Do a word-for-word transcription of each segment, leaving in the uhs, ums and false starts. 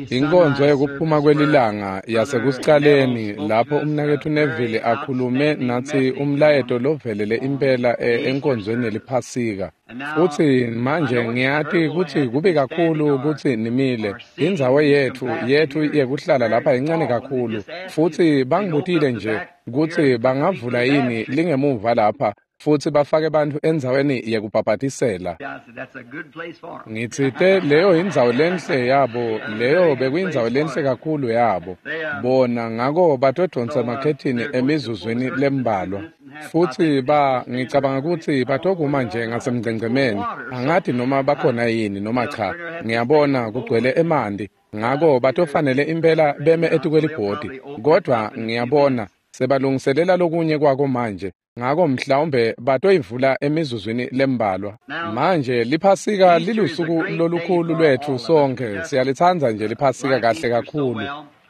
Inkonzo yekuphuma kwelilanga yasekucaleni lapho umnaketfu Neville akhulume natsi umlayeto lovelele impela enkonzweni yeliPhasika. Futsi manje ngiyati kutsi kubi kakhulu kutsi nimile. Indzawo yetfu yetfu yekuhlala lapha incane kakhulu. Futsi bangibutile nje kutsi bangavula yini lingemuva lapha futsi bafake bantfu endzaweni yekubhabhatisela. Ngitsite leyo indzawo lenhle yabo, leyo bekuyindzawo lenhle kakhulu yabo. Bona ngako batodonsa emakhethini emizuzwini lembalwa. Futsi ba ngicabanga kutsi batokuma nje ngasemgcengcemeni. Angati noma bakhona yini noma cha. Ngiyabona kugcwele emanti. Ngako batofanele impela beme etikwelibhodi. Kodvwa ngiyabona sebalungiselela lokunye kwako manje. Ngako mhlawumbe batoyivula emizuzwini lembalwa. Manje liPhasika lilusuku lolukhulu lwetfu sonkhe. Siyalitsandza nje liPhasika kahle kakhulu.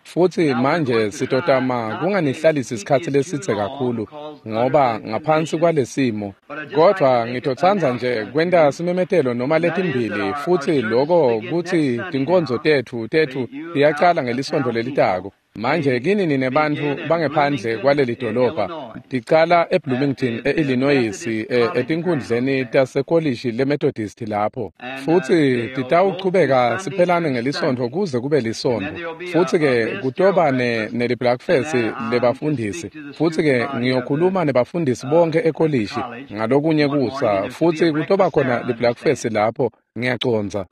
Futsi manje sitotama kunganihlalisi isikhatsi lesidze kakhulu ngoba ngaphansi kwalesimo. Kodvwa ngitotsandza nje kwenta simemetelo noma letimbili futsi loko kutsi tinkonzo tetfu tetfu tiyacala ngelisontfo lelitako. Manje kini nine bantfu bangephandle kwaleli dolobha ticala eBloomington eIllinois etinkundleni tasekolishi leMethodist lapho. Futsi titawuchubeka siphelane ngelisontfo kuze kube lisontfo. Futsi ke kutoba ne nelibreakfast lebafundisi. Futsi ke ngiyokhuluma nebafundisi bonke ekolishi ngalokunye kusa. Futsi kutoba khona libreakfast lapho. Ngiyacondza.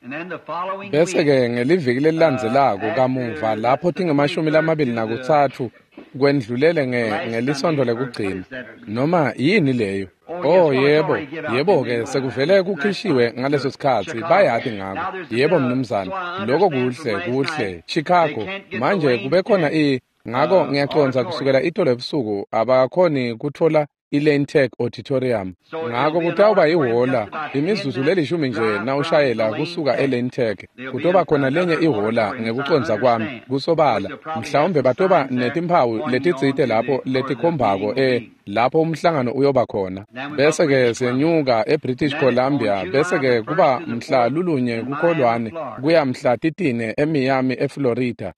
Bese ke ngeliviki lelilandzelako kamuva lapho tingemashumi lamabili nakutsatfu kwendlulele nge ngelisontfo lekugcina. Noma yini leyo? Oh yebo, yebo ke sekuvele kukhishiwe ngaleso sikhatsi bayati ngako. Yebo mnumzane, lokho kuhle kuhle. Chicago manje kube khona i ngako ngiyacondza kusukela itolo ebusuku abakhoni kuthola iLane Tech Auditorium. Ngako kutawuba ihhola imizuzu lelishumi nje nawushayela kusuka eLane Tech. Kutoba khona lenye ihhola ngekucondza kwami kusobala. Mhlawumbe batoba netimphawu letitsite lapho letikhombako e lapho umhlangano uyoba khona. Bese ke senyuka eBritish Columbia bese ke kuba mhla lulunye kukholwane kuya mhla titine eMiami eFlorida.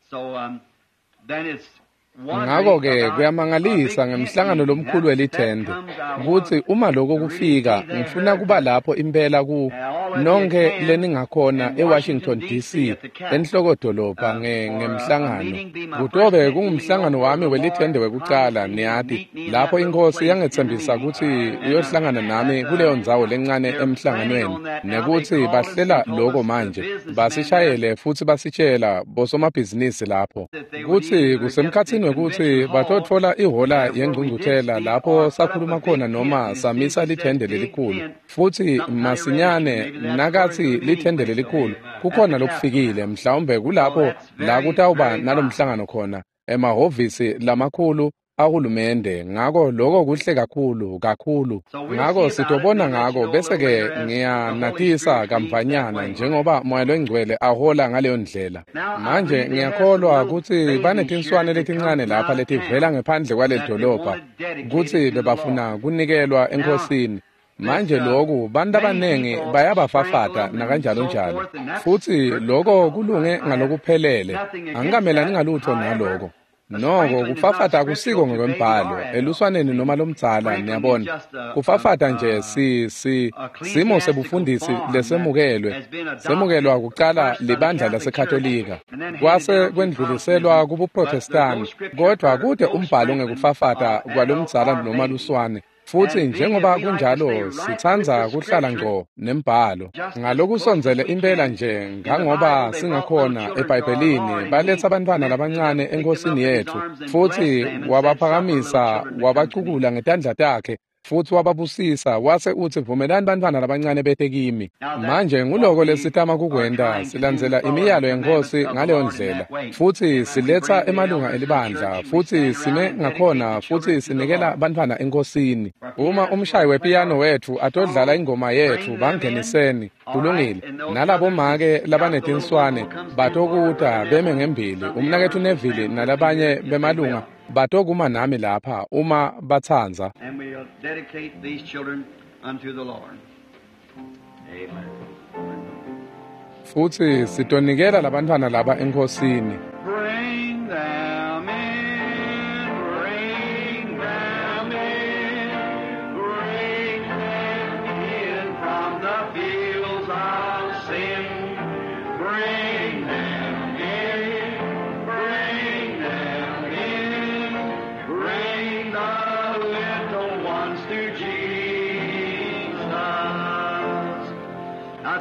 Ngako ke kuyamangalisa ngemhlangano lomkhulu welithende kutsi uma lokho kufika ngifuna kuba lapho impela ku nonke leningakhona eWashington D C enhlokodolobha nge ngemhlangano. Kutobe kungumhlangano wami welithende wekucala niyati lapho inkosi yangetsembisa kutsi iyohlangana nami kuleyo ndzawo lencane emhlanganweni nekutsi bahlela lokho manje basishayele futsi basitshela bosomabhizinisi lapho kutsi kusemkhatsini wekutsi batotfola ihhola yengcungcuthela lapho sakhuluma khona noma samisa lithende lelikhulu. Futsi masinyane nakatsi lithende lelikhulu kukhona lokufikile mhlawumbe kulapho la kutawuba nalomhlangano khona emahhovisi lamakhulu ahulumende. Ngako lokho kuhle kakhulu kakhulu. Ngako sitobona ngako bese ke ngiyanatisa kamvanyana njengoba Moya loNgcwele ahola ngaleyo ndlela. Manje ngiyakholwa kutsi banetinswane letincane lapha letivela ngephandle kwaleli dolobha kutsi bebafuna kunikelwa enkosini. Manje lokhu bantu abanengi bayabafafata nakanjalo njalo. Futsi lokho kulunge ngalokuphelele. Angikamelani ngalutho naloko. Noko kufafata akusiko ngokwembhalo eluswaneni noma lomdzala niyabona. Kufafata nje si si simo sebufundisi lesemukelwe semukelwa kucala libandla laseKatolika kwase kwendluliselwa kubuProtestani kodwa kude umbhalo ngekufafata kwalomdzala noma luswane. Futsi njengoba kunjalo sitsandza kuhlala ngco nembhalo. Ngalokusondzele impela nje ngangoba singakhona eBhayibhelini baletsa abantwana labancane enkosini yetfu futsi wabaphakamisa wabacukula ngetandla takhe futsi wababusisa wase utsi vumelani bantwana labancane bete kimi. Manje nguloko lesitama kukwenta silandzela imiyalo yenkosi ngaleyo ndlela futsi siletsa emalunga elibandla futsi sime ngakhona futsi sinikela bantwana enkosini. Uma umshayi wepiyano wetfu atodlala ingoma yetfu bangeniseni kulungile nalabo make labanetinswane batokuta beme ngembili umnaketfu Neville nalabanye bemalunga batokuma nami lapha uma batsandza. And we'll dedicate these children unto the Lord. Amen. Futsi sitonikela labantfwana laba eNkhosini. Bring them in, bring them in, bring them in from the fields of sin. Bring them in, bring them in, bring the little ones to Jesus.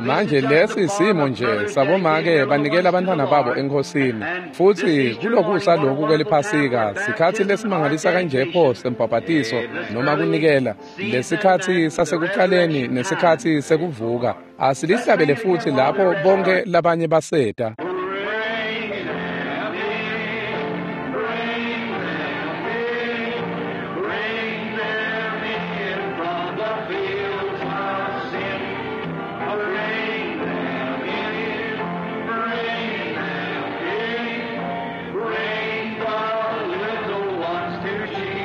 Manje lesi simo nje sabomake banikela abantwana babo eNkhosini. Futsi kulokusa lokhu kweliphasika sikhatsi lesimangalisa kanje pho sembhabhatiso noma kunikela lesikhatsi sasekuqaleni nesikhatsi sekuvuka asilihlabele futsi lapho bonke labanye baseta. Bring them in, bring them in, bring them in from the fields of sin. Bring them in, bring them in, bring the little ones to Jesus.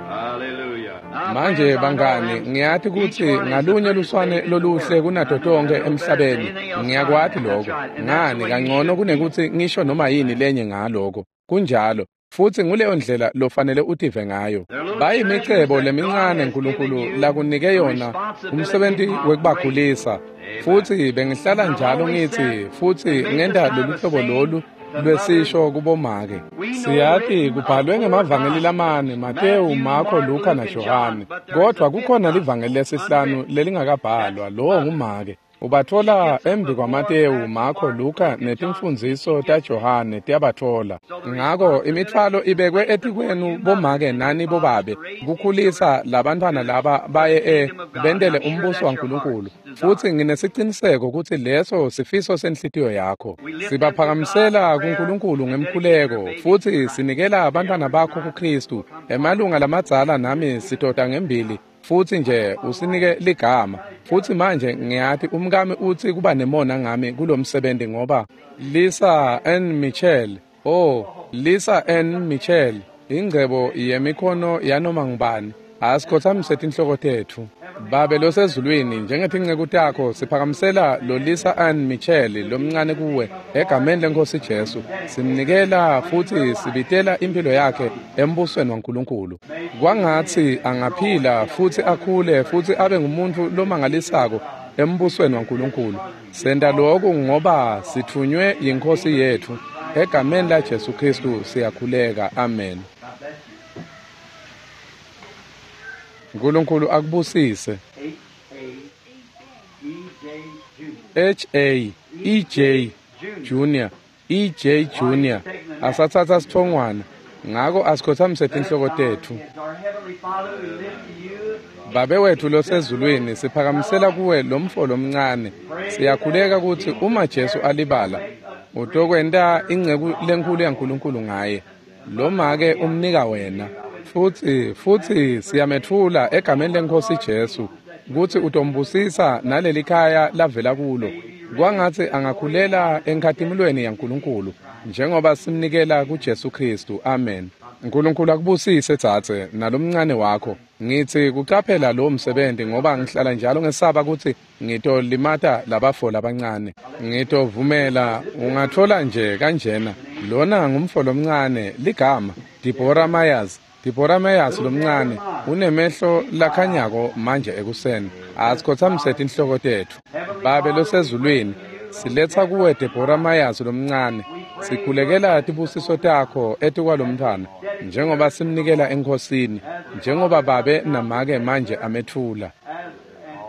Hallelujah. Manje bangani ngiyati kutsi ngalunye luswane loluhle kunato tonkhe emhlabeni ngiyakwati lokho ngani kangcono kunekutsi ngisho noma yini lenye ngaloko kunjalo futsi nguleyo ndlela lofanele utive ngayo. Bayimicebo lemincane Nkulunkulu lakunike yona umsebenti wekubakhulisa futsi bengihlala njalo ngitsi futsi ngenta lolu hlobo lolu lwesisho kubomake. Siyati kubhalwe ngemavangeli lamane Matewu, Marko, Luka naJohane, kodvwa kukhona livangeli lesihlanu lelingakabhalwa, lowo ngumake. Ubatfola embi kwaMatewu, Marko, Luka netimfundziso taJohane tiyabatfola. Ngako imitfwalo ibekwe etikwenu bomake nani bobabe kukhulisa labantfwana laba baye e bentele umbuso waNkulunkulu. Futsi nginesiciniseko kutsi leso sifiso senhlitiyo yakho. Sibaphakamisela kuNkulunkulu ngemkhuleko futsi sinikela abantwana bakho kuKristu. Emalunga lamadzala nami sitoda ngembili futsi nje usinike ligama. Futsi manje ngiyati umkami utsi kuba nemona ngami kulomsebenzi ngoba Lisa N Michel, oh Lisa N Michel, ingcebo yemikhono yanoma ngubani. Asikhothamise tinhloko tetfu. Babe losezulwini, njengetinceku takho siphakamisela lo Lisa Ann Michel lomncane kuwe egameni leNkhosi Jesu. Simnikela futsi sibitela impilo yakhe embusweni waNkulunkulu. Kwangatsi angaphila futsi akhule futsi abe ngumuntfu lomangalisako embusweni waNkulunkulu. Senta lokhu ngoba sithunywe yiNkhosi yetfu. Egameni la Jesu Kristu siyakhuleka. Amen. Nkulunkulu akubusise. H A E J Junior E J Junior asatsatsa sithongwana ngako asikhothamise tinhloko tetfu. Babe wethu losezulwini, siphakamisela kuwe lomfo lomncane. Siyakhuleka kutsi uma Jesu alibala utokwenta inceku lenkhulu yaNkulunkulu ngaye. Lomake umnika wena. Futsi futsi siyametfula egameni leNkhosi Jesu kutsi utombusisa nalelikhaya lavela kulo. Kwangatsi angakhulela enkhatimulweni yaNkulunkulu njengoba simnikela kuJesu Kristu. Amen. Nkulunkulu akubusise dzadze nalomncane wakho. Ngitsi kucaphela lo msebenzi ngoba ngihlala njalo ngesaba kutsi ngitolimata labafo labancane. Ngitovumela ungathola nje kanjena. Lona ngumfo lomncane ligama Deborah Myers. Deborah Myers lomncane unemehlo lakhanyako manje ekuseni. Asikhothamise tinhloko tetfu. Babe losezulwini, siletsa kuwe Deborah Myers lomncane. Sikhulekela tibusiso takho etikwalomntfwana njengoba simnikela eNkhosini, njengoba babe namake manje ametfula.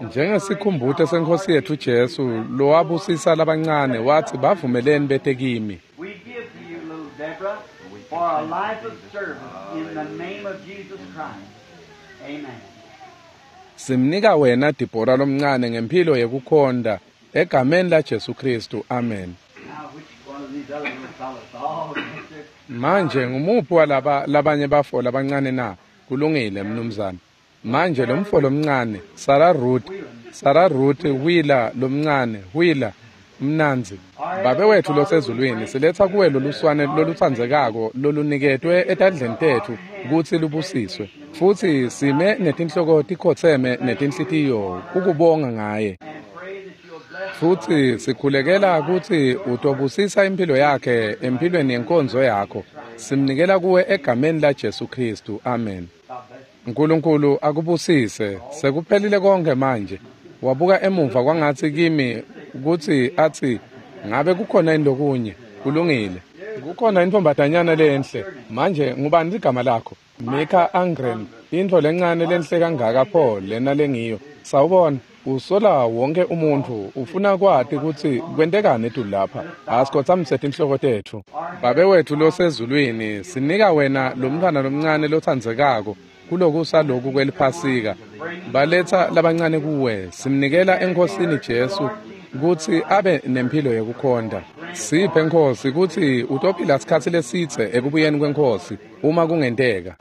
Njengesikhumbuto seNkhosi yetfu Jesu lowabusisa labancane wathi bavumeleni bete kimi. We give to you, little Deborah, for a life of service in the name of Jesus Christ. Amen. Simnika wena Deborah lomncane ngemphilo yekukhonta egameni la Jesu Kristu. Amen. Now, which one of these other little fellows? Oh, yes, sir. Manje ngumuphi walaba labanye bafo labancane na? Kulungile mnumzane. Manje lomfo lomncane Sarah Ruth, Sarah Ruth Wheeler lomncane, Wheeler mnanzi. Babe wethu losezulwini, siletha kuwe loluswane lolutsandzekako loluniketwe etandleni tetfu kutsi lubusiswe. Futsi sime netinhloko tikhotseme netinhlitiyo kukubonga ngaye. Futhi sikhulekela kutsi utobusisa impilo yakhe empilweni yenkonzo yakho. Simnikela kuwe egameni la Jesu Kristu. Amen. Nkulunkulu akubusise. Sekuphelile konke manje. Wabuka emuva kwangatsi kimi kutsi atsi ngabe kukhona yini lokunye. Kulungile. Kukhona intfombatanyana lenhle. Manje ngubani ligama lakho? Mika Angren. Intfo lencane lenhle kangaka pho lena lengiyo. Sawubona. Usola wonke umuntfu ufuna kwati kutsi kwentekani etulu lapha. Asikhotsamise tinhloko tetfu. Babe wetfu losezulwini, sinika wena lomntfwana lomncane lotsandzekako kulokusa loku kweliphasika. Baletsa labancane kuwe, simnikela eNkhosini Jesu kutsi abe nemphilo yekukhonta. Siphe Nkhosi kutsi utophila sikhatsi lesidze ekubuyeni kweNkhosi uma kungenteka.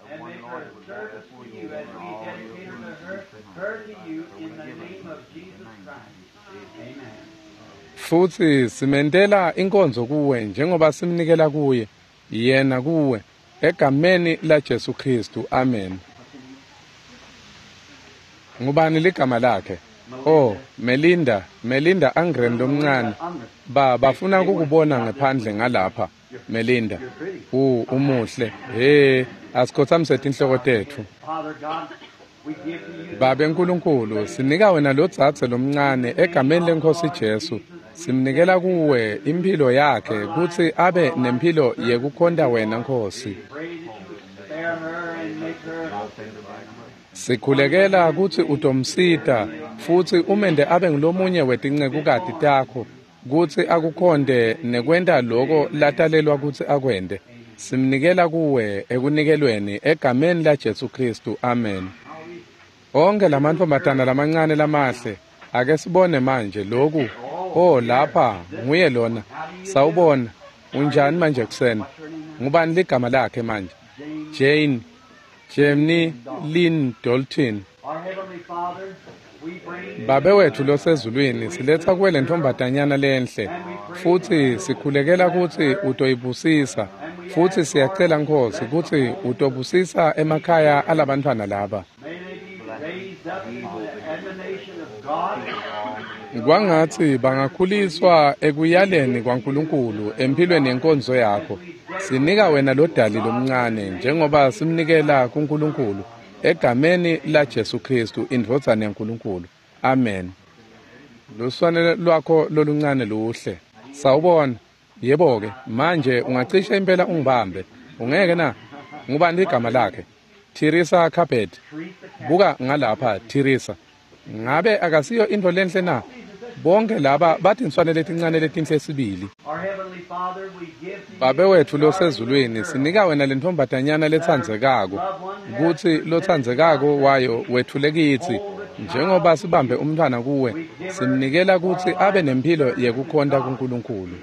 Futhi simentela inkonzo kuwe njengoba simnikela kuye, yena kuwe, egameni la Jesu Kristu. Amen. Ngubani ligama lakhe? Oh, Melinda, Melinda Angren lomncane. Ba bafuna kukubona ngephandle ngalapha, Melinda. U umuhle. Hey, asikhotsamise tinhloko tetfu. Babe Nkulunkulu, sinika wena lodzadze lomncane egameni leNkhosi Jesu. Simnikela kuwe impilo yakhe kutsi abe nemphilo yekukhonta wena Nkhosi. Sikhulekela kutsi utomsita futsi umende abe ngulomunye wetincekukati takho kutsi akukhonte nekwenta loko latalelwa kutsi akwente. Simnikela kuwe ekunikelweni egameni la Jesu Kristu. Amen. Onke lamantfombatana lamancane lamahle, ake sibone manje loku. Oh, lapha nguye lona. Sawubona. Unjani manje kuseni? Ngubani ligama lakhe manje? Jane Jemni Lynn Dalton. Babe wetfu losezulwini, siletsa kuwe lentfombatanyana lenhle futsi sikhulekela kutsi utoyibusisa. Futsi siyacela Nkhosi kutsi utobusisa emakhaya alabantfwana laba. Kwangatsi bangakhuliswa ekuyaleni kwaNkulunkulu empilweni yenkonzo yakho. Sinika wena lodali lomncane njengoba simnikela kuNkulunkulu egameni la Jesu Kristu, indvodzana yaNkulunkulu. Amen. Luswane lwakho loluncane luhle. Sawubona. Yebo-ke, manje ungacishe impela ungibambe. Ungeke na? Ngubani ligama lakhe? Teresa Carpet. Buka ngalapha, Teresa. Ngabe akasiyo intfo lenhle na? Bonke laba batinswane letincane letinhle sibili. Babe wetfu losezulwini, sinika wena lentfombatanyana letsandzekako kutsi lotsandzekako wayo wetfule kitsi. Njengoba sibambe umntfwana kuwe, simnikela kutsi abe nemphilo yekukhonta kuNkulunkulu.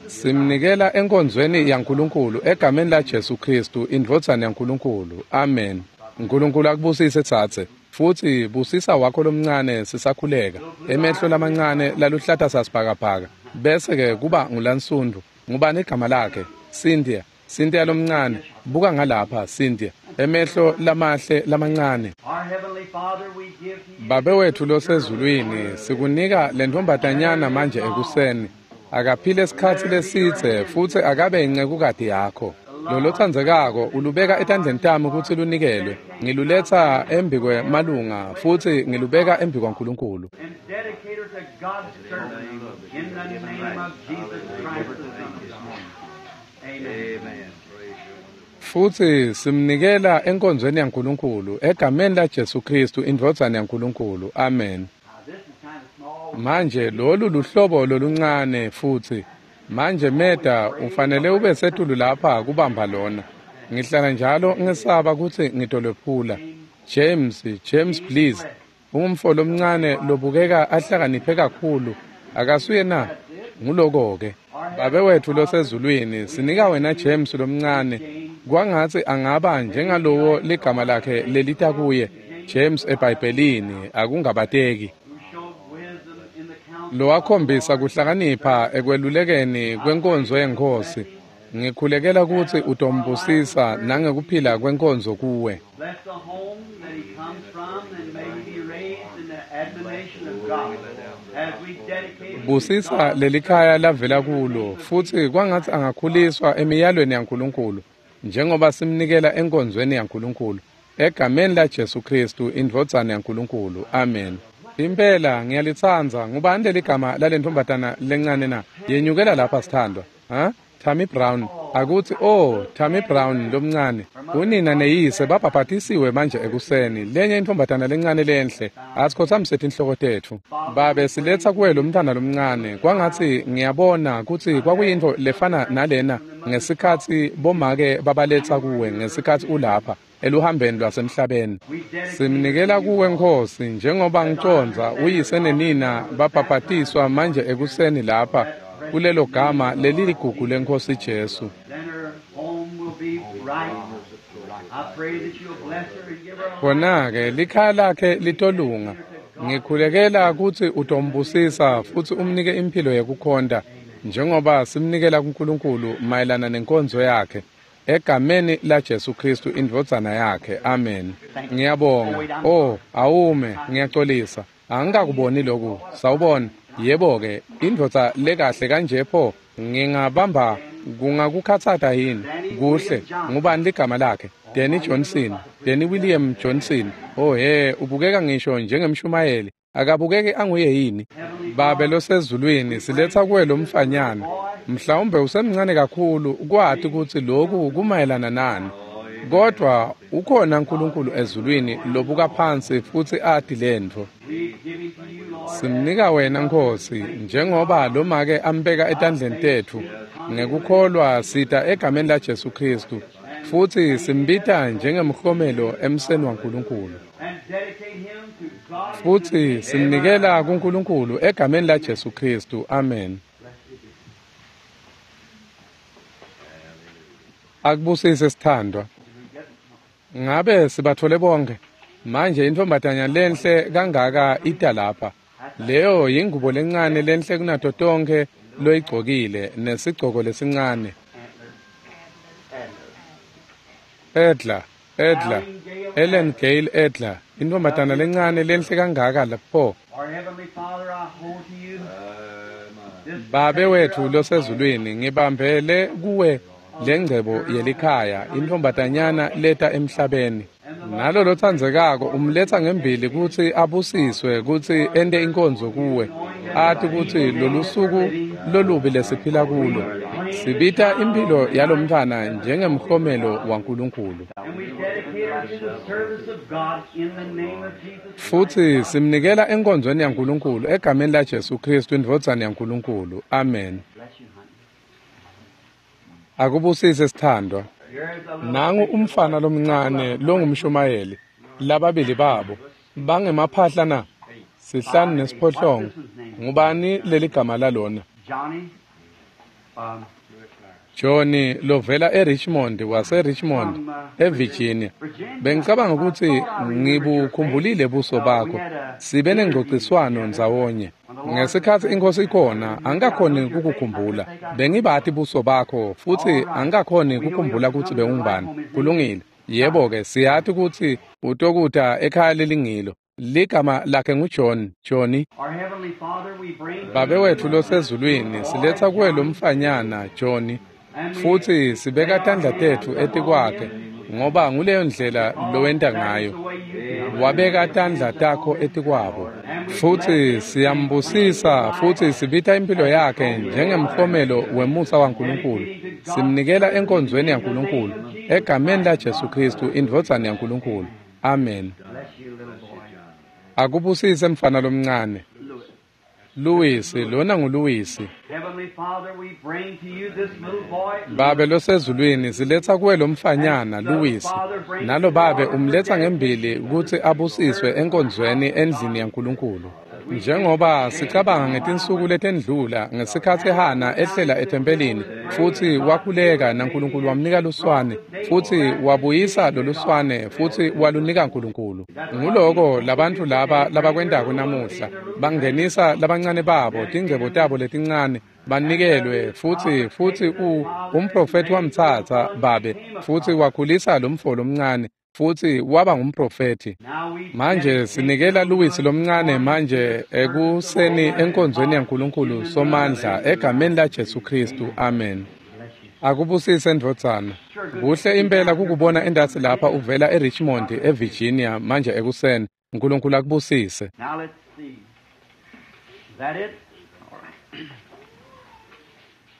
Simnikela enkonzweni yaNkulunkulu egameni la Jesu Kristu, indvodzana yaNkulunkulu. Amen. Nkulunkulu akubusise tsatse. Futsi busisa wakho lomncane sisakhuleka. Emehlo lamancane laluhlata sasibhakabhaka. Bese ke kuba ngulansundu. Ngubani igama lakhe? Cynthia. Cynthia lomncane. Buka ngalapha Cynthia. Emehlo lamahle lamancane. Babe wetfu losezulwini, sikunika lentfombatanyana manje ekuseni. Akaphile isikhatsi lesidze futsi akabe incekukati yakho. Lolotsandzekako ulubeka etandleni tami kutsi lunikelwe. Ngiluletsa embikwemalunga futsi ngilubeka embikwaNkulunkulu. Futsi simnikela enkonzweni yaNkulunkulu egameni la Jesu Kristu, indvodzana yaNkulunkulu. Amen. Manje lolu luhlobo loluncane futsi. Manje Meda ufanele ube setulu lapha kubamba lona. Ngihlala njalo ngesaba kutsi ngitolwephula. James, James please. Ungumfo lomncane lobukeka ahlakaniphe kakhulu. Akasuye na? Nguloko-ke. Babe wetfu losezulwini, sinika wena James lomncane. Kwangatsi angaba njengalowo ligama lakhe lelita kuye, James eBhayibhelini, akungabateki. Lowakhombisa kuhlakanipha ekwelulekeni kwenkonzo yeNkhosi. Ngikhulekela kutsi utombusisa nangekuphila kwenkonzo kuwe. Busisa lelikhaya lavela kulo futsi kwangatsi angakhuliswa emiyalweni yaNkulunkulu njengoba simnikela enkonzweni yaNkulunkulu egameni laJesu Kristu indvodzana yaNkulunkulu. Amen. Impela ngiyalitsandza. Ngubani leligama lalentfombatana lencane na? Yenyukela lapha sithandwa. Ha? Tammy Brown. Akutsi oh Tammy Brown lomncane. Unina neyise babhabhatisiwe manje ekuseni. Lenye intfombatana lencane lenhle. Asikhothamise tinhloko tetfu. Babe siletsa kuwe lo mntana lomncane. Kwangatsi ngiyabona kutsi kwakuyintfo lefana nalena ngesikhatsi bomake babaletsa kuwe ngesikhatsi ulapha eluhambeni lwasemhlabeni. Simnikela kuwe Nkosi njengoba ngicondza uyise nenina babhabhatiswa manje ekuseni lapha kulelo gama leliligugu leNkosi Jesu. Khona-ke likhaya lakhe litolunga. Ngikhulekela kutsi utombusisa futsi umnike imphilo yekukhonta njengoba simnikela kuNkulunkulu mayelana nenkonzo yakhe. Egameni laJesu Kristu indvodzana yakhe. Amen. Ngiyabonga. Oh, awume, ngiyaxolisa. Angikakuboni lokhu. Sawubona. Yebo-ke, indvodza lekahle kanje pho ngingabamba kungakukhatsata yini? Kuhle. Ngubani ligama lakhe? Danny Johnson. Danny William Johnson. Oh he, ubukeka ngisho njengemshumayeli. Akabukeki anguye yini? Babe losezulwini, siletsa kuwe lo mfanyana. Mhlawumbe usemncane kakhulu kwati kutsi lokhu kumayelana nani. Kodwa ukhona uNkulunkulu ezulwini lobuka phansi futsi ati lentfo. Simnika wena Nkosi njengoba lomake ambeka etandleni tetfu. Ngekukholwa sita egameni laJesu Kristu futsi simbita njengemhlomelo emseni waNkulunkulu. Futsi simnikela kuNkulunkulu egameni laJesu Kristu. Amen. Akubusise sithandwa. Ngabe sibathole bonke? Manje intfombatanya lenhle kangaka ita lapha. Leyo yingubo lencane lenhle kunato tonkhe loyigcokile nesigcoko lesincane. Edla, Edla, Ellen Gale Edla, intfombatana lencane lenhle kangaka lapho. Babe wethu losezulwini, ngibambele kuwe lengcebo yelikhaya, intfombatanyana leta emhlabeni. Nalo lotsandzekako umletsa ngembili kutsi abusiswe kutsi ente inkonzo kuwe. Ati kutsi lolusuku lolubi lesiphila kulo. Sibita imphilo yalomntfwana njengemhlomelo waNkulunkulu. Futsi simnikela enkonzweni yaNkulunkulu egameni laJesu Kristu indvodzana yaNkulunkulu. Amen. Akubusise sithandwa. Nangu umfana lomncane longumshumayeli. Lababili babo bangemaphahla na sihlanu nesiphohlongo. Ngubani leligama lalona? Johnny lovela eRichmond waseRichmond eVirginia. Bengicabanga ukuthi ngibukhumbulile buso bakho. Sibe nengcociswano ndzawonye. Ngesikhatsi inkosi ikhona angikakhoni kukukhumbula. Bengibati buso bakho futsi angikakhoni kukhumbula ukuthi bewungubani. Kulungile. Yebo-ke siyati kutsi utokuta ekhaya lelingilo. Ligama lakhe nguJohn, Johnny. Babe wetfu losezulwini, siletsa kuwe lo mfanyana Johnny futsi sibeka tandla tetfu etikwakhe ngoba nguleyo ndlela lowenta ngayo. Wabeka tandla takho etikwabo futsi siyambusisa futsi sibita impilo yakhe njengemhlomelo wemusa waNkulunkulu. Simnikela enkonzweni yaNkulunkulu egameni laJesu Kristu indvodzana yaNkulunkulu. Amen. Akubusise mfana lomncane. Louis, lona nguLouis. Babe losezulwini, siletsa kuwe lo mfanyana Louis. Nalo babe umletsa ngembili kutsi abusiswe enkonzweni endlini yaNkulunkulu. Njengoba sicabanga ngetinsuku letendlula ngesikhatsi Hana ehlela ethempelini futsi wakhuleka naNkulunkulu wamnika luswane futsi wabuyisa loluswane futsi walunika Nkulunkulu. Nguloko labantfu laba labakwentako namuhla, bangenisa labancane babo tingcebo tabo letincane banikelwe futsi futsi u umprofethi wamtsatsa babe futsi wakhulisa lomfo lomncane Futsi waba ngumprofethi. Manje sinikela Louis lomncane manje ekuseni enkonzweni yaNkulunkulu Somandla egameni laJesu Kristu. Amen. Akubusise ndvodzana. Kuhle impela kukubona endasi lapha uvela eRichmond eVirginia manje ekuseni. Nkulunkulu akubusise. Now let's see. Is that it? All right.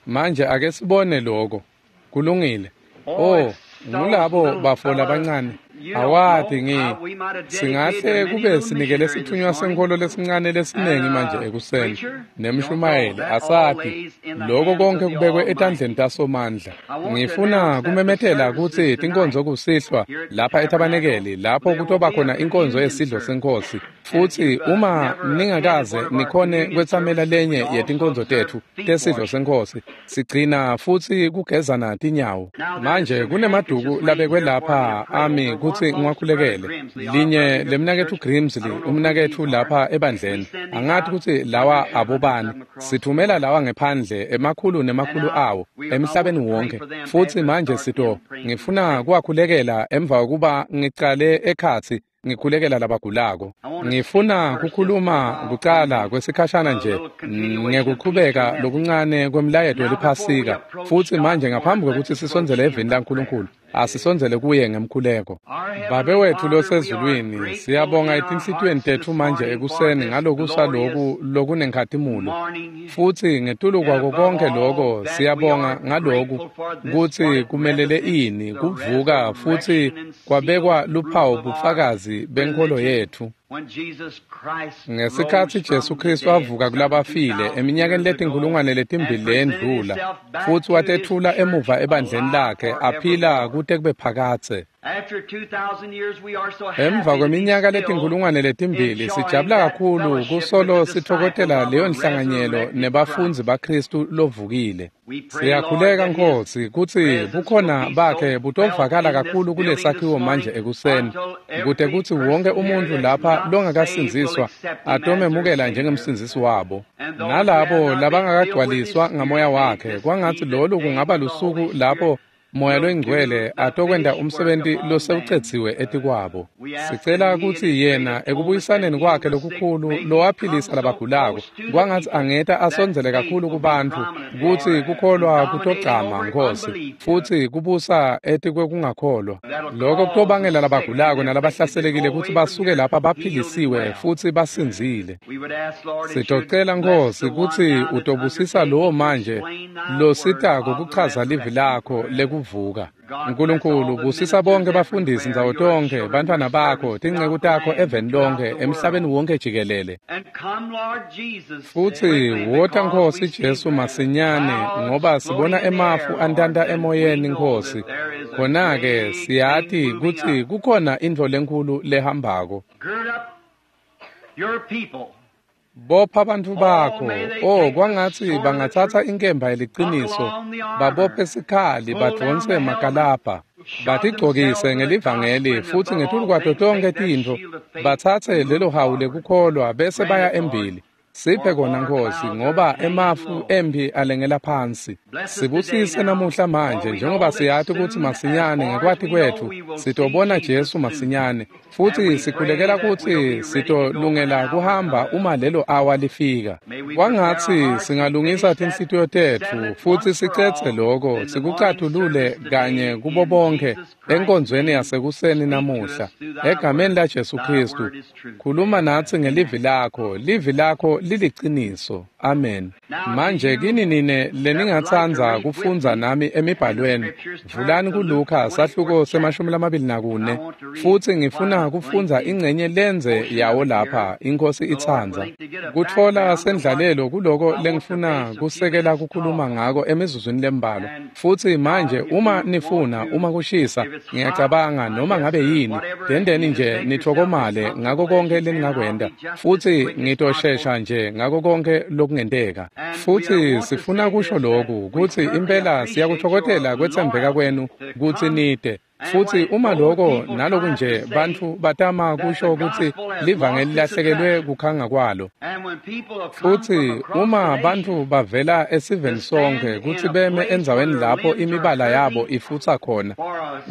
Manje ake sibone lokho. Kulungile. Oh, ngulabo bafo labancane. Awati ngi singahle kube sinikele sithunywa senkolo lesincane lesiningi manje ekuseni nemshumayeli asati lokho konke kubekwe etandleni taSomandla. Ngifuna kumemetela kutsi tinkonzo kusihlwa lapha etabanekeli lapho kutoba khona inkonzo yesidlo senkosi. Futsi uma ningakaze nikhone kwetsamela lenye yetinkonzo tetfu tesidlo senkosi, sigcina futsi kugezana tinyawo. Manje kunemaduku labekwe lapha ami kutsi ngiwakhulekele. Linye lemnaketfu Grimsley, umnaketfu lapha ebandleni. Angathi kutsi lawa abobani. Sithumela lawa ngephandle emakhulu nemakhulu awo emhlabeni wonke. Futsi manje sito ngifuna kuwakhulekela emva kokuba ngicale ekhatsi ngikhulekela labagulako. Ngifuna kukhuluma kucala kwesikhashana nje ngekuqhubeka lokuncane kwemlayeto weliphasika. Futsi manje ngaphambi kwekutsi sisondzele eveni laNkulunkulu, asisondzele kuye ngemkhuleko. Babe wetfu losezulwini, siyabonga etinhlitiyweni tetfu manje ekuseni ngalokusa loku lokunenkhatimulo. Futsi ngetulu kwako konke loko siyabonga ngaloku kutsi kumelele ini kuvuka futsi kwabekwa luphawu bufakazi benkholo yetfu. Ngesikhatsi Jesu Kristu avuka kulabafile eminyakeni letinkhulungwane letimbili leyendlula, futsi watetfula emuva ebandleni lakhe aphila kute kube phakadze. Emva kweminyaka letinkhulungwane letimbili sijabula kakhulu kusolo sitfokotela leyo nhlanganyelo nebafundzi baKristu lovukile. Siyakhuleka Nkosi kutsi bukhona bakhe butovakala kakhulu kulesakhiwo manje ekuseni, kute kutsi wonke umuntfu lapha longakasindziswa atomemukela njengemsindzisi wabo. Nalabo labangakagcwaliswa ngamoya wakhe, kwangatsi lolu kungaba lusuku lapho Moya loyingcwele atokwenta umsebenti losewucedziwe etikwabo. Sicela kutsi yena ekubuyisaneni kwakhe lokukhulu lowaphilisa labagulako, kwangatsi angeta asondzele kakhulu kubantfu kutsi kukholwa kutogcama Nkosi, futsi kubusa etikwekungakholwa. Lokho kutobangela labagulako nalabahlaselekile kutsi basuke lapha baphilisiwe futsi basindzile. Sitocela Nkosi kutsi utobusisa lowo manje lositako kuchaza livi lakho lekuvuka. Nkulunkulu busisa bonke bafundisi ndzawo tonke, bantfwana bakho, tinceku takho eveni lonke, emhlabeni wonke jikelele. Futsi wota Nkosi Jesu masinyane, ngoba sibona emafu antanta emoyeni Nkosi. Khona-ke siyati kutsi kukhona intfo lenkhulu lehambako. Bopha bantfu bakho, oh kwangatsi bangatsatsa inkemba yeliciniso, babophe sikhali, badvonse makalabha, batigcokise ngelivangeli, futsi ngetulu kwato tonkhe tintfo batsatse lelo hawu lekukholwa bese baya embili. Siphe kona Nkosi, ngoba emafu emphi alengela phansi. Sibusise namuhla manje, njengoba siyati kutsi masinyane ngekwati kwetfu sitobona Jesu masinyane, futsi sikhulekela kutsi sitolungela kuhamba uma lelo awa lifika. Kwangatsi singalungisa tinhlitiyo tetfu futsi sicetse loko sikucatulule kanye kubo bonke enkonzweni yasekuseni namuhla. Egameni laJesu Kristu, khuluma natsi ngelivi lakho, livi lakho liliciniso. Amen. Manje kini nine leningatsandza kufundza nami emibhalweni, vulani kuLuka sahluko semashumi lamabili nakune, futsi ngifuna kufundza ingcenye lenze yawo lapha, iNkosi itsandza. Kutfola sendlalelo kuloko lengifuna kusekela kukhuluma ngako emizuzwini lembalwa. Futsi manje uma nifuna, uma kushisa, ngiyacabanga noma ngabe yini, dendeni nje nitfokomale ngako konke leningakwenta, futsi ngitoshesha nje ngako konke lokungenteka. Futsi sifuna kusho lokhu kutsi impela siyakutfokotela kwetsembeka kwenu kutsi nite. Futsi uma loko naloku nje bantfu batama kusho kutsi livangeli lahlekelwe kukhanga kwalo. Futsi uma bantfu bavela esiveni sonkhe kutsi beme endzaweni lapho imibala yabo ifutsa khona,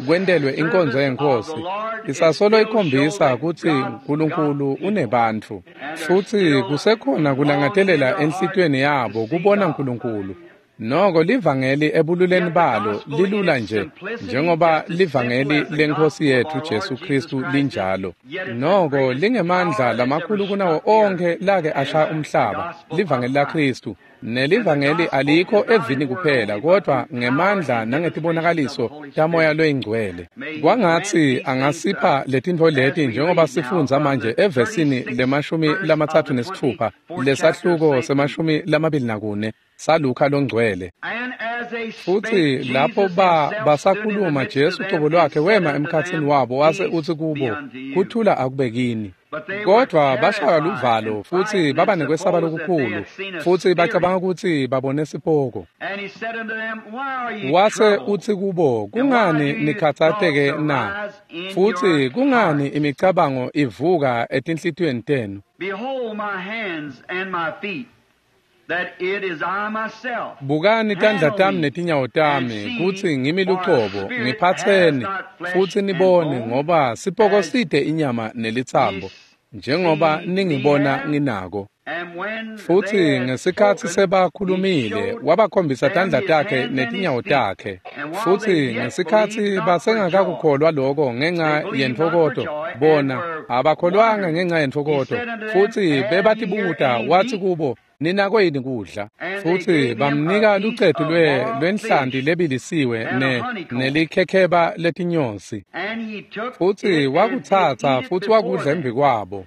kwentelwe inkonzo yeNkhosi, isasolo ikhombisa kutsi Nkulunkulu unebantfu. Futsi kusekhona kulangatelela enhlitiyweni yabo kubona Nkulunkulu. Noko livangeli ebululeni balo lilula nje njengoba livangeli leNkhosi yetfu Jesu Kristu linjalo. Noko lingemandla lamakhulu kunawo onkhe lake ashaya umhlaba, livangeli laKristu. Nelivangeli alikho evini kuphela kodvwa ngemandla nangetibonakaliso taMoya loyiNgcwele. Kwangatsi angasipha letintfo leti njengoba sifundza manje evesini lemashumi lamatsatfu nesitfupha lesahluko semashumi lamabili nakune saLukha longcwele. Futsi lapho ba basakhuluma Jesu cobo lwakhe wema emkhatsini wabo wase utsi kubo, kuthula akube kini. Kodvwa bashaywa luvalo futsi baba nekwesaba lokukhulu, futsi bacabanga kutsi babone sipoko. Wase utsi kubo, kungani nikhatsateke na? Futsi kungani imicabango ivuka etinhlitiyweni tenu? Bukani tandla tami netinyawo tami, kutsi ngimi lucobo, ngiphatseni, futsi nibone, ngoba sipoko side inyama nelitsambo, njengoba ningibona nginako. Futsi ngesikhatsi sebakhulumile, wabakhombisa tandla takhe netinyawo takhe. Futsi ngesikhatsi basengakakukholwa loko ngenca yentfokoto, bona abakholwanga ngenca yentfokoto, futsi bebatibuta, watsi kubo, ninako yini kudla? Futsi bamnika lucetu lwe lwenhlanti lebilisiwe ne nelikhekheba letinyosi. Futsi wakutsatsa futsi wakudla embi kwabo.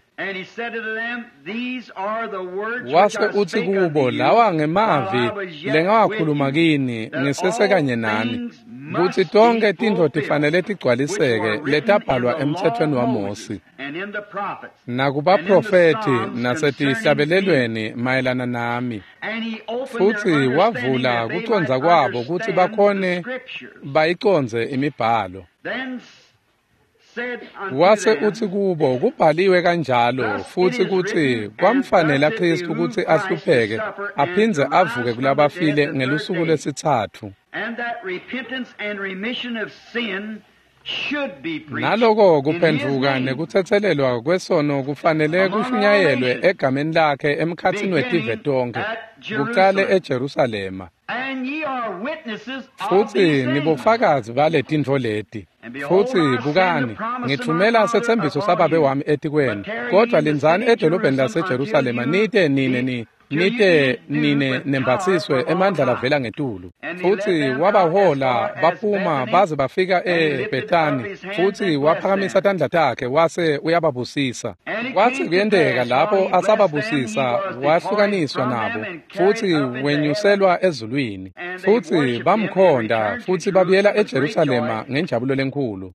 Wase utsi kubo, lawa ngemavi lengawakhuluma kini ngisesekanye nani, kutsi tonkhe tintfo tifanele tigcwaliseke letabhalwa emtsetfweni waMosi nakubaprofethi nasetihlabelelweni mayelana nami. Futsi wavula kucondza kwabo kutsi bakhone bayicondze imibhalo. Wase utsi kubo, kubhaliwe kanjalo futsi kutsi kwamfanela Kristu kutsi ahlupheke aphindze avuke kulabafile ngelusuku lwesitsatfu. Naloko kuphendvuka nekutsetselelwa kwesono kufanele kushunyayelwe egameni lakhe emkhatsini wetive tonkhe, kucale eJerusalema. Futsi nibofakazi baletintfo leti. Futsi bukani, ngitfumela setsembiso saBabe wami etikwenu, kodvwa lindzani edolobheni laseJerusalema nite nine ni nite nine nembatsiswe emandla lavela ngetulu. Futsi wabahola baphuma baze bafika eBethani, futsi waphakamisa tandla takhe wase uyababusisa. Kwatsi kuyenteka lapho asababusisa wahlukaniswa nabo, futsi wenyuselwa ezulwini. Futsi bamkhonda futsi babuyela eJerusalema ngenjabulo lenkhulu.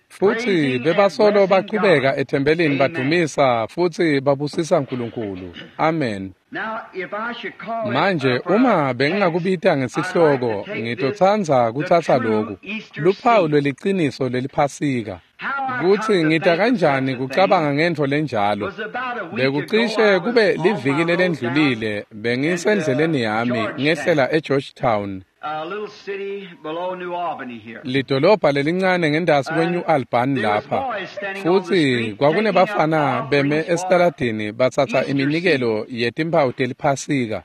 Futsi bebasolo bachubeka ethempelini badumisa futsi babusisa Nkulunkulu. Amen. Manje uma bengingakubita ngesihloko, ngitotsandza kutsatsa loku, luphawu lweliciniso leliphasika. Kutsi ngita kanjani kucabanga ngentfo lenjalo. Bekucishe kube liviki lelendlulile, bengisendleleni yami ngehlela eGeorgetown, lidolobha lelincane ngendasi kweNew Albany lapha. Futsi kwakunebafana beme esitaladini batsatsa iminikelo yetimphawu teliphasika.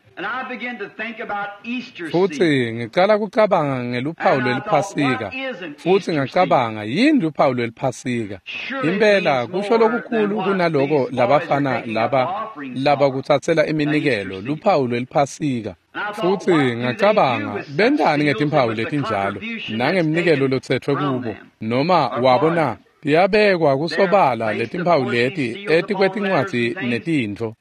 Futsi ngicala kucabanga ngeluphawu lweliphasika. Futsi ngacabanga, yini luphawu lweliphasika? Impela kusho lokukhulu kunaloko labafana laba labakutsatsela iminikelo, luphawu lweliphasika. Futsi ngacabanga, bentani ngetimphawu letinjalo nangeminikelo lotsetfwe kubo noma wabo na? Tiyabekwa kusobala letimphawu leti etikwetincwadzi netintfo.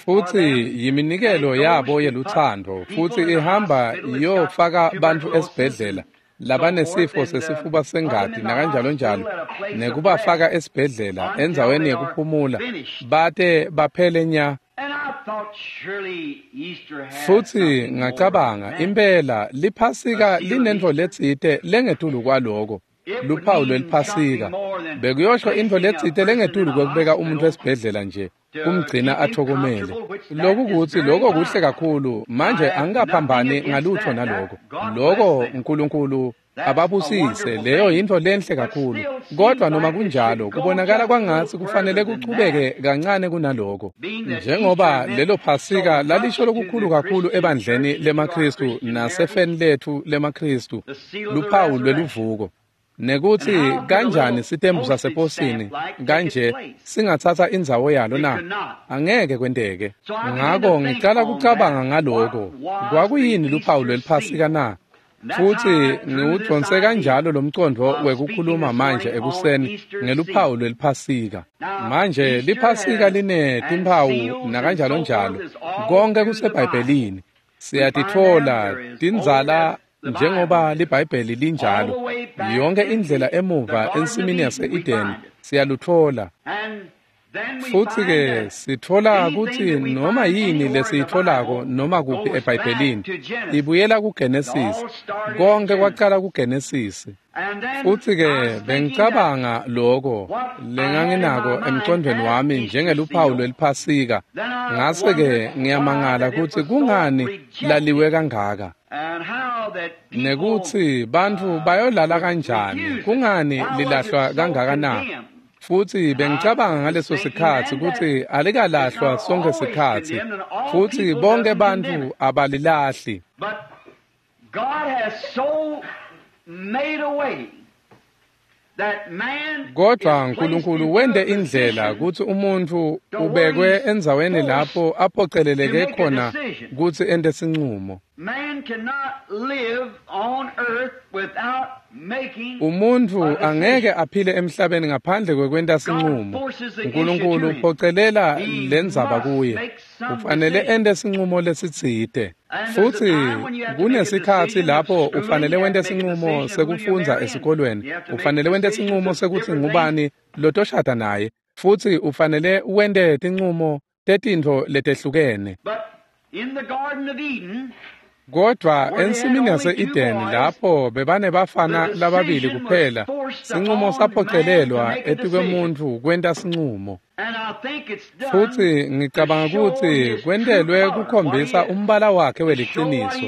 Futsi yiminikelo yabo yelutsandvo, futsi ihamba iyofaka bantfu esibhedlela labanesifo sesifuba sengati nakanjalo njalo, nekubafaka esibhedlela endzaweni yekuphumula bate baphele nya. Futsi ngacabanga impela liphasika linentfo letsite lengetulu kwaloko, luphawu lweliphasika. Bekuyosho intfo letsite lengetulu kwekubeka umuntu esibhedlela nje, kumgcina athokomele. Loku kutsi loko kuhle kakhulu, manje angikaphambani ngalutho naloko. Loko uNkulunkulu ababusise, leyo yintfo lenhle kakhulu. Kodwa noma kunjalo, kubonakala kwangatsi kufanele kuchubeke kancane kunaloko. Njengoba lelo phasika lalisho lokukhulu kakhulu ebandleni lemaKhristu nasefeni letfu lemaKhristu, luphawu lweluvuko. Nekutsi kanjani sitembu saseposini kanje singatsatsa indzawo yalo na? Angeke kwenteke. Ngako ngicala kucabanga ngaloko. Kwakuyini luphawu lweliphasika na? Futsi ngiwudvonse kanjalo lomcondvo wekukhuluma manje ekuseni ngeluphawu lweliphasika. Manje liphasika line timphawu nakanjalo njalo. Konke kuseBhayibhelini. Siyatitfola tindzala njengoba liBhayibheli linjalo. Yonke indlela emuva ensimini yase-Edeni siyalutfola. Futsi-ke sitfola kutsi noma yini lesiyitfolako noma kuphi eBhayibhelini ibuyela kuGenesis. Konke kwacala kuGenesis. Futsi-ke bengicabanga loko lenganginako emcondvweni wami njengeluphawu lweliphasika. Ngase-ke ngiyamangala kutsi kungani laliwe kangaka. Nekutsi bantfu bayolala kanjani, kungani lilahlwa kangaka na? Futsi bengicabanga ngaleso sikhatsi kutsi alikalahlwa sonke sikhatsi, futsi bonke bantfu abalilahli. Kodwa uNkulunkulu wente indlela kutsi umuntfu ubekwe endzaweni lapho aphoceleleke khona kutsi ente sincumo. Umuntfu angeke aphile emhlabeni ngaphandle kwekwenta sincumo. uNkulunkulu uphocelela lendzaba kuye. Ufanele ente sincumo lesitsite. Futsi kunesikhatsi lapho ufanele wente sincumo sekufundza esikolweni. Ufanele wente sincumo sekutsi ngubani lotoshada naye. Futsi ufanele wente tincumo tetintfo letehlukene. Kodwa ensimini yase-Edeni lapho bebanebafana lababili kuphela, sincumo saphocelelwa etikwemuntfu kwenta sincumo. Futsi ngicabanga kutsi kwentelwe kukhombisa umbala wakhe weliciniso,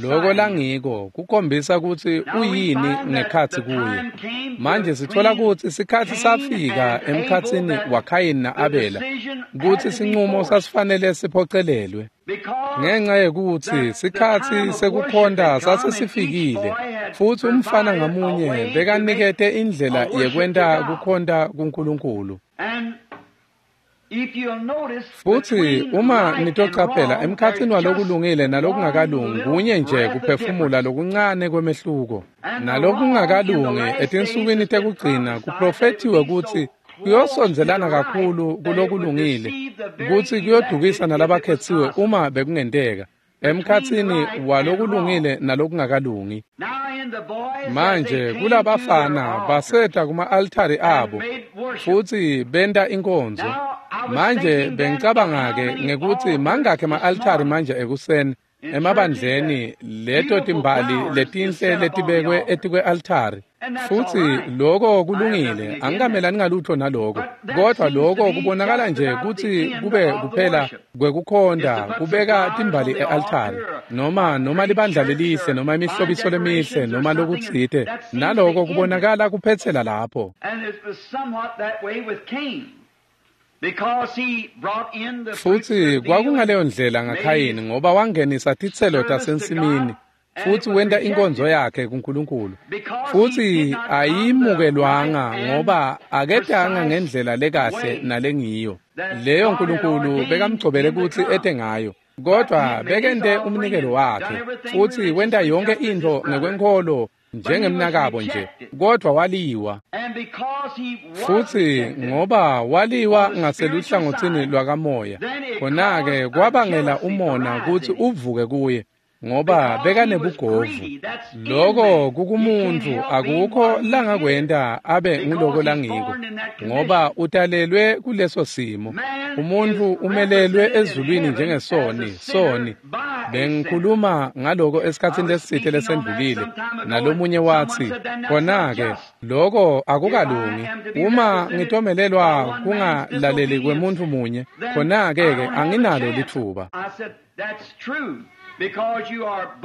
loko langiko, kukhombisa kutsi uyini ngekhatsi kuye. Manje sitfola kutsi sikhatsi safika emkhatsini waKhayini na-Abela kutsi sincumo sasifanele siphocelelwe. Ngenxa yekutsi sikhatsi sekukhonta sasesifikile, futsi umfana ngamunye bekanikete indlela yekwenta kukhonta kuNkulunkulu. Futsi uma nitocaphela emkhatsini walokulungile nalokungakalungi kunye nje kuphefumula lokuncane kwemehluko. Nalokungakalungi etinsukwini tekugcina kuprofethiwe kutsi kuyosondzelana kakhulu kulokulungile, kutsi kuyodukisa nalabakhetsiwe uma bekungenteka, emkhatsini walokulungile nalokungakalungi. Manje kulabafana baseta kuma-altari abo futsi benta inkonzo. Manje bengicabanga-ke ngekutsi mangakhi ema-altari manje ekuseni emabandleni leto timbali letinhle letibekwe etikwe-altari. Futsi loko kulungile, angikamelani ngalutho naloko. Kodwa loko kubonakala nje kutsi kube kuphela kwekukhonta kubeka timbali e-altari, noma noma libandla lelihle, noma imihlobiso lemihle, noma lokutsite. Naloko kubonakala kuphetsela lapho. Futsi kwakungaleyo ndlela ngaKhayini ngoba wangenisa titselo tasensimini futsi wenta inkonzo yakhe kuNkulunkulu. Futsi ayimukelwanga ngoba aketanga ngendlela lekahle nalengiyo leyo uNkulunkulu bekamgcobele kutsi ete ngayo. Kodwa bekente umnikelo wakhe futsi wenta yonke intfo ngekwenkholo njengemnakabo nje, kodwa waliwa. Futsi ngoba waliwa ngaseluhlangotsini lwakamoya, khona-ke kwabangela umona kutsi uvuke kuye, ngoba bekanebugovu. Loko kukumuntu akukho langakwenta abe nguloko langiko, ngoba utalelwe kuleso simo. Umuntu umelelwe ezulwini njengesoni, soni. Bengikhuluma ngaloko esikhatsini lesitsite lesendlulile, nalomunye watsi, khona-ke loko akukalungi. Uma ngitomelelwa kungalaleli kwemuntfu munye, khona-ke-ke anginalo litfuba.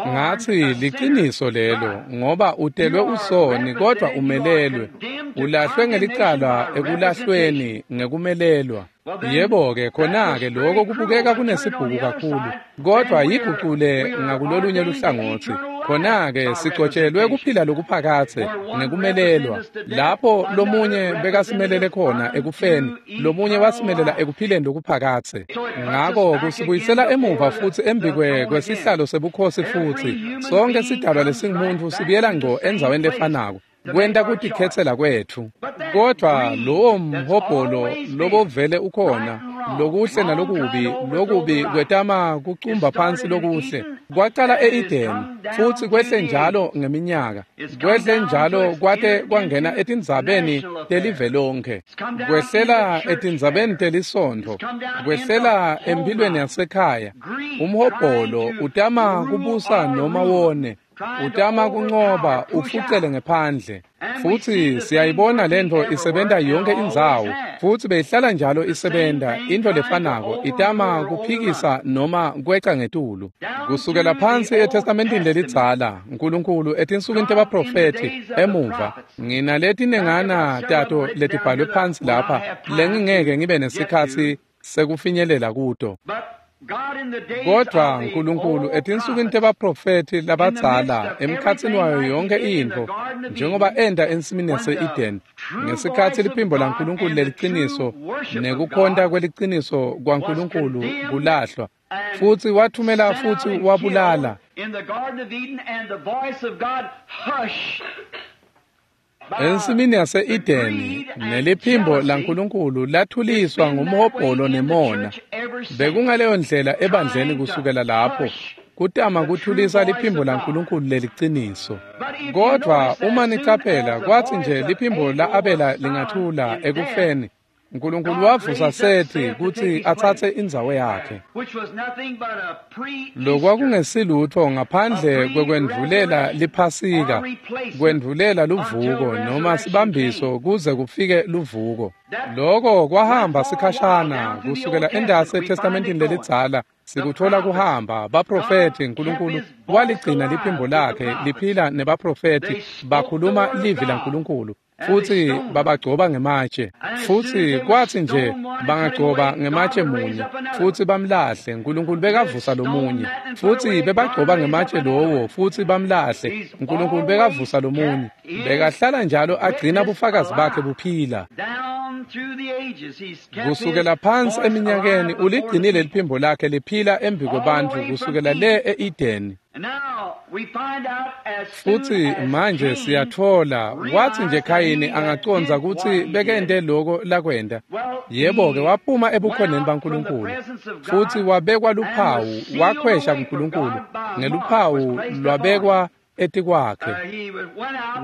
Ngatsi liciniso lelo, ngoba utelwe usoni kodvwa umelelwe, ulahlwe ngelicala ekulahlweni ngekumelelwa. Yebo-ke khona-ke loko kubukeka kunesibhuku kakhulu, kodvwa yigucule ngakulolunye luhlangotsi. Khona-ke sigcotshelwe kuphila lokuphakatse ngekumelelwa. Lapho lomunye bekasimelele khona ekufeni, lomunye wasimelela ekuphileni lokuphakatse. Ngako kusibuyisela emuva futsi embikwe kwesihlalo sebukhosi futsi sonke sidalwa lesingumuntfu sibuyela ngco endzaweni lefanako, kwenta kutikhetsela kwetfu. Kodvwa lowo mhobholo lobovele ukhona, lokuhle nalokubi, lokubi kwetama kucumba phansi lokuhle, kwacala e-Edeni futsi kwehle njalo ngeminyaka, kwehle njalo kwate kwangena etindzabeni telive lonkhe, kwehlela etindzabeni telisontfo, kwehlela emphilweni yasekhaya. Umhobholo utama kubusa noma wone, utama kuncoba ufucele ngephandle. Futsi siyayibona lentfo isebenta yonke indzawo, futsi beyihlala njalo isebenta intfo lefanako, itama kuphikisa noma kweca ngetulu. Kusukela phansi eTestamentini lelidzala, Nkulunkulu etinsukwini tebaprofethi emuva, nginaletinengana tato letibhalwe phansi lapha lengingeke ngibe nesikhatsi sekufinyelela kuto. Kodvwa Nkulunkulu etinsukwini tebaprofethi labadzala, emkhatsini wayo yonke intfo, njengoba enta ensimini yase-Eden, ngesikhatsi liphimbo laNkulunkulu leliciniso nekukhonta kweliciniso kwaNkulunkulu kulahlwa, futsi wathumela futsi wabulala. Ensimini yase-Edeni neliphimbo laNkulunkulu lathuliswa ngumhobholo nemona. Bekungaleyo ndlela ebandleni kusukela lapho, kutama kuthulisa liphimbo laNkulunkulu leliciniso. Kodvwa uma nicaphela, kwatsi nje liphimbo la-Abela lingathula ekufeni, Nkulunkulu wavusa Sethi kutsi atsatse indzawo yakhe. Lokwakungesilutfo ngaphandle kwekwendvulela liphasika, kwendvulela luvuko noma sibambiso kuze kufike luvuko. Loko kwahamba sikhashana kusukela endasi eTestamentini lelidzala, sikuthola kuhamba baprofethi. Nkulunkulu waligcina liphimbo lakhe liphila nebaprofethi, bakhuluma livi laNkulunkulu, futsi babagcoba ngematshe. Futsi kwatsi nje bangagcoba ngematshe munye futsi bamlahle, Nkulunkulu bekavusa lomunye. Futsi bebagcoba ngematshe lowo futsi bamlahle, Nkulunkulu bekavusa lomunye. Bekahlala njalo agcina bufakazi bakhe buphila. Kusukela phansi eminyakeni uligcinile liphimbo lakhe liphila embi kwebantfu kusukela le e-Edeni. Futsi manje siyatfola, watsi nje Khayini angacondza kutsi bekente loko lakwenta. Yebo-ke waphuma ebukhoneni baNkulunkulu, futsi wabekwa luphawu, wakhwesha kuNkulunkulu, ngeluphawu lwabekwa etikwakhe.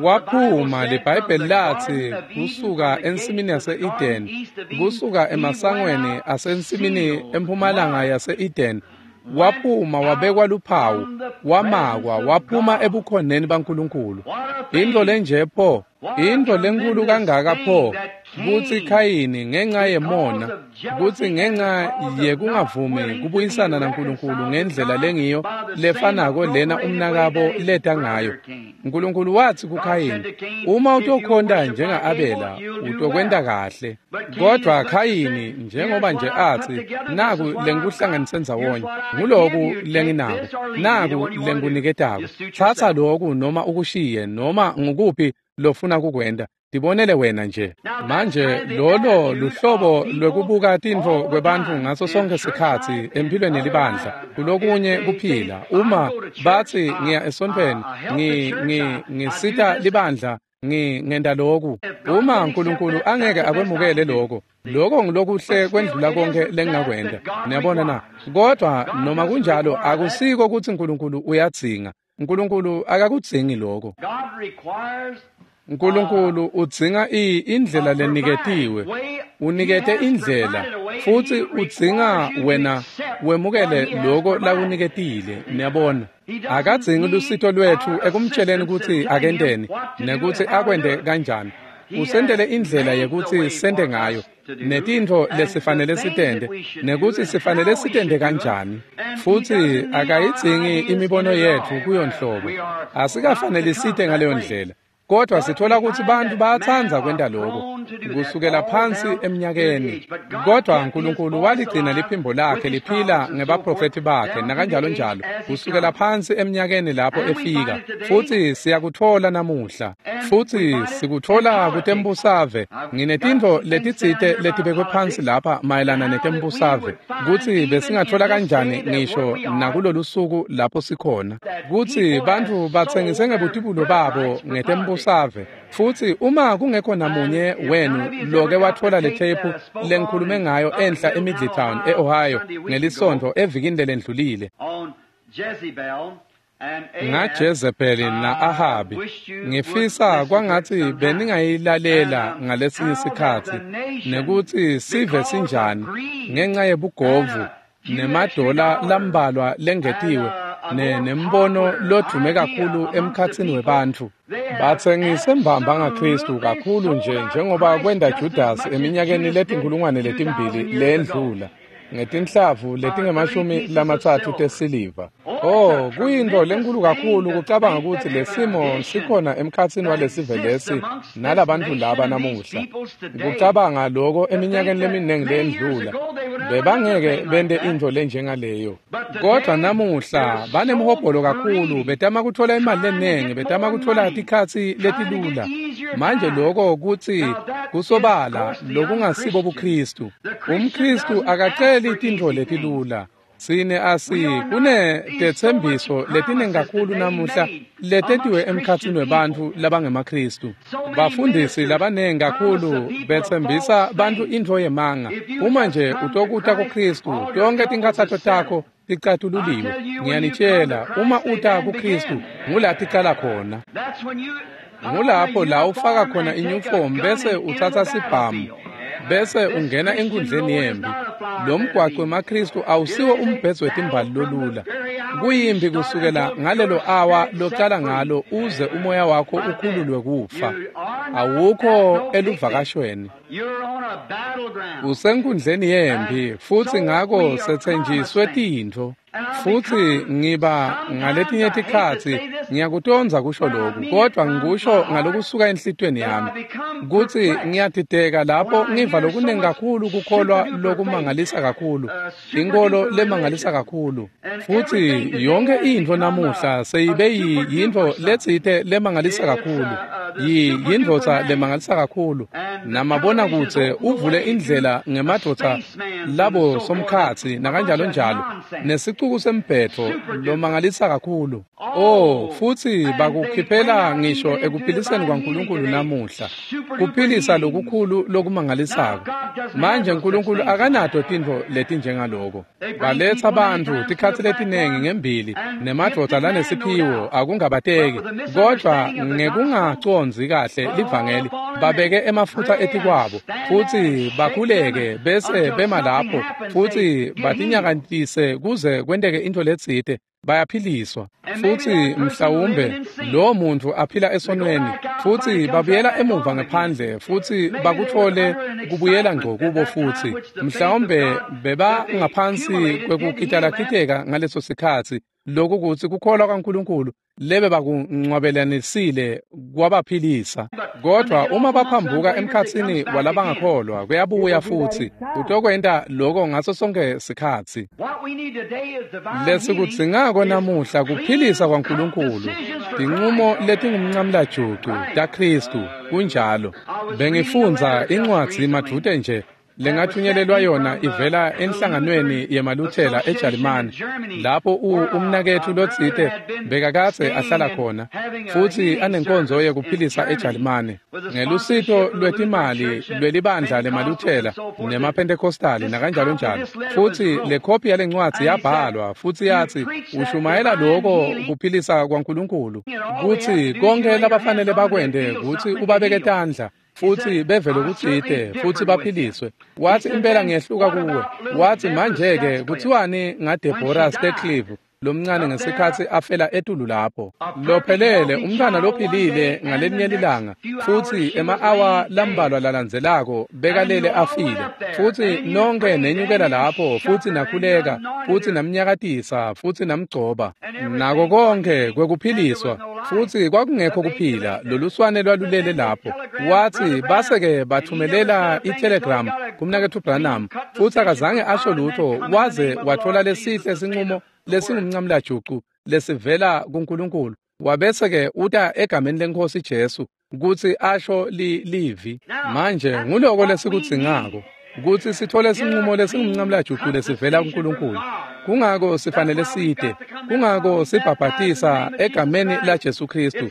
Waphuma, liBhayibheli latsi, kusuka ensimini yase-Eden, kusuka emasangweni asensimini empumalanga yase-Eden, waphuma wabekwa luphawu, wamakwa, waphuma ebukhoneni baNkulunkulu. Intfo lenje pho, intfo lenkulu kangaka pho, kutsi Khayini ngenxa yemona, kutsi ngenxa yekungavumi kubuyisana naNkulunkulu ngendlela lengiyo lefanako lena umnakabo leta ngayo. Nkulunkulu watsi kuKhayini, uma utokhonta njenga-Abela, utokwenta kahle. Kodvwa Khayini, njengoba nje atsi, naku lengikuhlanganise ndzawonye, nguloku lenginako, naku lengikuniketako. Tsatsa loku noma ukushiye, noma ngukuphi lofuna kukwenta, tibonele wena nje. Manje lolo luhlobo lwekubuka tintfo kwebantfu ngaso sonke sikhatsi emphilweni yelibandla, kulokunye kuphila. Uma batsi ngiya esontfweni, ngi ngi ngisita libandla, Ngi ngenda loku. Uma uNkulunkulu angeke akwemukele lokho, lokho ngilokuhle kwendlula konke lengingakwenda. Niyabona na? Kodwa noma kunjalo akusiko ukuthi uNkulunkulu uyadzinga. uNkulunkulu akakudzingi lokho. uNkulunkulu udzinga indlela leniketiwe. Unikete indlela futhi udzinga wena wemukele lokho lakuniketile. Niyabona? Akadzingi lusito lwethu ekumtsheleni ukuthi akenteni nekuthi akwende kanjani. Usendele indlela yekuthi sente ngayo netintfo lesifanele sitende nekuthi sifanele sitende kanjani. Futhi akayidzingi imibono yethu kuyo nhlobo. Asikafanele site ngaleyo ndlela. Kodwa sithola ukuthi bantu bayatsandza kwenta lokho kusukela phansi eminyakeni. Kodwa uNkulunkulu waligcina liphimbo lakhe liphila ngebaprofethi bakhe nakanjalo njalo kusukela phansi eminyakeni lapho efika. Futhi siyakuthola namuhla. Futhi sikuthola kutembusave. Nginetintfo letitsite letibekwe phansi lapha mayelana netembusave kutsi besingathola kanjani ngisho nakulolu suku lapho sikhona kutsi bantfu batsengise ngebutibulo babo ngetembusave. Futhi uma kungekho namunye wenu loke wathola le tape lengikhulume ngayo enhla eMiddletown eOhio ngelisonto evikini lelendlulile ngaJezebeli na-Ahabi, ngifisa kwangathi beningayilalela ngalesinye isikhathi nekuthi sive sinjani ngenxa yebugovu nemadola lambalwa lengetiwe ne nembono lodume kakhulu emkhatsini webantfu. Batsengise mbamba ngaKristu kakhulu nje njengoba kwenda Judas eminyakeni letinkulungwane letimbili lendlula ngetinhlavu letingemashumi lamatsatfu tesiliva. Oh, kuyintfo lenkulu kakhulu kucabanga ukuthi lesimo sikhona emkhatsini walesive lesi nalabantfu laba namuhla. Kucabanga lokho eminyakeni leminingi lendlula bebangeke bente intfo lenjengaleyo. Kodwa namuhla banemhobholo kakhulu, betama kuthola imali lenengi, betama kuthola tikhatsi letilula. Manje lokho kutsi kusobala lokungasibo buKristu. UmKristu akaceli tintfo letilula. Sine asi kune tetsembiso letiningi kakhulu namuhla letentiwe emkhatsini webantfu labangemaKristu. Bafundisi labanengi kakhulu betsembisa bantfu intfo yemanga. Uma nje utokuta kuKristu, tonke tinkhatsato takho ticatululiwe. Ngiyanitshela, uma uta kuKristu ngula ticala khona. Ngulapho la ufaka khona inyufomu bese utsatsa sibhamu bese ungena enkundleni yempi. Lo mgwaqo wemaKristu awusiwo umbhedzo wetimbali lolula. Kuyimbi kusukela ngalelo awa locala ngalo uze umoya wakho ukhululwe kufa. Awukho eluvakashweni. Usenkundleni yempi futhi ngako setsenjiswe tintfo. Futhi ngiba ngaletinye tikhatsi ngiyakutondza kusho lokhu, kodwa ngikusho ngalokusuka enhlitiyweni yami kutsi ngiyadideka lapho ngiva lokunengi kakhulu kukholwa lokumangalisa kakhulu, inkolo lemangalisa kakhulu. Futhi yonke intfo namuhla seyibe yintfo letsite lemangalisa kakhulu, yindvodza lemangalisa kakhulu. Namabonakudze uvule indlela ngemadvodza labo somkhatsi nakanjalo njalo nesicuku sembhetfo lomangalisa kakhulu. Oh, futhi bakukhiphela ngisho ekuphiliseni kwaNkulunkulu namuhla, kuphilisa lokukhulu lokumangalisako. Manje uNkulunkulu akanato tintfo letinjengaloko. Baletsa bantfu tikhatsi letinengi ngembili nemadvodza lanesiphiwo akungabateki, kodwa ngekungacondzi kahle livangeli babeke emafutsa etikwabo futhi bakhuleke bese bema lapho futhi batinyakatise kuze kwenteke intfo letsite, bayaphiliswa. Futhi mhlawumbe lo muntu aphila esonweni futhi babuyela emuva ngaphandle futhi bakuthole kubuyela ngco kubo futhi mhlawumbe beba ngaphansi kwekukitalakiteka ngaleso sikhatsi. Lokhu kutsi kukholwa kaNkulunkulu lebe bakuncwabelanisile kwabaphilisa. Kodwa uma baphambuka emkhatsini walabangakholwa kuyabuya futhi utokwenta lokho ngaso sonke sikhatsi. Lesikudzingako namuhla kuphilisa kwaNkulunkulu, tincumo letingumncamlajucu taKristu. Kunjalo. Bengifundza incwadzi madvute nje lengathunyelelwa yona ivela enhlanganweni yemaLuthela eJalimane, lapho umnaketfu lotsite bekakadze ahlala khona futsi anenkonzo yekuphilisa eJalimane ngelusito lwetimali lwelibandla lemaLuthela nemaPentecostali nakanjalo njalo. Futsi le khophi yalencwadzi yabhalwa futsi yatsi ushumayela loko kuphilisa kwaNkulunkulu, kutsi konke labafanele bakwente kutsi ubabeke tandla futsi beve lokutsite futsi baphiliswe. Watsi impela ngiyehluka kuwe. Watsi manje-ke kuthiwani ngaDeborah Steclive lomncane ngesikhatsi afela etulu lapho, lophelele umntwana lophilile ngalelinye lilanga, futsi ema-awa lambalwa lalandzelako bekalele afile. Futsi nonke nenyukela lapho futsi nakhuleka futsi namnyakatisa futsi namgcoba nako konke kwekuphiliswa, futsi kwakungekho kuphila, loluswane lwalulele lapho. Watsi base-ke bathumelela i-telegram kumnaketfu Branham, futsi akazange asho lutho waze watfola lesihle sinqumo lesingumncamlajucu lesivela kuNkulunkulu. Wabese-ke uta egameni leNkhosi Jesu kutsi asho li livi. Manje nguloko lesikudzingako, kutsi sithole sinqumo lesingumncamlajucu lesivela kuNkulunkulu. Kungako sifanele site, kungako sibhabhatisa egameni la Jesu Kristu,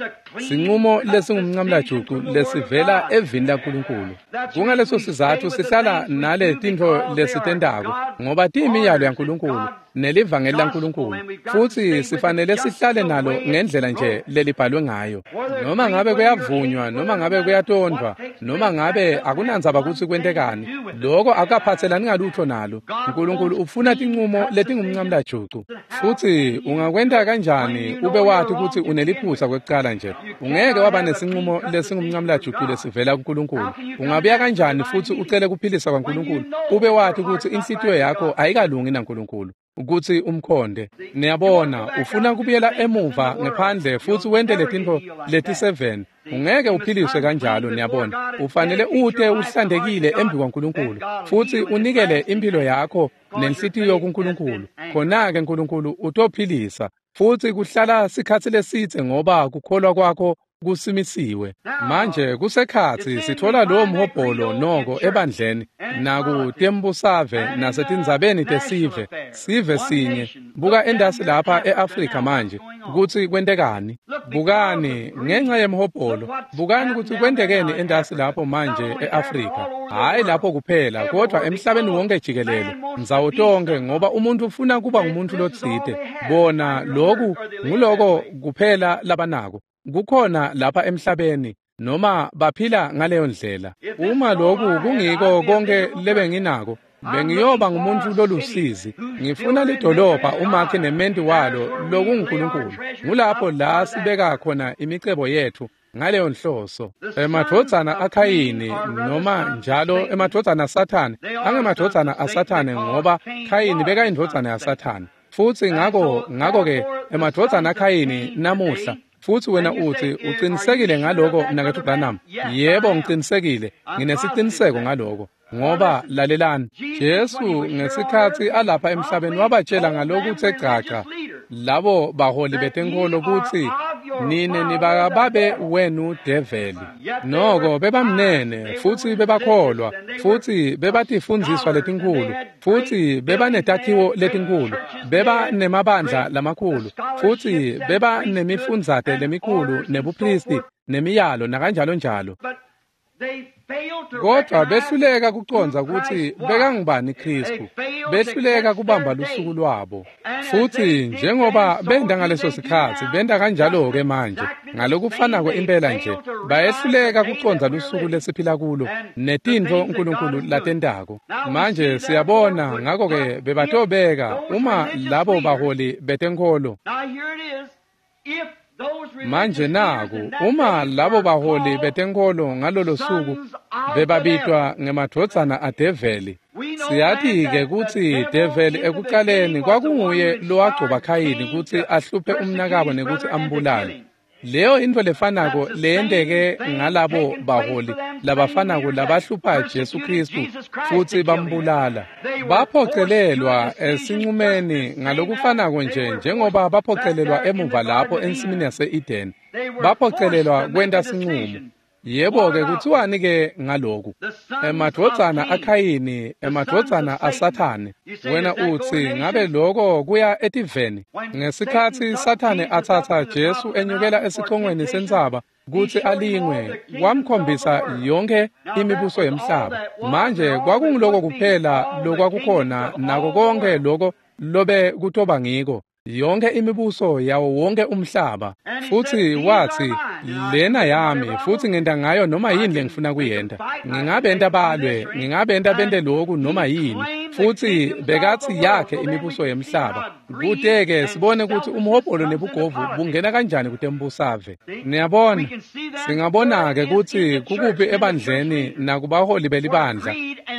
sinqumo lesingumncamlajucu lesivela evini laNkulunkulu. Kungaleso sizatfu sihlala nale tintfo lesitentako, ngoba tiyimiyalo yaNkulunkulu nelivangeli laNkulunkulu, futsi sifanele sihlale nalo ngendlela nje lelibhalwe ngayo. Noma ngabe kuyavunywa, noma ngabe kuyatondvwa, noma ngabe akunandzaba kutsi kwentekani, loko akaphatselani ngalutho nalo. Nkulunkulu ufuna tinqumo letingumncamlajucu. Futsi ungakwenta kanjani ube wati kutsi uneliphutsa kwekucala nje? Ungeke waba nesinqumo lesingumncamlajucu lesivela kuNkulunkulu. Ungabuya kanjani futsi ucele kuphilisa kwaNkulunkulu ube wati kutsi inhlitiyo yakho ayikalungi naNkulunkulu kutsi umkhonde? Niyabona, ufuna kubuyela emuva ngephandle futsi wente letintfo leti-seven. Ungeke uphiliswe kanjalo. Niyabona, ufanele ute uhlantekile embi kwaNkulunkulu futsi unikele impilo yakho nenhlitiyo kuNkulunkulu. Khona-ke Nkulunkulu utophilisa, futsi kuhlala sikhatsi lesidze ngoba kukholwa kwakho kusimisiwe. Manje kusekhatsi sitfola lowo mhobholo noko ebandleni nakutembusave nasetindzabeni tesive, sive sinye. Buka endasi lapha e-Afrika manje kutsi kwentekani. Bukani ngenxa yemhobholo, bukani kutsi kwentekeni endasi lapho manje e-Afrika. Hhayi lapho kuphela, kodwa emhlabeni wonke jikelele, ndzawo tonke, ngoba umuntu ufuna kuba ngumuntu lotsite. Bona loku nguloko kuphela labanako kukhona lapha emhlabeni, noma baphila ngaleyo ndlela. Uma loku kungiko konke lebenginako, bengiyoba ngumuntu lolusizi. Ngifuna lidolobha umakhi nementi walo lokunguNkulunkulu. Ngulapho la sibeka khona imicebo yethu ngaleyo nhloso. Emadvodzana aKhayini, noma njalo emadvodzana aSathane, angemadvodzana aSathane ngoba Khayini bekayindvodzana yaSathane. Futsi ngako ngako-ke emadvodzana aKhayini namuhla. Futsi wena utsi ucinisekile ngaloko mnaketfu Branham? Yebo, ngicinisekile, nginesiciniseko ngaloko. Ngoba lalelani, Jesu ngesikhatsi alapha emhlabeni wabatshela ngalokuthe gcagca labo baholi betenkholo kutsi nine nibakababe wenu develi. Noko bebamnene futsi bebakholwa futsi bebatifundziswa letinkhulu futsi bebanetakhiwo letinkhulu, bebanemabandla lamakhulu futsi bebanemifundzate lemikhulu nebuphristi nemiyalo nakanjalo njalo. Kodwa behluleka kucondza kutsi bekangubani Khristu, behluleka kubamba lusuku lwabo. Futsi njengoba benta ngaleso sikhatsi, benta kanjalo-ke manje, ngalokufanako impela nje, bayehluleka kucondza lusuku lesiphila kulo netintfo uNkulunkulu latentako. Manje siyabona ngako-ke bebatobeka uma labo baholi betenkholo. Manje naku, uma labo baholi betenkholo ngalolo suku bebabitwa ngemadvodzana adeveli, siyati-ke kutsi develi ekucaleni kwakunguye lowagcoba Khayini kutsi ahluphe umnakabo nekutsi ambulale. Leyo intfo lefanako leyenteke ngalabo baholi labafanako labahlupha Jesu Khristu futsi bambulala. Baphocelelwa esincumeni ngalokufanako nje njengoba baphocelelwa emuva lapho ensimini yase-Eden. Baphocelelwa kwenta sincumo. Yebo-ke kuthiwani-ke ngaloku? Emadvodzana aKhayini, emadvodzana aSathane. Wena utsi ngabe loko kuya etiveni? Ngesikhatsi Sathane atsatsa Jesu enyukela esicongweni sentsaba kutsi alingwe, wamkhombisa yonkhe imibuso yemhlaba. Manje kwakunguloko kuphela lokwakukhona nako konkhe loko lobe kutoba ngiko. Yonke imibuso yawo wonke umhlaba. Futsi watsi, lena yami, futsi ngenta ngayo noma yini lengifuna kuyenta. Ngingabenta balwe, ngingabenta bente loku noma yini. Futsi bekatsi yakhe imibuso yemhlaba. Kute-ke sibone kutsi umhobholo nebugovu bungena kanjani kutembusave. Niyabona, singabona-ke kutsi kukuphi ebandleni nakubaholi belibandla,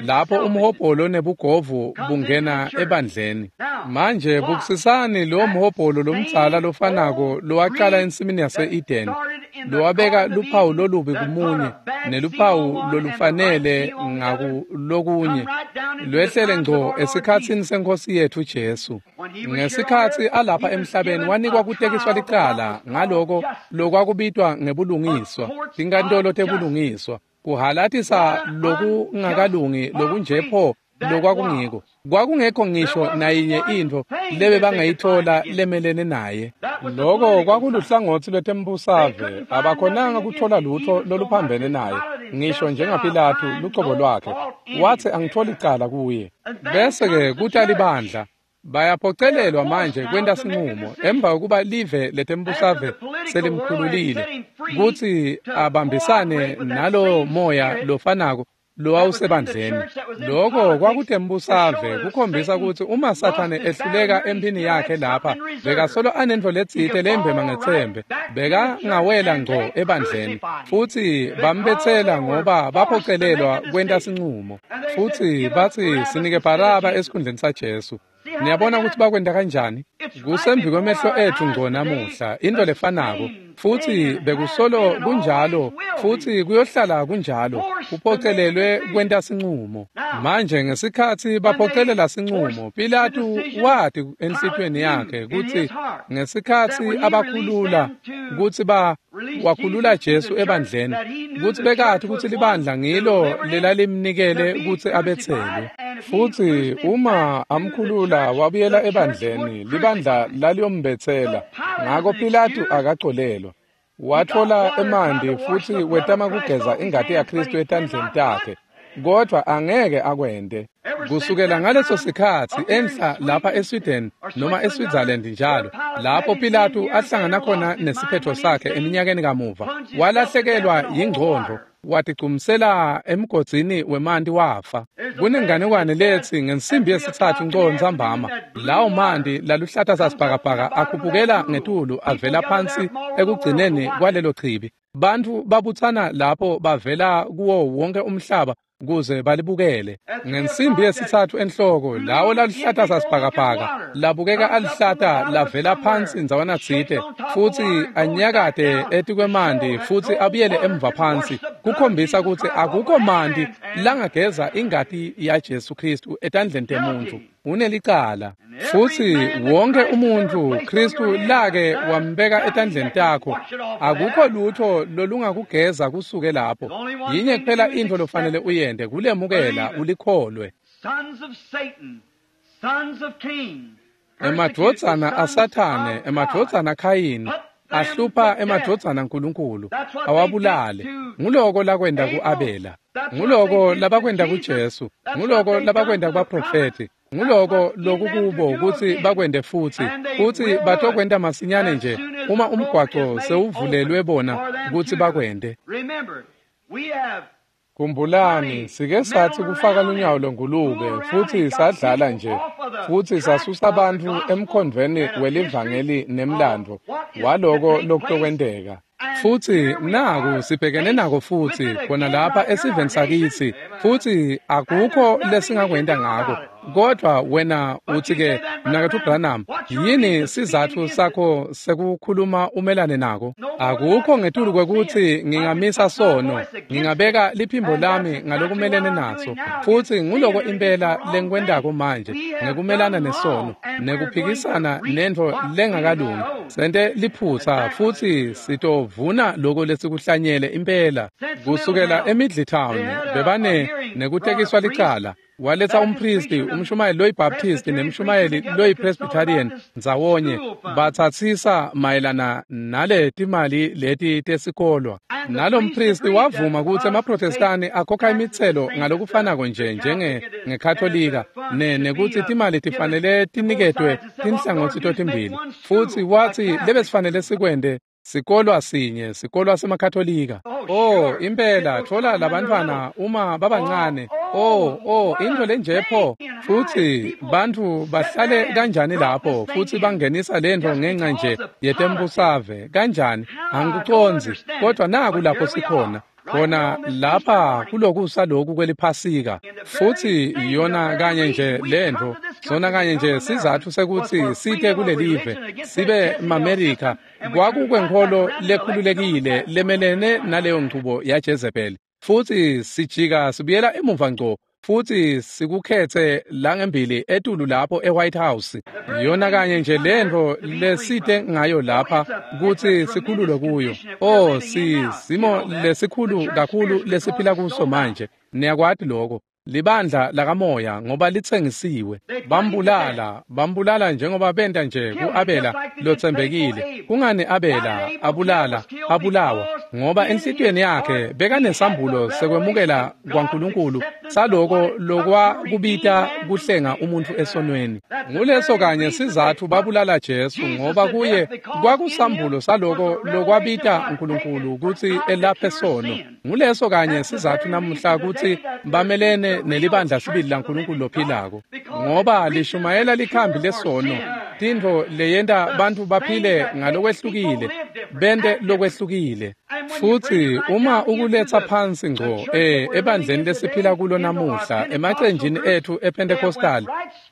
lapho umhobholo nebugovu bungena ebandleni. Manje bukisisani lo mhobholo lomdzala lofanako lowaqala ensimini yase-Eden, lowabeka luphawu lolubi kumunye neluphawu lolufanele ngakulokunye, lwehlele ngco esikhatsini seNkhosi yetfu Jesu. Ngesikhatsi alapha emhlabeni wanikwa kutekiswa licala ngaloko lokwakubitwa ngebulungiswa, tinkantolo tebulungiswa, kuhalatisa lokungakalungi lokunje pho lokwakungiko. Kwakungekho ngisho nayinye intfo lebebangayitfola lemelene naye. Loko kwakuluhlangotsi lwetembusave, abakhonanga kutfola lutho loluphambene naye, ngisho njengaPilatu lucobo lwakhe. Watsi angitfoli icala kuye. Bese-ke kuta libandla. Bayaphocelelwa manje kwenta sinqumo emva kokuba live letembusave selimkhululile kutsi abambisane nalo moya lofanako lowawusebandleni. Loko kwakutembusave kukhombisa kutsi uma Sathane ehluleka emphini yakhe lapha, bekasolo anentfo letsite lembema ngetsembe, bekangawela ngco ebandleni. Futsi bambetsela ngoba baphocelelwa kwenta sinqumo. Futsi batsi sinike Baraba esikhundleni saJesu. Niyabona kutsi bakwenta kanjani? Kusembi kwemehlo etfu ngco namuhla, intfo lefanako. Futsi bekusolo kunjalo, futsi kuyohlala kunjalo, kuphocelelwe kwenta sinqumo. Manje ngesikhatsi baphocelela sinqumo, Pilatu wati enhlitiyweni yakhe kutsi ngesikhatsi abakhulula kutsi ba wakhulula Jesu ebandleni, kutsi bekati kutsi libandla ngilo lelalimnikele kutsi abetselwe. Futsi uma amkhulula wabuyela ebandleni, libandla laliyombetsela. Ngako Pilatu akacolelwa. Watfola emanti futsi wetama kugeza ingati yaKhristu etandleni takhe, kodvwa angeke akwente. Kusukela ngaleso sikhatsi enhla lapha eSweden noma eSwitzerland njalo, lapho Pilatu ahlangana khona nesiphetho sakhe eminyakeni kamuva, walahlekelwa yingcondvo, watigcumsela emgodzini wemanti wafa. Kunenganekwane letsi ngensimbi yesitsatfu ngco ntsambama, lawo manti laluhlata sasibhakabhaka akhuphukela ngetulu avela phansi ekugcineni kwalelo chibi. Bantfu babutsana lapho bavela kuwo wonke umhlaba kuze balibukele. Ngensimbi yesitsatfu enhloko, lawo laluhlata sasibhakabhaka labukeka alihlata lavela phansi ndzawana tsite, futsi anyakate etikwemanti futsi abuyele emva phansi, kukhombisa kutsi akukho manti langageza ingati yaJesu Khristu etandleni temuntfu. Unelicala. Futsi wonke umuntfu Khristu lake wambeka etandleni takho, akukho lutho lolungakugeza kusuke lapho. Yinye kuphela intfo lofanele uyente, kulemukela ulikholwe. Emadvodzana aSathane, emadvodzana aKhayini, ahlupha emadvodzana aNkulunkulu, awabulale. Nguloko lakwenta ku-Abela, nguloko labakwenta kuJesu, nguloko labakwenta kubaprofethi, nguloko lokukubo kutsi bakwente futsi, futsi batokwenta masinyane nje uma umgwaco sewuvulelwe bona kutsi bakwente. Khumbulani, sike satsi kufaka lunyawo lwengulube futsi sadlala nje, futsi sasusa bantfu emkhondvweni welivangeli nemlandvo waloko lokutokwenteka. Futsi naku sibhekene nako futsi khona lapha esiveni sakitsi, futsi akukho lesingakwenta ngako. Kodvwa wena utsi-ke, Mnaketfu Branham, yini sizatfu sakho sekukhuluma umelane nako? Akukho ngetulu kwekutsi ngingamisa sono, ngingabeka liphimbo lami ngalokumelene naso. Futsi nguloko impela lengikwentako manje, ngekumelana nesono, nekuphikisana nentfo lengakalungi. Sente liphutsa futsi sitovuna Sivuna loko lesikuhlanyele impela. Kusukela eMiddletown bebane nekutekiswa licala. Waletsa umpristi, umshumayeli loyiBaptist nemshumayeli loyiPresbyterian ndzawonye, batsatsisa mayelana nale timali leti tesikolwa. Nalo mpristi wavuma kutsi emaProtestani akhokha imitselo ngalokufanako nje njenge ngeKatolika ne nekutsi timali tifanele tiniketwe tinhlangotsi totimbili. Futsi watsi lebesifanele sikwente sikolwa sinye, sikolwa semaKatolika. Oh, impela thola labantfwana uma babancane. Oh, oh, into lenje pho. Futsi bantfu bahlale kanjani lapho futsi bangenisa lento ngenxa nje yetembusave kanjani? Angikucondzi, kodwa naku lapho sikhona. Khona lapha kulokusa lokhu kweliphasika. Futsi yona kanye nje lento, sona kanye nje sizatfu sekutsi site kulelive sibe maMerika, kwakukwenkholo lekhululekile lemelene naleyo nchubo yaJezebel. Futsi sijika sibuyela emuva ngco futsi sikukhetse langembili etulu lapho eWhite House. Yona kanye nje lento lesite ngayo lapha kutsi sikhululwe kuyo. Oh, si simo lesikhulu kakhulu lesiphila kuso manje. Niyakwati lokho. Libandla lakamoya ngoba litsengisiwe. Bambulala, bambulala njengoba benta nje kuAbela lotsembekile. Kungani Abela abulala, abulawa? Ngoba enhlitiyweni yakhe bekanesambulo sekwemukela kwaNkulunkulu saloko lokwa kubita kuhlenga umuntu esonweni. Nguleso kanye sizatfu babulala Jesu, ngoba kuye kwakusambulo saloko lokwabita uNkulunkulu kutsi elaphe sono. Nguleso kanye sizatfu namuhla kutsi bamelene nelibandla sibili laNkulunkulu lophilako, ngoba lishumayela likhambi lesono, tintfo leyenta bantfu baphile ngalokwehlukile, bente lokwehlukile. Futsi uma ukuletsa phansi ngco eh ebandleni lesiphila kulo namuhla, emacenjini ethu ePentecostal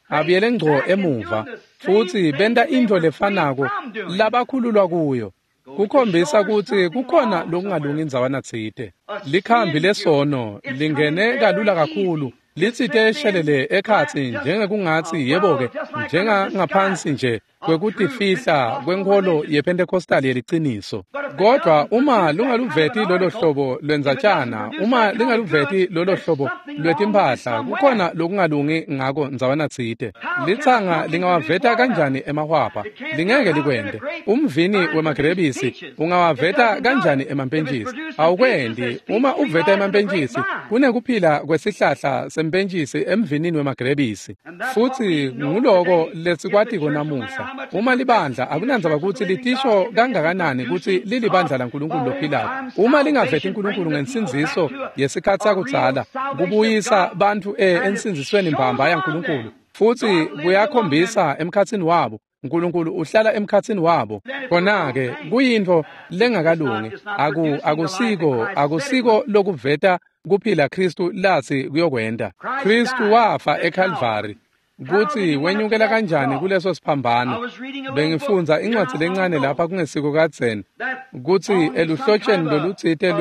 abuyele ngco emuva futsi benta intfo lefanako labakhululwa kuyo. Kukhombisa kutsi kukhona lokungalungi indzawana tsite. Likhambi lesono lingene kalula kakhulu, litsite shelele ekhatsi njengekungatsi yebo-ke, njengangaphansi nje kwekutifihla kwenkholo yePentecostal yeliciniso. Kodwa uma lungaluveti lolo hlobo lwendzatshana, uma lingaluveti lolo hlobo lwetimphahla, kukhona lokungalungi ngako ndzawana tsite. Litsanga lingawaveta kanjani emahwabha? Lingeke likwente. Umvini wemagrebisi ungawaveta kanjani emampentjisi? Awukwendi. Uma uveta emampentjisi, kunekuphila kwesihlahla sempentjisi emvinini wemagrebisi. Futsi nguloko lesikwatiko namuhla. Uma libandla akunandzaba kutsi litisho kangakanani kutsi lilibandla laNkulunkulu lophilako, uma lingaveti uNkulunkulu ngensindziso yesikhatsi sakudzala, kubuyisa bantfu ensindzisweni mbamba yaNkulunkulu, futsi kuyakhombisa emkhatsini wabo, uNkulunkulu uhlala emkhatsini wabo. Khona-ke kuyintfo lengakalungi. Aku akusiko akusiko lokuveta kuphila Khristu latsi kuyokwenta. Khristu wafa eKalvari. Kutsi wenyukela kanjani kuleso siphambano. Bengifundza incwadzi lencane lapha kungesiko kadzeni, kutsi eluhlotsheni lolutsite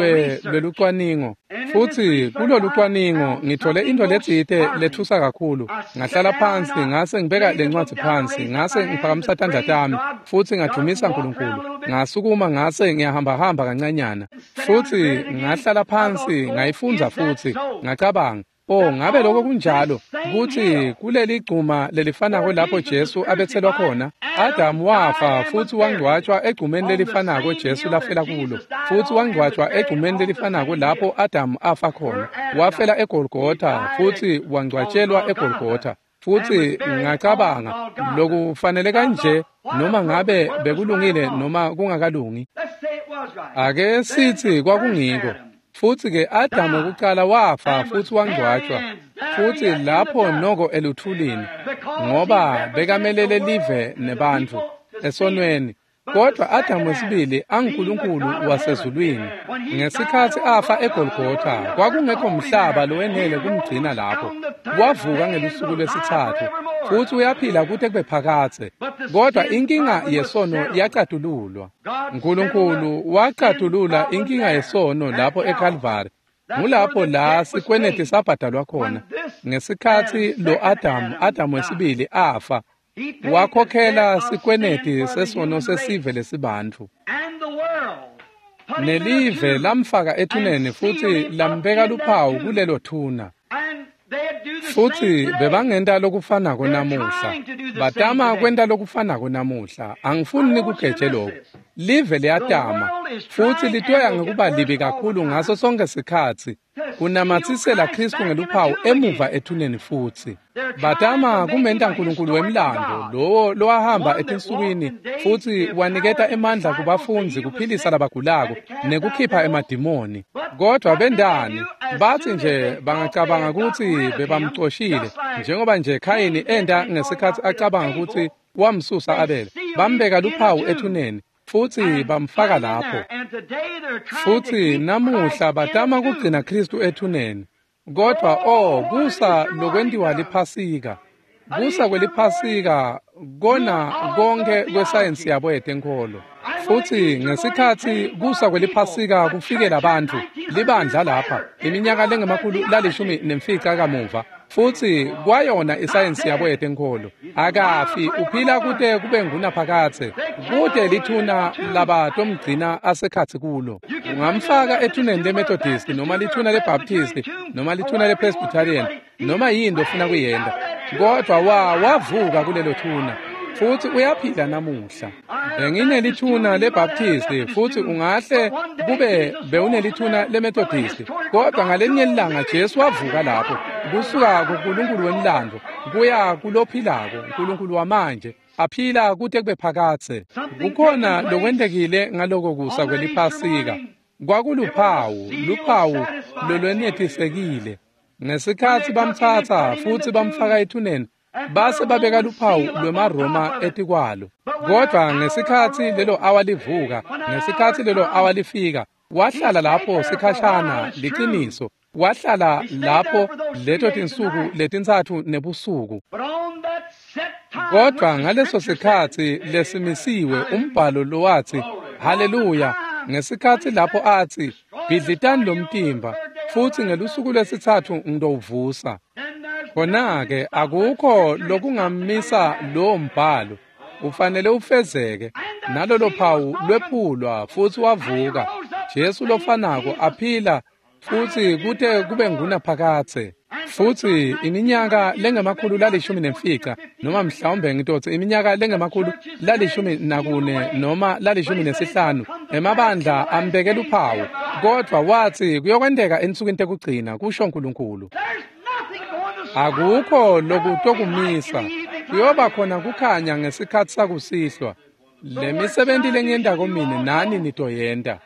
lwelucwaningo. Futsi kulolucwaningo ngithole intfo letsite lethusa kakhulu. Ngahlala phansi ngase ngibeka lencwadzi phansi, ngase ngiphakamisa tandla tami futsi ngadumisa uNkulunkulu. Ngasukuma ngase ngiyahambahamba kancanyana. Futsi ngahlala phansi ngayifundza futsi ngacabanga, oh, ngabe lokho kunjalo, kutsi kuleli gcuma lelifanako lapho Jesu abetselwa khona, Adamu wafa futsi wangcwatshwa egcumeni lelifanako Jesu lafela kulo, futsi wangcwatshwa egcumeni lelifanako lapho Adamu afa khona. Wafela eGolgotha futsi wangcwatshelwa eGolgotha. Futsi ngacabanga, lokufanele kanje, noma ngabe bekulungile noma kungakalungi. Ake sithi kwakungiko. Futsi-ke Adamu kucala wafa futsi wangcwatshwa, futsi lapho noko eluthulini, ngoba bekamelele live nebantfu esonweni. Kodwa Adamu wesibili anguNkulunkulu wasezulwini. Ngesikhatsi afa eGolgotha, kwakungekho mhlaba lowenele kumgcina lapho. Wavuka ngelusuku lwesitsatfu futsi uyaphila kute kube phakadze. Kodwa inkinga yesono yacatululwa. Nkulunkulu wacatulula inkinga yesono lapho eKalvari. Ngulapho la sikweneti sabhadalwa khona. Ngesikhatsi lo Adamu, Adamu wesibili afa, wakhokhela sikweneti sesono sesive lesibantfu. Nelive lamfaka ethuneni futsi lambeka luphawu kulelo thuna. Futsi bebangenta lokufanako namuhla. Batama kwenta lokufanako namuhla. Angifuni nikugeje lokho. Live liyatama futsi litoya ngekuba libi kakhulu ngaso sonke sikhatsi kunamatsisela Kristu ngeluphawu emuva ethuneni futsi. Batama kumenta uNkulunkulu wemlando lowo lowahamba etinsukwini futsi waniketa emandla kubafundzi kuphilisa labagulako nekukhipha emadimoni. Kodwa bendani bathi nje bangacabanga kutsi bebamcoshile njengoba nje Khayini enda ngesikhatsi acabanga kutsi wamsusa Abel, bambeka luphawu ethuneni futsi bamfaka lapho. Futsi namuhla batama kugcina Kristu ethuneni. Kodwa oh kusa lokwentiwa liphasika, kusa kweliphasika kona konke kwesayensi yabo yetenkholo. Futsi ngesikhatsi kusa kweliphasika kufikela bantfu libandla lapha iminyaka lengemakhulu lalishumi nemfica kamuva, futsi kwayona isayensi yabo yetenkholo. Akafi, uphila kute kube ngunaphakadze, kute lithuna labatomgcina asekhatsi kulo. Ungamfaka ethuneni leMethodist noma lithuna leBaptist noma lithuna lePresbyterian noma yini ofuna kuyenta, kodwa wa wavuka kulelo thuna futsi uyaphila namuhla. Benginelithuna leBaptist futsi ungahle kube bewunelithuna leMethodist, kodwa ngalenye ilanga Jesu wavuka lapho kusuka kuNkulunkulu wemlando kuya kulophilako uNkulunkulu wamanje aphila kute kube phakadze. Kukhona lokwentekile ngaloko kusa kweliphasika. Kwakuluphawu, luphawu lolwenetisekile. Ngesikhatsi bamtsatsa futsi bamfaka ethuneni, base babeka luphawu lwemaRoma etikwalo. Kodwa ngesikhatsi lelo awa livuka, ngesikhatsi lelo awa lifika, wahlala lapho sikhashana, liciniso, wahlala lapho leto tinsuku letintsatfu nebusuku. Kodwa ngaleso sikhatsi lesimisiwe umbhalo lowatsi haleluya, ngesikhatsi lapho atsi bhidlitani lomtimba futsi ngelusuku lwesitsatfu ngitowuvusa. Khona-ke akukho lokungamisa lowo mbhalo, ufanele ufezeke. Nalolo phawu lwephulwa futsi wavuka Jesu lofanako aphila futsi kute kube ngunaphakadze. Futsi iminyaka lengemakhulu lalishumi nemfica noma mhlawumbe ngitotsi iminyaka lengemakhulu lalishumi nakune noma lalishumi nesihlanu emabandla ambeke luphawu, kodwa watsi kuyokwenteka ensukwini tekugcina, kusho uNkulunkulu. Akukho lokutokumisa, kuyoba khona kukhanya ngesikhatsi sakusihlwa. Lemisebenti lengiyentako mine nani nitoyenta.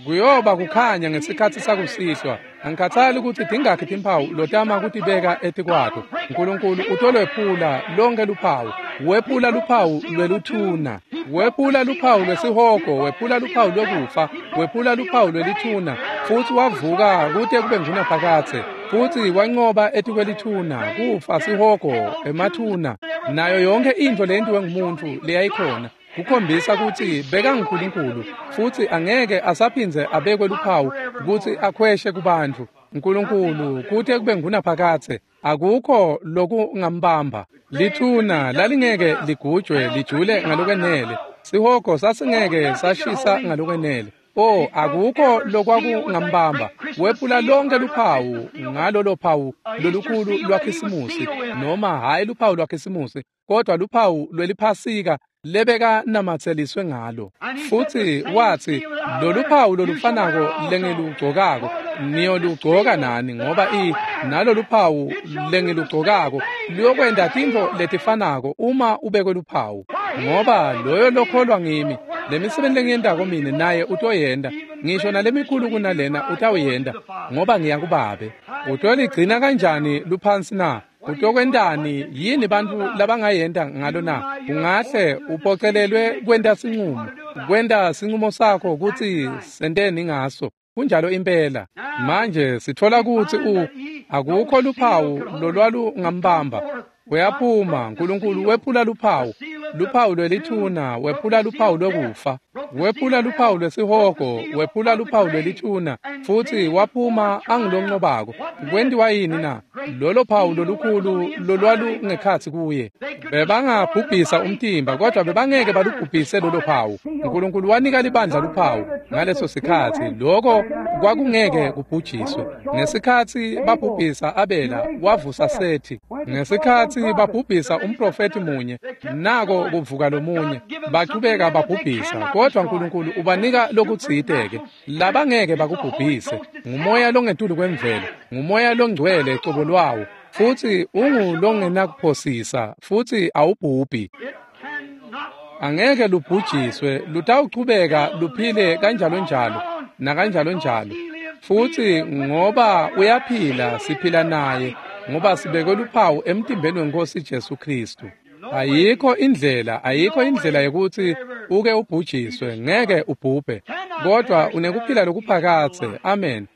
Kuyoba kukhanya ngesikhatsi sakusihlwa. Angikhathali kutsi tingakhi timphawu lotama kutibeka etikwato. Nkulunkulu utolwephula lonke luphawu. Wephula luphawu lweluthuna, wephula luphawu lwesihogo, wephula luphawu lwekufa, wephula luphawu lwelithuna, futsi wavuka kute kube ngunaphakadze. Futsi wanqoba etikwelithuna, kufa, sihogo, emathuna, nayo yonke intfo leyentiwe ngumuntfu leyayikhona, kukhombisa kutsi bekanguNkulunkulu futsi angeke asaphindze abekwe luphawu kutsi akhweshe kubantfu. Nkulunkulu kute kube ngunaphakadze, akukho lokungambamba. Lithuna lalingeke ligujwe lijule ngalokwenele, sihogo sasingeke sashisa ngalokwenele. Oh, akukho lokwakungambamba. Wephula lonke luphawu ngalolo phawu lolukhulu lwaKhisimusi, noma hhayi luphawu lwaKhisimusi, kodwa luphawu lweliphasika lebeka namatseliswe ngalo. Futsi watsi lolu phawu lolufanako lengilugcokako niyolugcoka nani, ngoba i nalolu phawu lengilugcokako luyokwenta tintfo letifanako uma ubekwe luphawu. Ngoba loyo lokholwa ngimi, lemisebenti lengiyentako mine naye utoyenta, ngisho nalemikhulu kunalena utawuyenta, ngoba ngiya kuBabe. Utoligcina kanjani luphansi na? Utokwentani? Yini bantfu labangayenta ngalo na? Ungahle uphocelelwe kwenta sinqumo, kwenta sinqumo sakho kutsi senteni ngaso. Kunjalo impela. Manje sitfola kutsi u akukho luphawu lolwalungambamba. Uyaphuma, Nkulunkulu wephula luphawu, luphawu lwelithuna, wephula luphawu lwekufa, wephula luphawu lwesihogo, wephula luphawu lwelithuna, futsi waphuma angilonqobako. Kwentiwa yini na? Lolo phawu lolukhulu lolwalungekhatsi kuye. Bebangabhubhisa umtimba, kodwa bebangeke balubhubhise lolo phawu. Nkulunkulu wanika libandla luphawu, ngaleso sikhatsi, lokho kwakungeke kubhujiswe. Ngesikhatsi babhubhisa Abela, wavusa Sethi. Ngesikhatsi babhubhisa umprofeti munye, nako kuvuka lomunye. Bachubeka babhubhisa, kodwa Nkulunkulu ubanika lokutsite-ke labangeke bakubhubhise. Ngumoya longetulu kwemvelo, ngumoya longcwele cobo lwawo, futsi ungulongenakuphosisa, futsi awubhubhi. Angeke lubhujiswe, lutawuchubeka luphile kanjalo njalo nakanjalo njalo. Futsi ngoba uyaphila, siphila naye, ngoba sibekwe luphawu emtimbeni weNkosi Jesu Kristu. Ayikho indlela, ayikho indlela yokuthi uke ubhujiswe, ngeke ubhubhe, kodwa unekuphila lokuphakadze. Amen.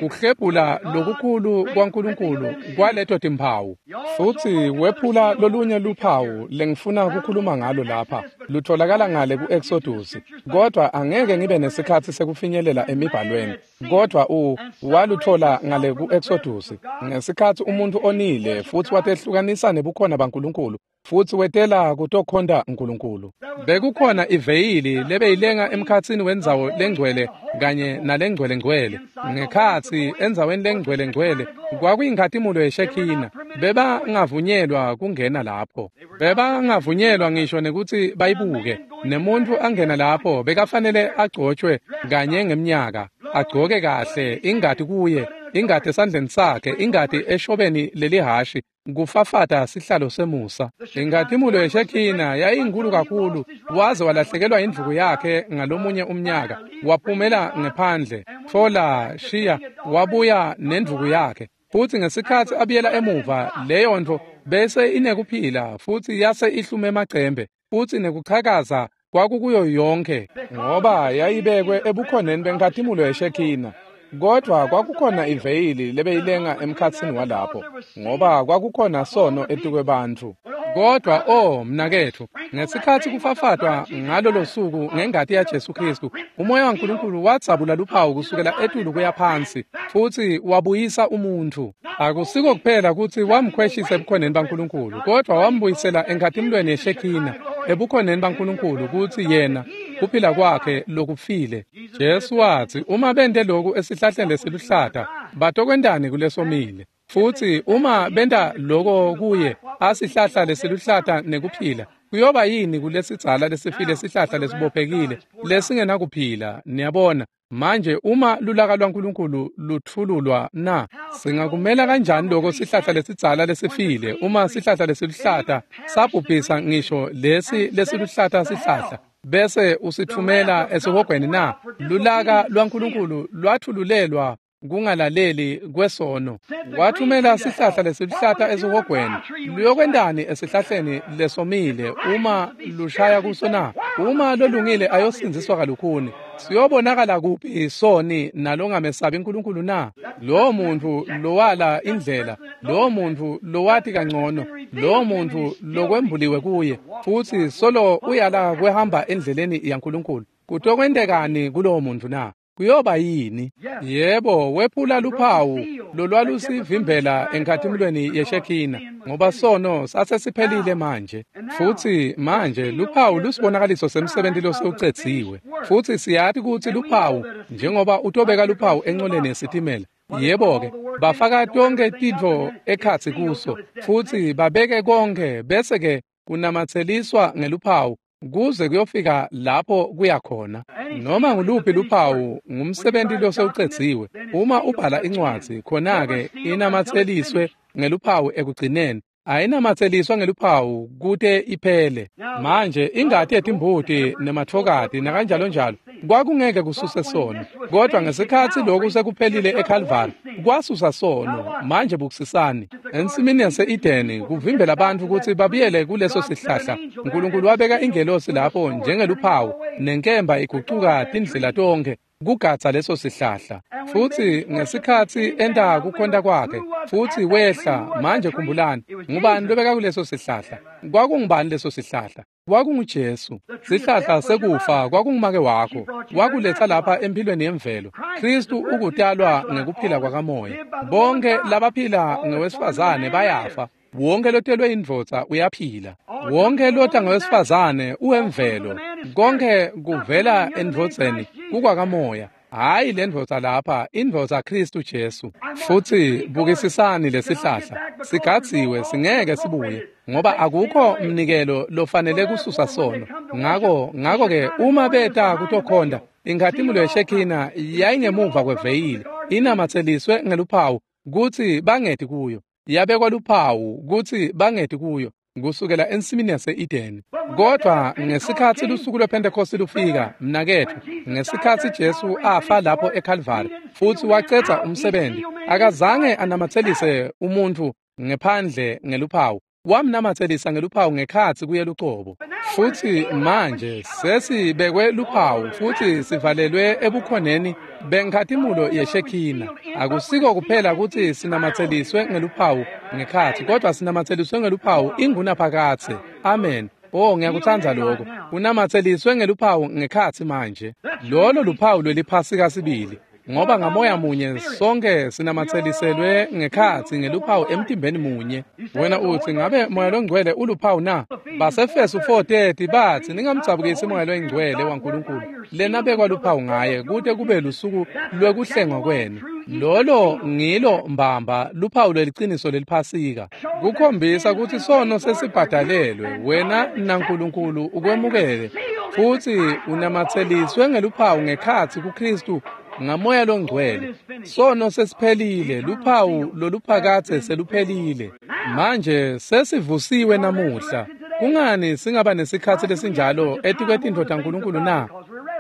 Kuhlephula lokukhulu kwaNkulunkulu kwaleto timphawu. Futsi wephula lolunye luphawu lengifuna ukukhuluma ngalo lapha, lutholakala ngale ku-Exodus, kodwa angeke ngibe nesikhatsi sekufinyelela emibhalweni. Kodwa u waluthola ngale ku-Exodus ngesikhatsi umuntu onile futsi watehlukanisa nebukhona baNkulunkulu, futsi wetela kutokhonta Nkulunkulu. Bekukhona iveyili lebeyilenga emkhatsini wendzawo lengcwele kanye nalengcwele ngcwele. Ngekhatsi endzaweni lengcwele ngcwele kwakuyinkhatimulo yeShekhina. Bebangavunyelwa kungena lapho, bebangavunyelwa ngisho nekutsi bayibuke. Nemuntu angena lapho bekafanele agcotshwe kanye ngemnyaka, agcoke kahle, ingati kuye, ingati esandleni sakhe, ingati eshobeni lelihashi, kufafata sihlalo semusa. Inkhatimulo yeShekhina yayinkulu kakhulu, waze walahlekelwa indvuku yakhe ngalomunye umnyaka. Waphumela ngephandle, tfola shiya, wabuya nendvuku yakhe. Futsi ngesikhatsi abuyela emuva, leyo ntfo bese inekuphila, futsi yase ihlume emacembe, futsi nekuchakaza kwakukuyo yonke, ngoba yayibekwe ebukhoneni benkhatimulo yeShekhina. Kodwa kwakukhona iveyili lebeyilenga emkhatsini walapho, ngoba kwakukhona sono etikwebantfu. Kodwa oh mnaketfu, ngesikhatsi kufafatwa ngalolo suku ngengati yaJesu Kristu, umoya waNkulunkulu wadzabula luphawu kusukela etulu kuya phansi, futsi wabuyisa umuntfu. Akusiko kuphela kutsi wamkhweshisa ebukhoneni baNkulunkulu, kodwa wambuyisela enkhatimulweni yeShekhina, ebukhoneni baNkulunkulu, kutsi yena kuphila kwakhe lokufile. Jesu watsi, uma bente loku esihlahleni lesiluhlata, batokwentani kulesomile? Futsi uma benta loko kuye asihlahla lesiluhlata nekuphila, kuyoba yini kulesidzala lesifile sihlahla lesibophekile lesingenakuphila? Niyabona manje, uma lulaka lwaNkulunkulu lutfululwa na, singakumela kanjani loko sihlahla lesidzala lesifile, uma sihlahla lesiluhlata sabhubhisa ngisho lesi lesiluhlata sihlahla, bese usithumela esihogweni na? Lulaka lwaNkulunkulu lwathululelwa kungalaleli kwesono. Wathumela sihlahla lesiluhlata esihogweni. Luyokwentani esihlahleni lesomile uma lushaya kuso na? Uma lolungile ayosindziswa kalukhuni, siyobonakala kuphi soni nalongamesabi Nkulunkulu na? Lowo muntu lowala indlela, lowo muntu lowati kangcono, lowo muntu lokwembuliwe kuye, futsi solo uyala kwehamba endleleni yaNkulunkulu, kutokwentekani kulowo muntu na? Kuyoba yini? Yebo, wephula luphawu lolwalusivimbela enkhatimulweni yeShekhina, ngoba sono sasesiphelile manje. Futsi manje luphawu lusibonakaliso semsebenti losewucedziwe. Futsi siyati kutsi luphawu, njengoba utobeka luphawu encoleni yesitimela, yebo-ke, bafaka tonke tintfo ekhatsi kuso, futsi babeke konke, bese-ke kunamatseliswa ngeluphawu kuze kuyofika lapho kuya khona. Noma nguluphi luphawu ngumsebenti losewucedziwe. Uma ubhala incwadzi, khona-ke inamatseliswe ngeluphawu ekugcineni. Ayinamatseliswa ngeluphawu kute iphele. Manje ingati yetimbuti nematfokati nakanjalo njalo kwakungeke kususe sono, kodwa ngesikhatsi lokhu sekuphelile eKalvari kwasusa sono. Manje bukusisani ensimini yase-Edeni kuvimbela bantfu kutsi babuyele kuleso sihlahla. Nkulunkulu wabeka ingelosi lapho njengeluphawu, nenkemba igucuka tindlela tonkhe kugadza leso sihlahla. Futsi ngesikhatsi enta kukhonta kwakhe futsi wehla, manje khumbulani, ngubani lobeka kuleso sihlahla? Kwakungubani leso sihlahla? KwakunguJesu. Sihlahla sekufa kwakungumake wakho, wakuletsa lapha empilweni yemvelo. Kristu ukutalwa ngekuphila kwakamoya. Bonke labaphila ngewesifazane bayafa. Wonke lotelwe indvodza uyaphila. Wonke lota ngowesifazane uwemvelo. Konke kuvela endvodzeni kukwakamoya. Hayi le ndvodza lapha, indvodza Kristu Jesu. Futhi bukisisani lesihlahla. Sigadziwe singeke sibuye ngoba akukho mnikelo lofanele kususa sono. Ngako ngako ke uma beta kutokhonda inkhatimulo yeShekhina yayingemuva kweveyili inamatseliswe ngeluphawu kutsi bangeti kuyo. Yabekwa luphawu kutsi bangeti kuyo kusukela ensimini yase-Edeni. Kodwa ngesikhatsi lusuku lwePhentekhosti lufika, mnaketfu, ngesikhatsi Jesu afa lapho eKalvari futsi wacedza umsebenzi, akazange anamatselise umuntfu ngephandle ngeluphawu. Wamnamatselisa ngeluphawu ngekhatsi kuye lucobo. Futsi manje sesibekwe luphawu futsi sivalelwe ebukhoneni benkhatimulo yeShekhina. Akusiko kuphela kutsi sinamatseliswe ngeluphawu ngekhatsi, kodwa sinamatseliswe ngeluphawu ingunaphakadze. Amen. Oh, ngiyakutsandza lokho. Unamatseliswe ngeluphawu ngekhatsi manje. Lolo luphawu lweliphasika sibili. Ngoba ngamoya munye sonke sinamatseliselwe ngekhatsi ngeluphawu emtimbeni munye. Wena utsi ngabe moya longcwele uluphawu na? Basefesu four thirty batsi ningamdzabukisi moya longcwele waNkulunkulu lenabekwa luphawu ngaye kute kube lusuku lwekuhlengwa kwenu. Lolo ngilo mbamba luphawu lweliciniso leliphasika. Kukhombisa kutsi sono sesibhadalelwe wena naNkulunkulu ukwemukele futsi unamatseliswe ngeluphawu ngekhatsi kuKristu ngamoya longcwele. Sono sesiphelile, luphawu loluphakadze seluphelile. Manje sesivusiwe namuhla. Kungani singaba nesikhatsi lesinjalo etikwetintfo taNkulunkulu na?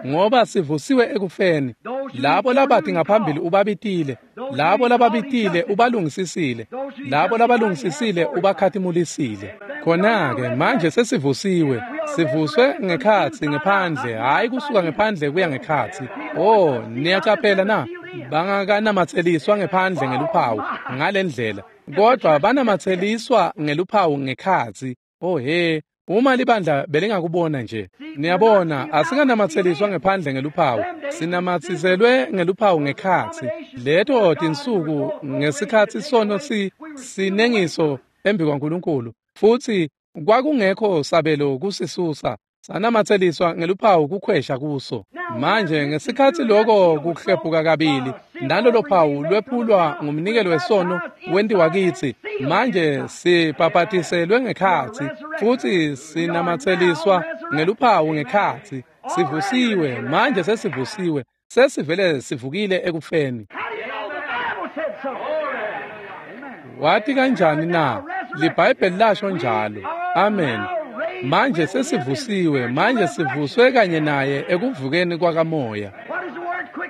Ngoba sivusiwe ekufeni. Labo labati ngaphambili ubabitile, labo lababitile ubalungisisile, labo labalungisisile ubakhatimulisile. Khona-ke manje sesivusiwe, sivuswe ngekhatsi ngephandle, hhayi kusuka ngephandle kuya ngekhatsi. Oh, niyacaphela na? Bangakanamatseliswa ngephandle ngeluphawu ngalendlela, kodwa banamatseliswa ngeluphawu ngekhatsi. Oh he, uma libandla belingakubona nje. Niyabona, asikanamatseliswa ngephandle ngeluphawu, sinamatsiselwe ngeluphawu ngekhatsi. Leto tinsuku ngesikhatsi sono si sinengiso embi kwaNkulunkulu, futsi kwakungekho sabelo kusisusa, sanamatseliswa ngeluphawu kukhwesha kuso. Manje ngesikhatsi loko kuhlephuka kabili, nalolo phawu lwephulwa ngumnikelo wesono wentiwa kitsi, manje sibhabhatiselwe ngekhatsi futsi sinamatseliswa ngeluphawu ngekhatsi. Sivusiwe, manje sesivusiwe, sesivele sivukile ekufeni. Wathi kanjani na? LiBhayibheli lasho njalo. Amen. Manje sesivusiwe, manje sivuswe kanye naye ekuvukeni kwakamoya.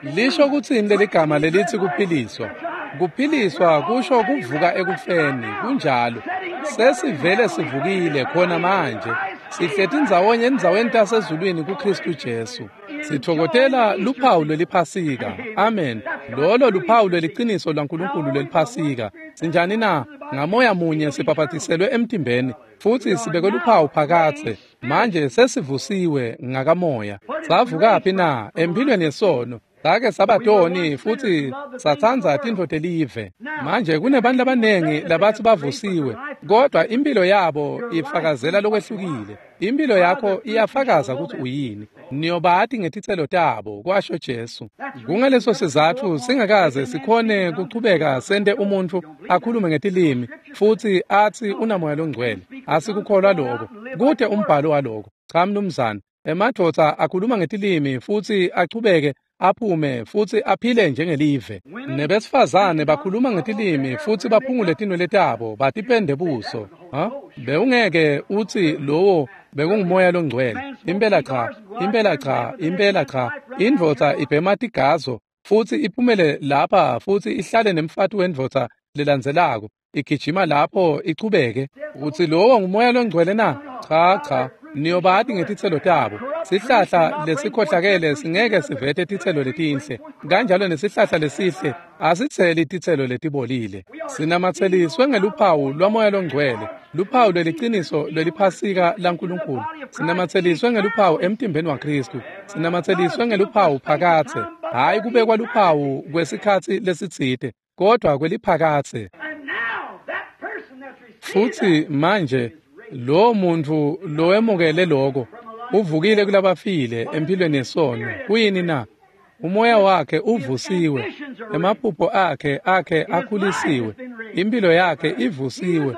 Lisho kutsini leligama lelithi kuphiliswa? Kuphiliswa kusho kuvuka ekufeni, kunjalo. Sesivele sivukile khona manje. Sihleti ndzawonye endzaweni tasezulwini kuKristu Jesu. Sithokotela luphawu lweliphasika. Amen. Lolo luphawu lweliciniso lwaNkulunkulu lweliphasika. Sinjani na? Ngamoya munye sibhabhatiselwe emtimbeni futsi sibekwe luphawu phakadze. Manje sesivusiwe ngakamoya. Savukaphi na? Empilweni yesono. Sake sabatoni futsi satsandza tintfo telive. Manje kunebantu labanengi labatsi bavusiwe, kodwa impilo yabo ifakazela lokwehlukile. Impilo yakho iyafakaza kutsi uyini. Niyobati ngetitselo tabo, kwasho Jesu. Kungaleso sizatfu singakaze sikhone kuchubeka sente umuntfu akhulume ngetilimi futsi atsi unamoya longcwele. Asikukholwa lokho. Kute umbhalo waloko. Cha mnumzane. Emadvodza akhuluma ngetilimi futsi achubeke aphume futsi aphile njengelive. Nebesifazane bakhuluma ngetilimi futsi baphungule tinwele tabo batipende buso. Ha? Bewungeke utsi lowo bekungumoya longcwele. Impela cha, impela cha, impela cha. Indvodza ibhema tigazo futsi iphumele lapha futsi ihlale nemfati wendvodza lelandzelako. Igijima lapho ichubeke. Utsi lowo ngumoya longcwele na? Cha cha. Niyobati ngetitselo tabo. Sihlahla lesikhohlakele singeke sivete titselo letinhle, kanjalo nesihlahla lesihle asitseli titselo letibolile. Sinamatseliswe ngeluphawu lwamoya longcwele, luphawu lweliciniso lweliphasika laNkulunkulu. Sinamatseliswe ngeluphawu emtimbeni waKristu. Sinamatseliswe ngeluphawu phakadze, hhayi kubekwa luphawu kwesikhatsi lesitsite, kodwa kweliphakadze. Futsi manje lo muntu lowemukele lokho uvukile kulabafile empilweni yesono. Kuyini na? Umoya wakhe uvusiwe, emaphupho akhe akhe akhulisiwe, impilo yakhe ivusiwe,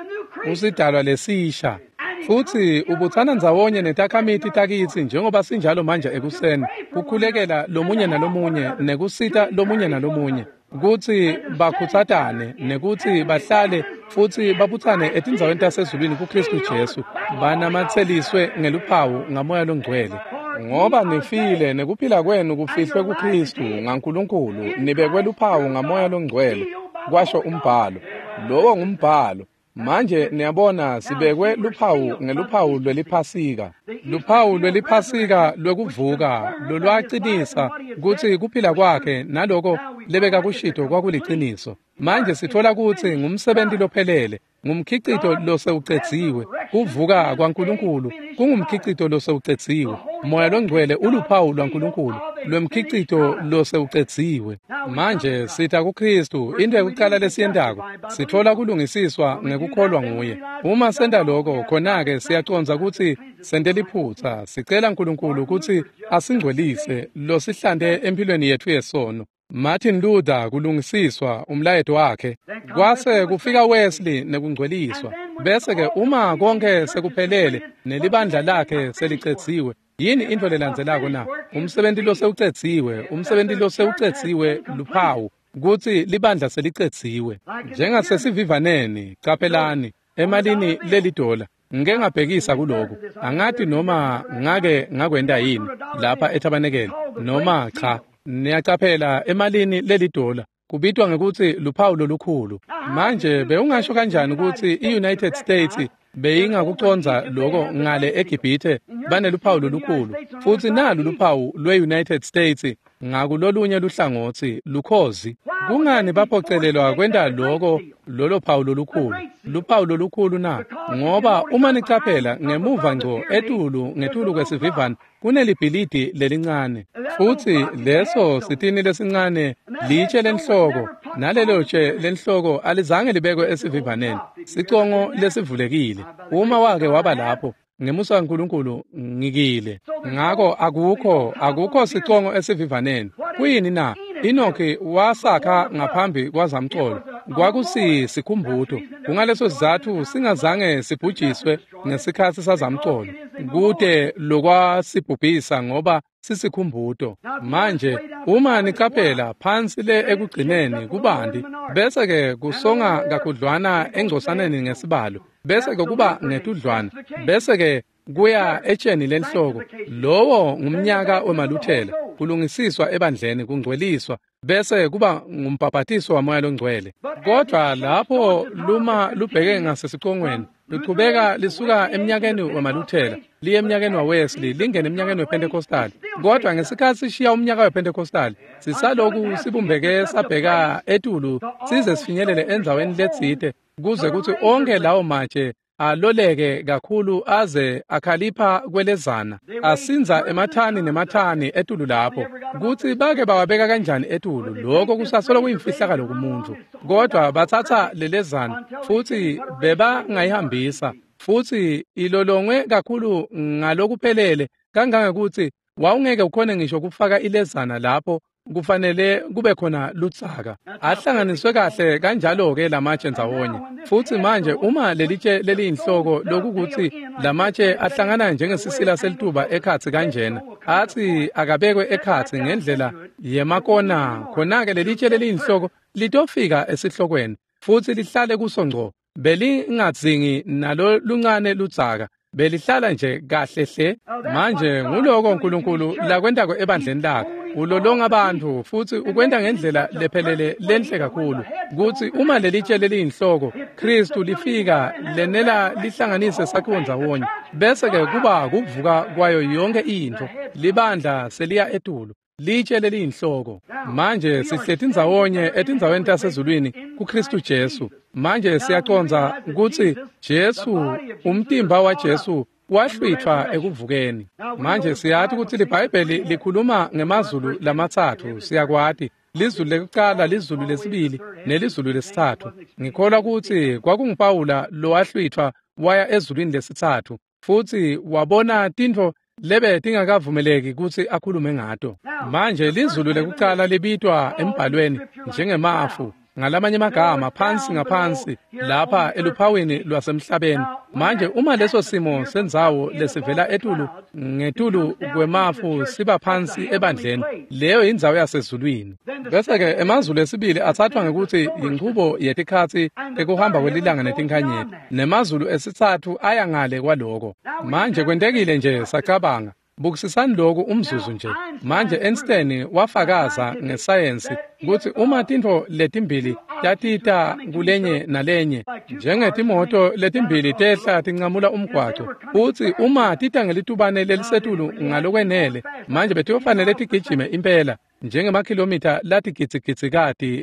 usidalwa lesisha. Futsi ubutsana ndzawonye netakhamiti takitsi njengoba sinjalo manje ekuseni, kukhulekela lomunye nalomunye nekusita lomunye nalomunye, kutsi bakhutsatane nekutsi bahlale futsi babutsane etindzaweni tasezulwini kuKristu Jesu, banamatseliswe ngeluphawu ngaMoya loNgcwele. Ngoba nifile nekuphila kwenu kufihlwe kuKristu ngaNkulunkulu, nibekwe luphawu ngaMoya loNgcwele, kwasho umbhalo. Lowo ngumbhalo. Manje niyabona sibekwe luphawu ngeluphawu lweliphasika. Luphawu lweliphasika lwekuvuka lolwacinisa kutsi kuphila kwakhe naloko lebekakushito kwakuliciniso. Manje sitfola kutsi ngumsebenti lophelele, ngumkhicito losewucedziwe. Kuvuka kwaNkulunkulu kungumkhicito losewucedziwe. Moya loNgcwele uluphawu lwaNkulunkulu lwemkhicito losewucedziwe. Manje sita kuKristu, into yekucala lesiyentako sitfola kulungisiswa ngekukholwa nguye. Uma senta lokho, khona-ke siyacondza kutsi sente liphutsa, sicela Nkulunkulu kutsi asingcwelise losihlante empilweni yetfu yesono. Martin Luther kulungisiswa umlayeto wakhe, kwase kufika Wesley nekungcweliswa. Bese-ke uma konke sekuphelele nelibandla lakhe selicedziwe, yini into lelandzelako na? Umsebenti losewucedziwe, umsebenti losewucedziwe luphawu kutsi libandla selicedziwe. Njengasesivivaneni, caphelani emalini lelidola. Ngike ngabhekisa kuloku, angati noma ngake ngakwenta yini lapha etabenekele noma cha. Niyacaphela emalini lelidola kubitwa ngekutsi luphawu lolukhulu. Manje bewungasho kanjani kutsi i-United States beyingakucondza lokho ngale eGibhithe baneluphawu lolukhulu, futsi nalu luphawu lwe-United States ngakulolunye luhlangotsi lukhozi? Kungani baphocelelwa kwenta lokho lolo phawu lolukhulu, luphawu lolukhulu na? Ngoba uma nicaphela ngemuva ngco etulu ngetulu kwesivivane kunelibhilidi lelincane, futsi leso sitini lesincane litshe lenhloko, nalelo tshe lenhloko alizange libekwe esivivaneni, sicongo lesivulekile. Uma wake waba lapho ngemusa kaNkulunkulu ngikile. Ngako akukho akukho sicongo esivivaneni. Kuyini na? Enoki wasakha ngaphambi kwazamcolo, kwakusisikhumbuto. Kungaleso sizatfu singazange sibhujiswe ngesikhatsi sazamcolo, kute lokwasibhubhisa ngoba sisikhumbuto. Manje uma nicaphela phansi le ekugcineni kubanti, bese-ke kusonga kakhudlwana engcosaneni ngesibalo, bese-ke kuba ngetudlwana, bese-ke kuya etsheni lenhloko. Lowo ngumnyaka wemaluthela, kulungisiswa ebandleni, kungcweliswa, bese kuba ngumbhabhatiso waMoya loNgcwele. Kodwa lapho luma lubheke ngasesicongweni, luchubeka lisuka emnyakeni wemaluthela liye emnyakeni waWesley, lingene emnyakeni wePentecostal. Kodwa ngesikhatsi sishiya umnyaka wePentecostal, sisaloku sibumbeke sabheka etulu size sifinyelele endzaweni letsite, kuze kutsi onke lawo matshe aloleke kakhulu aze akhalipha kwelezana, asinza emathani nemathani etulu lapho. Kutsi bake bawabeka kanjani etulu, lokho kusasolo kuyimfihlakalo kumuntu. Kodwa batsatsa lelezana futsi bebangayihambisa, futsi ilolongwe kakhulu ngalokuphelele kangangekutsi wawungeke ukhone ngisho kufaka ilezana lapho kufanele kube khona lutsaka. Ahlanganiswe kahle kanjalo-ke lamatshe ndzawonye. Futsi manje uma lelitshe leliyinhloko, lokukuthi lamatshe ahlangana njengesisila selituba ekhatsi kanjena, atsi akabekwe ekhatsi ngendlela yemakona, khona-ke lelitshe leliyinhloko litofika esihlokweni futsi lihlale kuso ngco. Belingadzingi nalo luncane lutsaka, belihlala nje kahle hle. Manje nguloko uNkulunkulu lakwentako ebandleni lakhe. Ulolonga abantu futsi ukwenta ngendlela lephelele lenhle kakhulu, kutsi uma lelitshe leliyinhloko Kristu lifika lenela lihlanganise sakhiwo ndzawonye, bese-ke kuba kuvuka kwayo yonke intfo. Libandla seliya etulu, litshe leliyinhloko. Manje sihleti ndzawonye etindzaweni tasezulwini kuKristu Jesu. Manje siyacondza kutsi Jesu, umtimba waJesu wahlwithwa ekuvukeni. Manje siyati kutsi liBhayibheli likhuluma ngemazulu lamatsatfu, siyakwati. Lizulu lekucala, lizulu lesibili, nelizulu lesitsatfu. Ngikholwa kutsi kwakunguPawula lowahlwitfwa waya ezulwini lesitsatfu, futsi wabona tintfo lebe tingakavumeleki kutsi akhulume ngato. Manje lizulu lekucala libitwa embhalweni njengemafu, ngalamanye amagama phansi ngaphansi lapha eluphawini lwasemhlabeni. Manje uma leso simo sendzawo lesivela etulu ngetulu kwemafu siba phansi ebandleni, leyo indzawo yasezulwini. Bese-ke emazulu esibili athathwa ngekuthi inchubo yetikhatsi tekuhamba kwelilanga netinkhanyeti, nemazulu esitsatfu aya ngale kwaloko. Manje kwentekile nje sacabanga, bukisisani lokhu umzuzu nje. Manje Einstein wafakaza ngesayensi kutsi uma tintfo letimbili tatita kulenye nalenye, njengetimoto letimbili tehla tincamula umgwaco, futsi uma tita ngelitubane lelisetulu ngalokwenele, manje betiyofanele tigijime impela njengemakhilomitha latigidzigidzi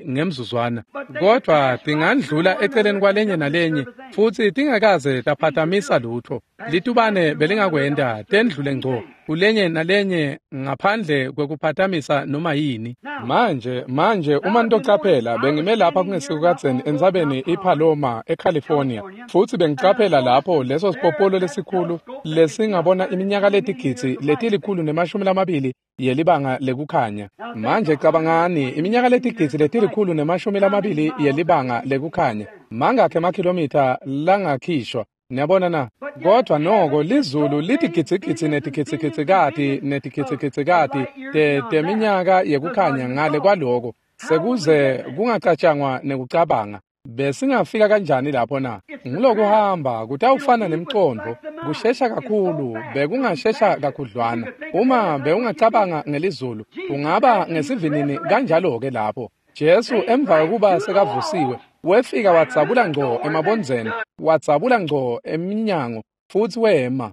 ngemzuzwana, kodvwa tingandlula eceleni kwalenye nalenye futsi tingakaze taphatamisa lutfo. Litubane belingakwenta tendlule ngco kulenye nalenye ngaphandle kwekuphatamisa noma yini. Manje manje uma nitocaphela, bengime lapha kungesikukadzeni entsabeni iPaloma eCalifornia, futsi bengicaphela lapho leso sipopolo lesikhulu lesingabona iminyaka letigidzi letilikhulu nemashumi lamabili yelibanga lekukhanya. Manje cabangani, iminyaka letigidzi letilikhulu nemashumi lamabili yelibanga lekukhanya, mangakhi emakhilomitha langakhishwa? Niyabona na? Kodwa noko lizulu litigidzigidzi netigidzigidzikati netigidzigidzikati te teminyaka yekukhanya ngale kwaloko, sekuze kungacatshangwa nekucabanga. Besingafika kanjani lapho na? Ngilokuhamba kutawufana nemcondvo, kushesha kakhulu, bekungashesha kakhudlwana. Uma bewungacabanga ngelizulu, ungaba ngesivinini kanjalo-ke lapho. Jesu emva kokuba sekavusiwe, wefika wadzabula ngco emabondzeni, wadzabula ngco eminyango, futsi wema.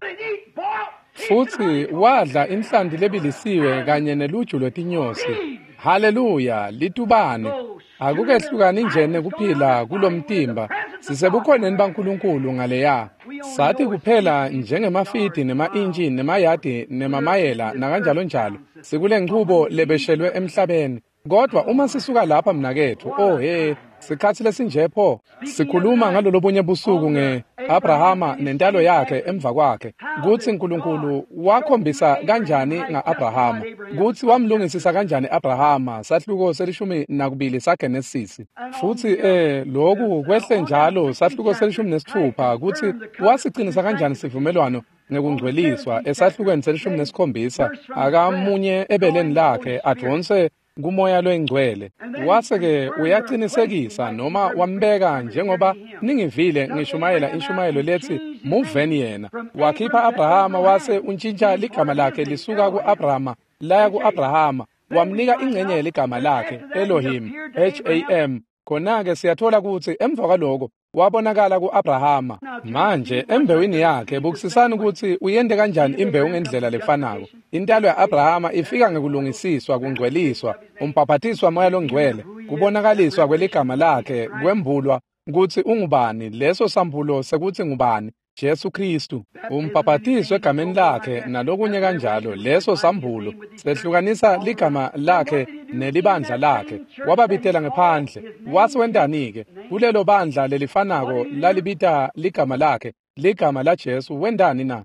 Futsi wadla inhlanti lebilisiwe kanye neluju lwetinyosi. Haleluya, litubane. Akukehlukani nje nekuphila kulomtimba, sisebukhoneni baNkulunkulu ngaleya. Sathi kuphela njengemafidi nema-intshi nemayadi nemamayela nakanjalo njalo, sikule nchubo lebeshelwe emhlabeni. Kodwa uma sisuka lapha mnaketfu, oh he, sikhatsi lesinje pho. Sikhuluma ngalolobunye busuku nge-Abrahama nentalo yakhe emva kwakhe, kutsi Nkulunkulu wakhombisa kanjani nga-Abrahama, kutsi wamlungisisa kanjani Abrahama, sahluko selishumi nakubili saGenesisi. Futsi eh lokhu kwehle njalo sahluko selishumi nesitfupha, kutsi wasicinisa kanjani sivumelwano ngekungcweliswa esahlukweni selishumi nesikhombisa, akamunye ebeleni lakhe advonse kumoya loyingcwele. Wase-ke uyaqinisekisa noma wambeka, njengoba ningivile ngishumayela inshumayelo lethi muveni yena. Wakhipha Abrahama wase untshintsha ligama lakhe lisuka ku-Abrahama laya ku-Abrahama, wamnika ingcenye yeligama lakhe Elohim, H A M. Khona-ke siyathola kutsi emva kwaloko wabonakala ku-Abrahama. Manje embewini yakhe, bukisisani kutsi uyente kanjani imbewu ngendlela lefanako. Intalo ya-Abrahama ifika ngekulungisiswa, kungcweliswa, umbhaphatiswa moya longcwele, kubonakaliswa kweligama lakhe, kwembulwa kutsi ungubani, leso sambulo sekutsi ngubani, Jesu Kristu. Umbhaphatiswe egameni lakhe nalokunye kanjalo, leso sambulo sehlukanisa ligama lakhe nelibandla lakhe. Wababitela ngephandle. Wase wentani-ke? Kulelo bandla lelifanako lalibita ligama lakhe, ligama la Jesu, wentani na?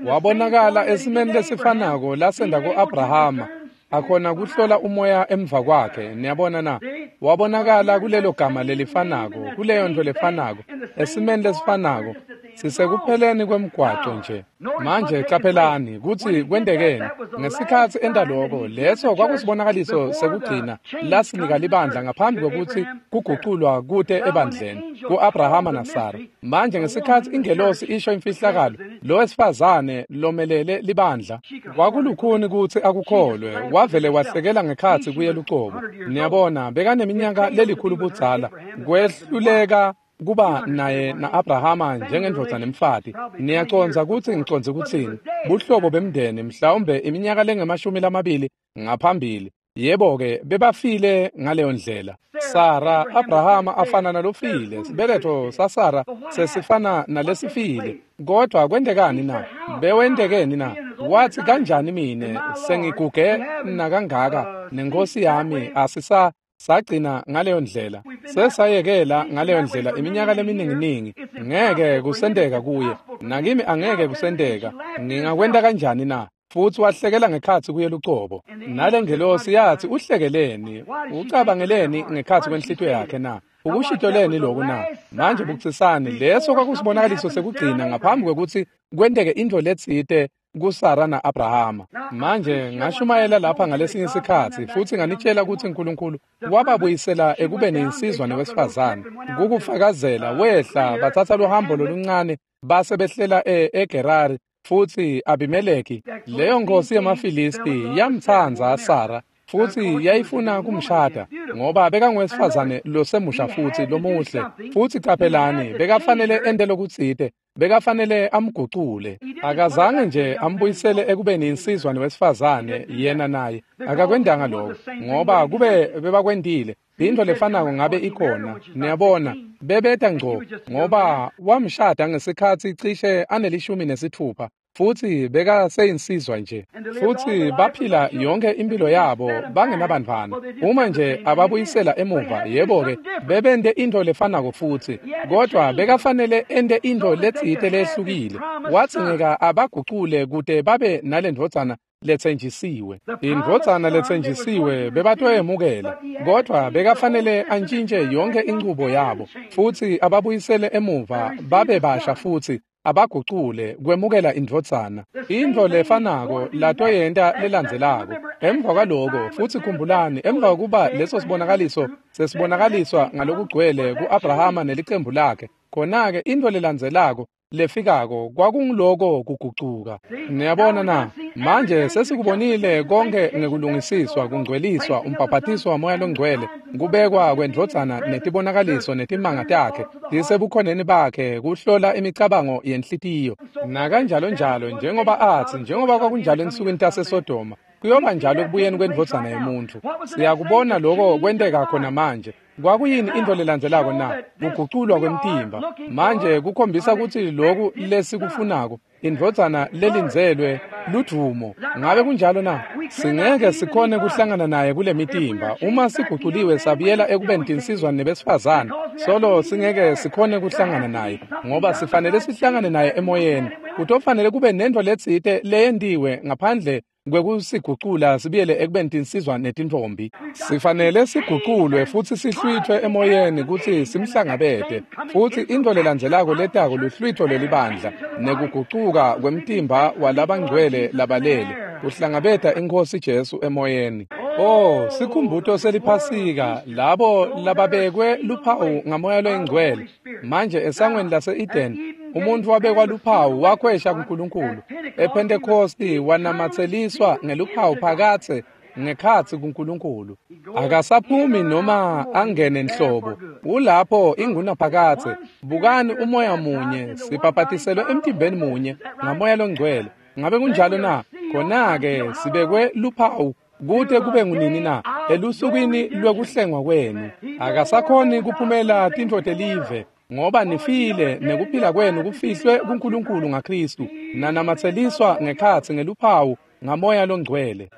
Wabonakala esimeni lesifanako lasenda ku-Abrahama, akhona kuhlola umoya emva kwakhe. Niyabona na? Wabonakala kulelo gama lelifanako, kuleyo nto lefanako, esimeni lesifanako, sisekupheleni kwemgwaco nje. Manje caphelani kutsi kwentekeni ngesikhatsi enta loko. Leso kwakusibonakaliso sekugcina lasinika libandla ngaphambi kwekutsi kuguculwa kute ebandleni ku-Abrahama naSara. Manje ngesikhatsi ingelosi isho imfihlakalo, lo wesifazane lomelele libandla kwakulukhuni kutsi akukholwe, wavele wahlekela ngekhatsi kuye lucobo. Niyabona, bekaneminyaka lelikhulu budzala, kwehluleka kuba naye na-Abrahama njengendvodza nemfati. Niyacondza kutsi ngicondze kutsini? Buhlobo bemndeni, mhlawumbe iminyaka lengemashumi lamabili ngaphambili. Yebo-ke, bebafile ngaleyo ndlela. Sara, Abrahama afana nalofile, sibeletho saSara sesifana nalesifile. Kodwa kwentekani na? Bewentekeni na? Wathi kanjani mine sengiguge nakangaka nenkosi yami asisa sagcina ngaleyo ndlela sesayekela ngaleyo ndlela iminyaka lemininginingi ngeke kusenteka kuye nakimi angeke kusenteka ngingakwenta kanjani na? Futhi wahlekela ngekhatsi kuye lucobo. Nale ngelosi yathi uhlekeleni ucabangeleni ngekhatsi kwenhlitiyo yakhe na? Ukushitoleni lokhu na? Manje bukisisani leso kwakusibonakaliso sekugcina ngaphambi kwekutsi kwenteke intfo letsite kuSara na-Abrahama. Manje ngashumayela lapha ngalesinye isikhatsi futhi nganitshela ukuthi uNkulunkulu wababuyisela ekubeni insizwa newesifazane kukufakazela wehla bathatha luhambo loluncane base behlela eGerari futhi Abimeleki leyo nkosi yamaFilisti yamtsandza Sara futhi yayifuna kumshada ngoba bekangowesifazane losemusha futhi lomuhle futhi qaphelani bekafanele ente lokutsite bekafanele amgucule. Akazange nje ambuyisele ekubeni insizwa newesifazane yena naye akakwendanga lokho ngoba kube bebakwendile into lefanako ngabe ikhona niyabona bebeta ngco ngoba wamshada ngesikhatsi cishe anelishumi nesithupha futhi bekaseyinsizwa nje futhi baphila yonke impilo yabo bangenabantwana. Uma nje ababuyisela emuva yebo-ke bebente into lefanako futhi kodwa bekafanele ente into letsite lehlukile. Wadzingeka abagucule kute babe nale ndvodzana letsenjisiwe. Indvodzana letsenjisiwe bebatoyemukela kodwa bekafanele antshintje yonke inchubo yabo futhi ababuyisele emuva babe basha futhi abagucule kwemukela indvodzana. Intfo lefanako latoyenta lelandzelako emva kwaloko futhi khumbulani emva kokuba leso sibonakaliso sesibonakaliswa ngalokugcwele ku-Abrahama nelicembu lakhe khona-ke intfo lelandzelako lefikako kwakunguloko kugucuka. Niyabona na? Manje sesikubonile konke ngekulungisiswa kungcweliswa umbhaphathiso wamoya longcwele kubekwa kwendvodzana netibonakaliso netimanga takhe tisebukhoneni bakhe kuhlola imicabango yenhlitiyo nakanjalo njalo njengoba athi njengoba kwakunjalo ensukwini taseSodoma kuyoba njalo ekubuyeni kwendvodzana yemuntfu. Siyakubona lokho kwenteka khona manje. Kwakuyini into lelandzelako na? Kuguculwa kwemtimba. Manje kukhombisa kutsi lokhu lesikufunako indvodzana lelindzelwe ludvumo. Ngabe kunjalo na? Singeke sikhone kuhlangana naye kule mitimba uma siguculiwe sabuyela ekubeni tinsizwa nebesifazane solo singeke sikhone kuhlangana naye ngoba sifanele sihlangane naye emoyeni. Kutofanele kube nento letsite leyentiwe ngaphandle kwekusigucula sibuyele ekubeni tinsizwa netintfombi. Sifanele siguculwe futhi sihlwithwe emoyeni kutsi simhlangabete futhi intfo lelandzelako letako luhlwitho lelibandla nekugucuka kwemtimba walabangcwele labalele kuhlangabeta iNkhosi Jesu emoyeni. Oh, sikhumbuto seliphasika labo lababekwe luphawu ngamoya loyingcwele. Manje esangweni lase-Eden umuntu wabekwa luphawu wakhwesha kuNkulunkulu. EPhentekosti wanamatseliswa ngeluphawu phakathe ngekhatsi kuNkulunkulu. Akasaphumi noma angene nhlobo. Ulapho ingunaphakathe. Bukani umoya munye sibhabhatiselwe emtimbeni munye ngamoya longcwele. Ngabe kunjalo na? Khona-ke sibekwe luphawu kute kube ngunini na? Elusukwini lwekuhlengwa kwenu. Akasakhoni kuphumela tintfo telive ngoba nifile nekuphila kwenu kufihlwe kuNkulunkulu ngaKristu nanamatseliswa ngekhatsi ngeluphawu ngamoya longcwele.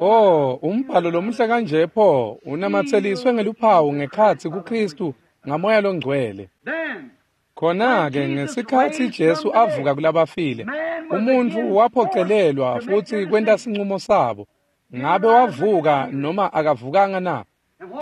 Oh, umbhalo lomuhle kanje pho unamatseliswe ngeluphawu ngekhatsi kuKristu ngamoya longcwele. Khona-ke ngesikhatsi Jesu avuka kulabafile umuntfu waphocelelwa futhi kwenta sincumo sabo. Ngabe wavuka noma akavukanga na?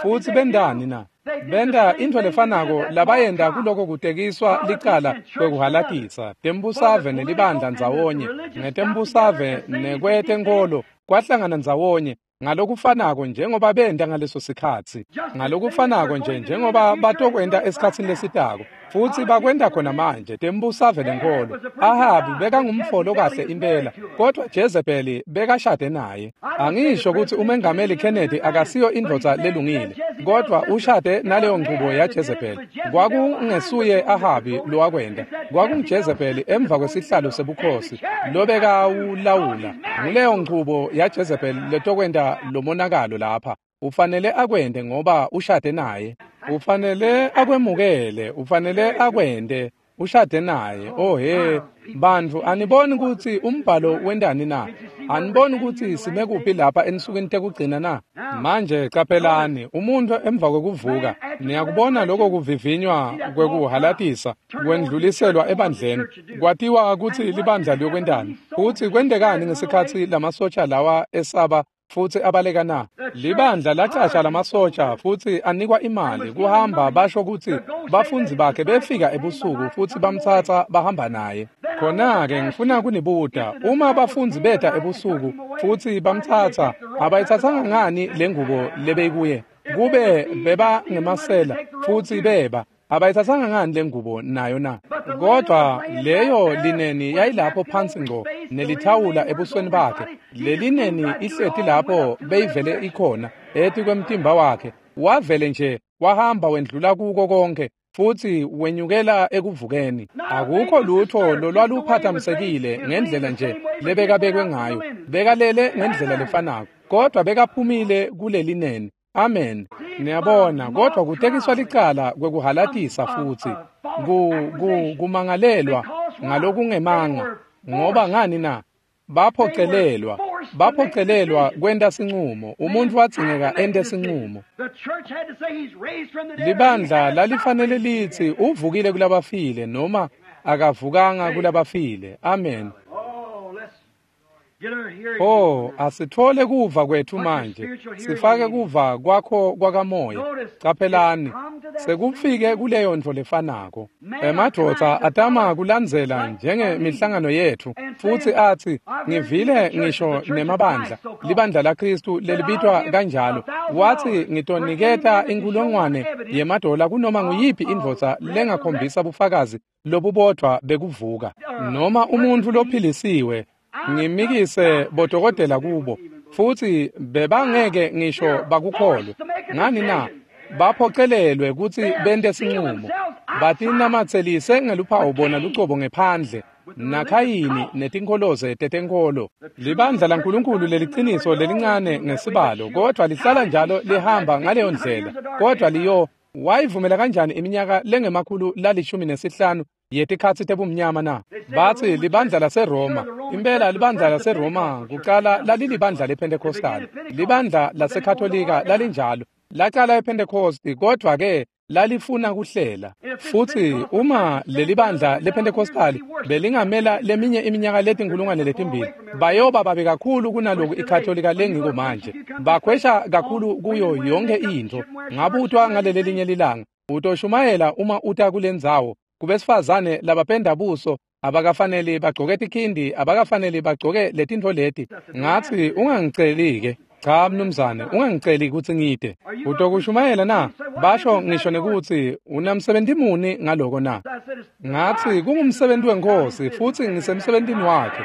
Futhi bendani na? Benda intfo lefanako labayenda kuloko kutekiswa licala kwekuhalatisa tembusave nelibandla ndzawonye ngetembusave nekwetenkholo kwahlangana ndzawonye ngalokufanako njengoba benda ngaleso sikhatsi ngalokufanako nje njengoba batokwenta esikhatsini lesitako futhi bakwenta khona manje tembusave lenkholo. Ahabi bekangumfolo kahle impela kodwa Jezebeli bekashade naye. Angisho kutsi umengameli Kennedy akasiyo indvodza lelungile kodwa ushade naleyo nchubo yaJezebeli. Kwakungesuye Ahabi lowakwenta, kwakunguJezebeli emva kwesihlalo sebukhosi lobekawulawula. Nguleyo nchubo yaJezebeli letokwenta lomonakalo lapha. Ufanele akwente ngoba ushade naye. Ufanele akwemukele, ufanele akwente. Ushade naye. Oh he, bantfu aniboni kutsi umbhalo wentani na? Aniboni kutsi sime kuphi lapha ensukwini tekugcina na? Manje caphelani, umuntu emva kwekuvuka, niyakubona lokho kuvivinywa kwekuhalatisa kwendluliselwa ebandleni. Kwatiwa kutsi libandla liyokwentani. Futsi kwentekani ngesikhatsi lamasotsha lawa esaba futsi abaleka na? Libandla lacasha lamasotsha futsi anikwa imali kuhamba basho kutsi bafundzi bakhe befika ebusuku futsi bamtsatsa bahamba naye. Khona-ke ngifuna kunibuta, uma bafundzi beta ebusuku futsi bamtsatsa, abayitsatsanga ngani lengubo lebeyikuye? Kube beba ngemasela futsi beba, abayitsatsanga ngani lengubo nayo na? Kodwa leyo lineni yayilapho phansi ngco nelithawula ebusweni bakhe. Lelineni ihleti lapho beyivele ikhona eti kwemtimba wakhe. Wavele nje wahamba wendlula kuko konke futsi wenyukela ekuvukeni. Akukho lutho lolwaluphathamisekile ngendlela nje lebekabekwe ngayo. Bekalele ngendlela lefanako, kodwa bekaphumile kulelineni. Amen. Niyabona, kodwa kutekiswa licala kwekuhalatisa futsi ku ku kumangalelwa ngalokungemanga. Ngoba ngani na? Baphocelelwa, baphocelelwa kwenta sincumo. Umuntu wadzingeka ente sincumo. Libandla lalifanele litsi uvukile kulabafile noma akavukanga kulabafile. Amen. Oh, asithole kuva kwethu manje. Sifake kuva kwakho kwakamoya. Caphelani, sekufike kuleyo ntfo lefanako. Emadvodza atama kulandzela njengemihlangano yethu futsi atsi, ngivile ngisho nemabandla, libandla laKhristu lelibitwa kanjalo. Watsi ngitoniketa inkulungwane yemadola kunoma nguyiphi indvodza lengakhombisa bufakazi lobubodvwa bekuvuka, noma umuntfu lophilisiwe. Ngimikise bodokotela kubo futsi bebangeke ngisho bakukholwe. Ngani na? Baphocelelwe kutsi bente sincumo. Batinamatselise ngeluphawu bona lucobo ngephandle naKhayini netinkholoze tetenkholo. Libandla laNkulunkulu leliciniso lelincane ngesibalo, kodwa lihlala njalo lihamba ngaleyo ndlela. Kodwa liyo wayivumela kanjani iminyaka lengemakhulu lalishumi nesihlanu yetikhatsi tebumnyama na? Batsi libandla laseRoma. Impela libandla laseRoma kucala lalilibandla lePentecostal. Libandla laseKatolika lalinjalo. Lacala ePentecost, kodwa ke lalifuna kuhlela. Futsi uma lelibandla lePentecostal belingamela leminye iminyaka letinkulungwane letimbili, bayoba babe kakhulu kunaloku iKatolika lengiko manje. Bakhwesha kakhulu kuyo yonke intfo. Ngabutwa ngalelelinye lilanga, utoshumayela uma uta kulendzawo kubesifazane labapenda buso abakafanele bagcoke tikhindi, abakafanele bagcoke letintfo leti. Ngatsi ungangiceli-ke. Cha mnumzane, ungangiceli kutsi ngide. Utokushumayela na? Basho ngisho nekutsi unamsebenti muni ngaloko na? Ngatsi kungumsebenti weNkhosi futsi ngisemsebentini wakhe.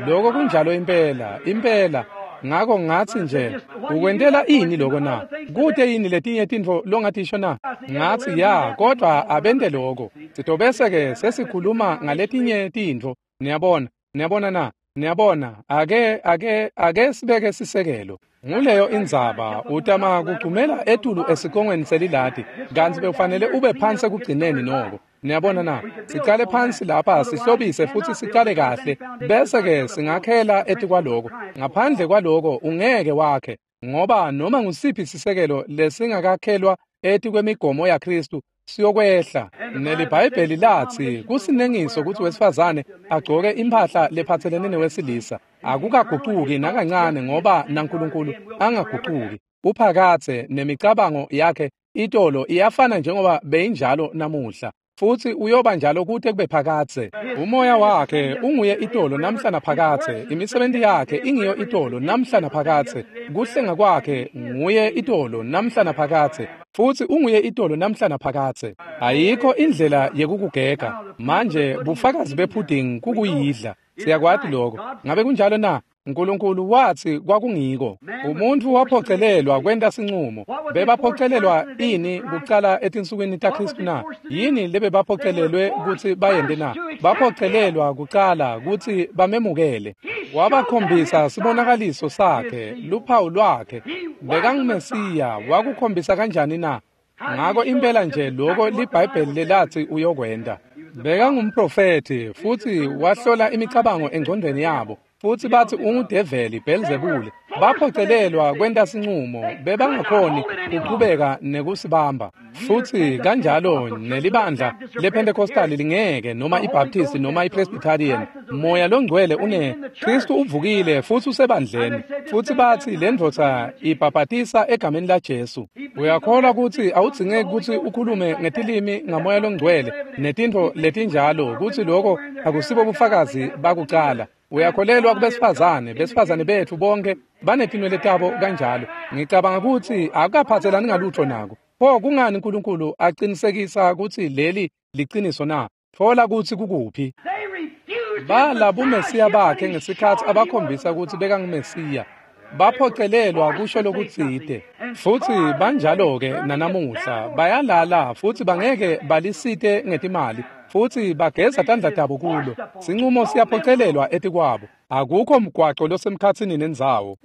Loko kunjalo impela, impela. Ngako ngatsi nje, ukwentela ini loko na? Kute yini letinye tintfo longatisho na? Ngatsi ya, kodwa abente loko. Sitobese-ke sesikhuluma ngaletinye tintfo. Niyabona, niyabona na? Niyabona, ake ake ake sibeke sisekelo. Nguleyo indzaba, utama kugcumela etulu esikongweni seliladi, kantsi bekufanele ube phansi ekugcineni noko. Niyabona na? Sicale phansi lapha sihlobise futsi sicale kahle, bese-ke singakhela etikwaloko. Ngaphandle kwaloko ungeke wakhe, ngoba noma ngusiphi sisekelo lesingakakhelwa etikwemigomo yaKhristu siyokwehla. NeliBhayibheli latsi kusinengiso kutsi wesifazane agcoke imphahla lephatselene newesilisa. Akukagucuki nakancane, ngoba naNkulunkulu angagucuki. Uphakatse nemicabango yakhe itolo iyafana njengoba beyinjalo namuhla, futsi uyoba njalo kute kube phakatse. Umoya wakhe unguye itolo namhla naphakatse. Imisebenti yakhe ingiyo itolo namhla naphakatse. Kuhlenga kwakhe nguye itolo namhla naphakatse, futsi unguye itolo namhla naphakatse. Ayikho indlela yekukugega. Manje bufakazi bepudding kukuyidla. Siyakwati lokho. Ngabe kunjalo na? Nkulunkulu watsi kwakungiko. Umuntu waphocelelwa kwenta sincumo. Bebaphocelelwa ini kucala etinsukwini taKhristu na? Yini lebebaphocelelwe kutsi bayente na? Baphocelelwa kucala kutsi bamemukele. Wabakhombisa sibonakaliso sakhe, luphawu lwakhe. BekanguMesiya, wakukhombisa kanjani na? Ngako impela nje lokho liBhayibheli lelatsi uyokwenta. Bekangumprofethi futhi wahlola imicabango engcondweni yabo futsi batsi ungudeveli Belzebule. Baphocelelwa kwenta sincumo, bebangakhoni kuqhubeka nekusibamba. Futsi kanjalo nelibandla lePentecostal lingeke noma iBaptist noma iPresbyterian. Moya longcwele une Kristu uvukile futsi usebandleni. Futsi batsi lendvodza ibhabhatisa egameni la Jesu. Uyakholwa kutsi awudzingeki kutsi ukhulume ngetilimi ngamoya longcwele netintfo letinjalo kutsi lokho akusibo bufakazi bakucala. Uyakholelwa kubesifazane, besifazane betfu bonke banetinwele tabo kanjalo. Ngicabanga kutsi akukaphatselani ngalutho nako. Pho kungani uNkulunkulu aqinisekisa kutsi leli liciniso na? Thola kutsi kukuphi. Bala buMesiya bakhe ngesikhatsi abakhombisa kutsi bekanguMesiya. Baphocelelwa kusho lokutsite. Futsi banjalo-ke nanamuhla bayalala futsi bangeke balisite ngetimali. Futsi bageza tandla tabo kulo. Sincumo siyaphocelelwa etikwabo. Akukho mgwaco losemkhatsini nendzawo.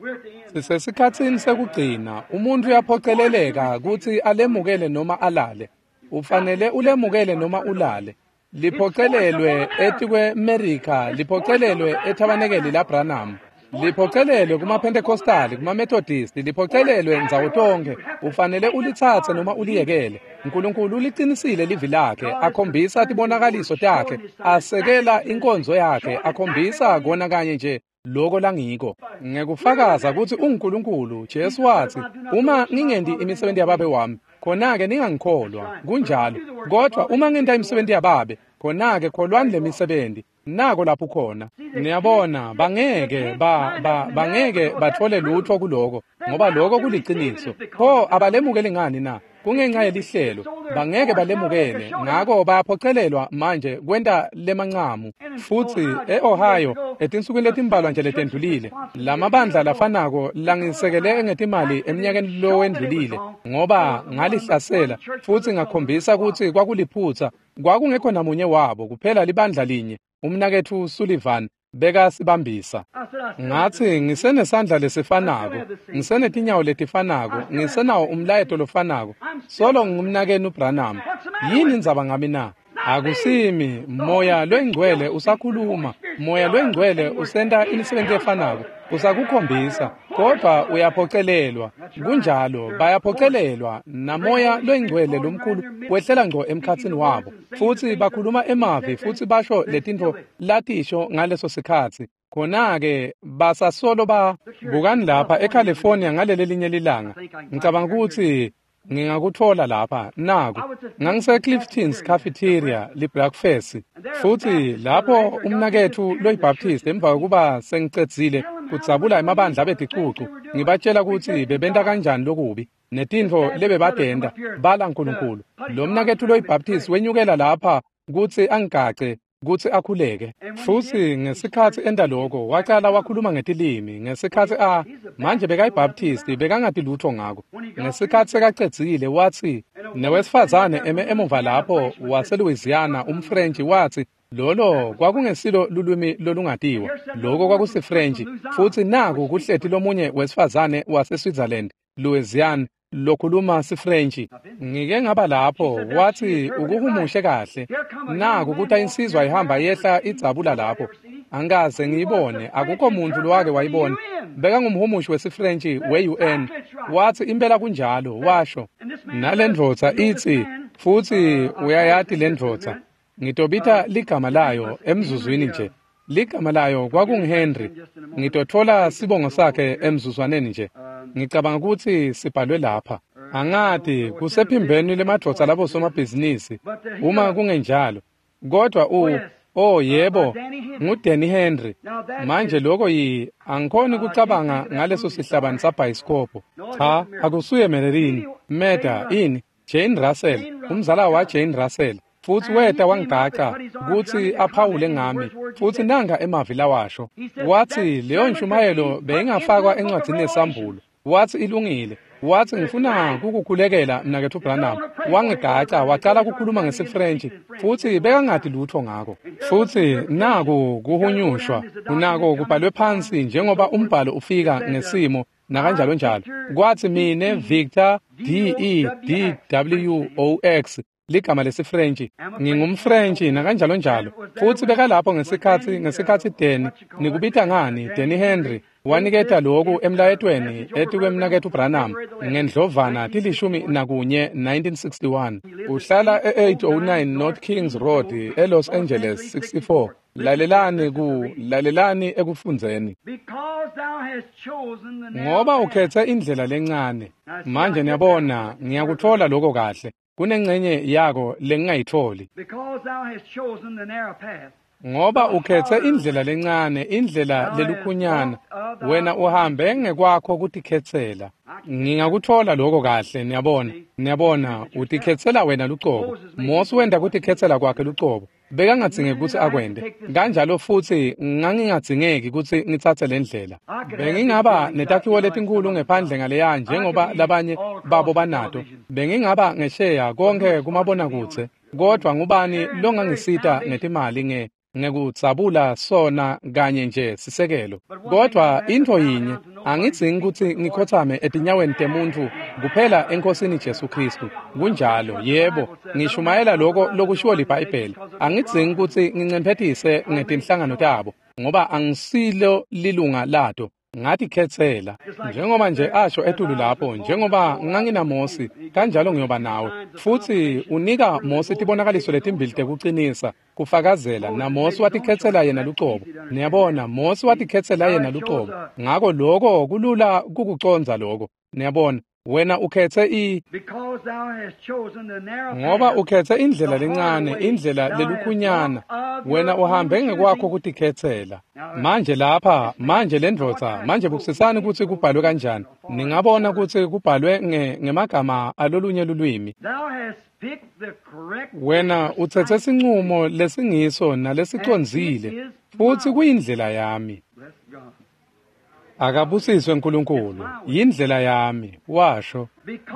Sisesikhatsini sekugcina. Umuntu uyaphoceleleka kutsi alemukele noma alale. Ufanele ulemukele noma ulale. Liphocelelwe etikwe-Amerika, liphocelelwe ethabanekeli laBranham. Liphocelelwe kuma-Pentecostal, kuma-Methodist, liphocelelwe ndzawo tonkhe. Ufanele ulitsatse noma uliyekele. uNkulunkulu uliqinisile livi lakhe, akhombisa tibonakaliso takhe, asekela inkonzo yakhe, akhombisa kona kanye nje loko langiko. Ngekufakaza kutsi unguNkulunkulu, Jesu watsi, uma ngingenti imisebenti yababe wami, khona-ke ningangikholwa. Kunjalo. Kodwa uma ngenta imisebenti yababe, khona-ke kholwani lemisebenti. Nako lapho khona. Niyabona, bangeke ba ba bangeke bathole lutho kuloko, ngoba lokho kuliciniso. Pho abalemukeli ngani na? Kungenxa yelihlelo. Bangeke balemukele, ngako bayaphocelelwa manje kwenta lemancamu. Futsi e-Ohio etinsukwini letimbalwa nje letendlulile, lamabandla lafanako langisekele ngetimali eminyakeni lowendlulile, ngoba ngalihlasela futsi ngakhombisa kutsi kwakuliphutsa. Kwakungekho namunye wabo, kuphela libandla linye. Umnaketfu Sullivan bekasibambisa. Ngatsi ngisenesandla lesifanako, ngisenetinyawo letifanako, ngisenawo umlayeto lofanako. Solo ngumnakenu Branham. Yini indzaba ngami na? Akusimi, moya loyingcwele usakhuluma, moya loyingcwele usenta imisebenzi efanako, usakukhombisa, kodwa uyaphocelelwa. Kunjalo, bayaphocelelwa, namoya loyingcwele lomkhulu wehlela ngco emkhatsini wabo. Futsi bakhuluma emavi futsi basho letintfo latisho ngaleso sikhatsi. Khona-ke basasolo ba bukani lapha eCalifornia ngaleli linye lilanga. Ngicabanga kutsi ngingakuthola lapha naku. Ngangise Clifton's Cafeteria li-breakfast, futsi lapho umnaketfu loyiBaptist emva kokuba sengicedzile kudzabula emabandla abeticucu, ngibatshela kutsi bebenta kanjani lokubi netintfo lebebadenda bala uNkulunkulu. Lo mnaketfu loyiBaptist wenyukela lapha kutsi angigace kutsi akhuleke. Futsi ngesikhatsi enta lokho, wacala wakhuluma ngetilimi. Ngesikhatsi a manje bekayiBaptist, bekangati lutho ngako. Ngesikhatsi sekacedzile watsi, newesifazane eme emuva lapho waseLouisiana, umFrench, watsi lolo kwakungesilo lulwimi lolungatiwa, lokho kwakusiFrench. Futsi naku kuhleti lomunye wesifazane waseSwitzerland, Louisiana, lokhuluma siFrench. Ngike ngaba lapho, wathi ukuhumushe kahle. Naku kuta insizwa ihamba yehla idzabula lapho. Angikaze ngiyibone, akukho muntu lowake wayibona. Bekangumhumushi wesiFrench we-U N. Wathi impela kunjalo, washo. Nalendvodza itsi, futsi uyayati lendvodza. Ngitobita ligama layo emzuzwini nje. Ligama layo kwakunguHenry. Ngitotfola sibongo sakhe emzuzwaneni nje. Ngicabanga kutsi sibhalwe lapha. Angati kusephimbeni lemadvodza labo somabhizinisi uma kungenjalo. Kodwa u oh yebo, nguDanny Henry. Manje lokho yi angikhoni kucabanga ngaleso sihlabani sabhayisikobho. Cha, akusuye Marilyn, Meda, ini Jane Russell, umzala wa Jane Russell. Futsi weta wangigaca kutsi aphawule ngami, futsi nanga emavi lawasho. Watsi leyo nshumayelo beyingafakwa encwadzini yesambulo. Watsi ilungile. Watsi ngifuna kukukhulekela mnaketfu Branham. Wangigaca wacala kukhuluma ngesiFrench, futsi bekangati lutho ngako. Futsi naku kuhunyushwa, unako kubhalwe phansi njengoba umbhalo ufika ngesimo nakanjalo njalo. Kwatsi mine Victor D E D W O X ligama lesiFrentshi. NgingumFrentshi nakanjalo njalo. Futsi bekalapho ngesikhatsi ngesikhatsi Danny, nikubita ngani, Danny Henry, waniketa loku emlayetweni etikwemnaketfu Branham ngendlovana tilishumi nakunye nineteen sixty-one. Uhlala e-eight oh nine North Kings Road eLos Angeles sixty-four. Lalelani ku lalelani ekufundzeni. Ngoba ukhethe indlela lencane. Manje niyabona ngiyakutfola lokho kahle. Kunengcenye yako lengingayitfoli. Ngoba ukhethe indlela lencane, indlela lelukhunyana, wena uhambe ngekwakho kutikhetsela. Ngingakutfola lokho kahle, niyabona. Niyabona, utikhetsela wena lucobo. Mosi wenta kutikhetsela kwakhe lucobo. Bekangadzingeki kutsi akwente. Kanjalo futsi ngangingadzingeki kutsi ngitsatse le ndlela. Bengingaba netakhiwo letinkhulu ngephandle ngaleya njengoba labanye babo banato. Bengingaba ngesheya konke kumabonakudze. Kodvwa ngubani longangisita ngetimali nge ngekudzabula sona kanye nje sisekelo. Kodvwa intfo yinye, angidzingi kutsi ngikhotsame etinyaweni temuntfu kuphela eNkhosini Jesu Khristu. Kunjalo, yebo, ngishumayela lokho lokushiwo liBhayibheli. Angidzingi kutsi ngincemphetise ngetinhlangano tabo, ngoba angisilo lilunga lato. Ngatikhetsela njengoba nje asho etulu lapho, njengoba nganginaMosi kanjalo ngiyoba nawe. Futsi unika Mosi tibonakaliso letimbili tekucinisa kufakazela, naMosi watikhetsela yena lucobo. Niyabona, Mosi watikhetsela yena lucobo. Ngako lokho kulula kukucondza lokho. Niyabona, wena ukhetse i ngoba ukhetse indlela lencane, indlela lelukhunyana, wena uhambe ngekwakho kutikhetsela. Manje lapha, manje lendvodza, manje bukisisani kutsi kubhalwe kanjani. Ningabona kutsi kubhalwe nge ngemagama alolunye lulwimi. Wena utsetse sincumo lesingiso nalesicondzile, futsi kuyindlela yami. Akabusiswe uNkulunkulu, yindlela yami, washo.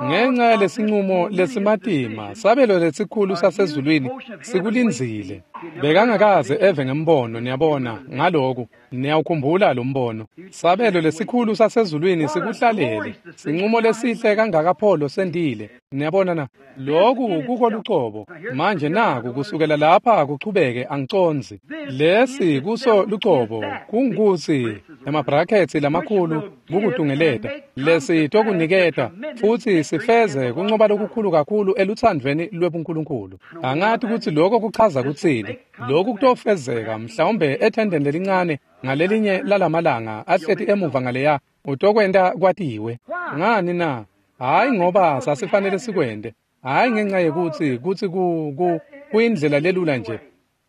Ngenxa yalesinqumo lesimatima, sabelo lesikhulu sasezulwini sikulindzile. Bekangakaze eve ngembono, niyabona, ngaloku, niyawukhumbula lo mbono. Sabelo lesikhulu sasezulwini sikuhlalele, sinqumo lesihle kangakapholo sendile. Niyabona na, loku kuko lucobo. Manje naku kusukela lapha kuchubeke angicondzi. Lesi kuso lucobo, kungutsi emabrakhethi lamakhulu kukutungeleta. Lesi tokuniketa futsi sifeze kuncoba lokukhulu kakhulu eluthandvweni lwebuNkulunkulu. Angati kutsi lokho kuchaza kutsini. Lokhu kutofezeka mhlawumbe ethendeni lelincane ngalelinye lalamalanga ahleti emuva ngaleya utokwenta kwatiwe. Ngani na? Hayi ngoba sasifanele sikwente. Hayi ngenxa yekutsi kutsi ku ku kuyindlela lelula nje.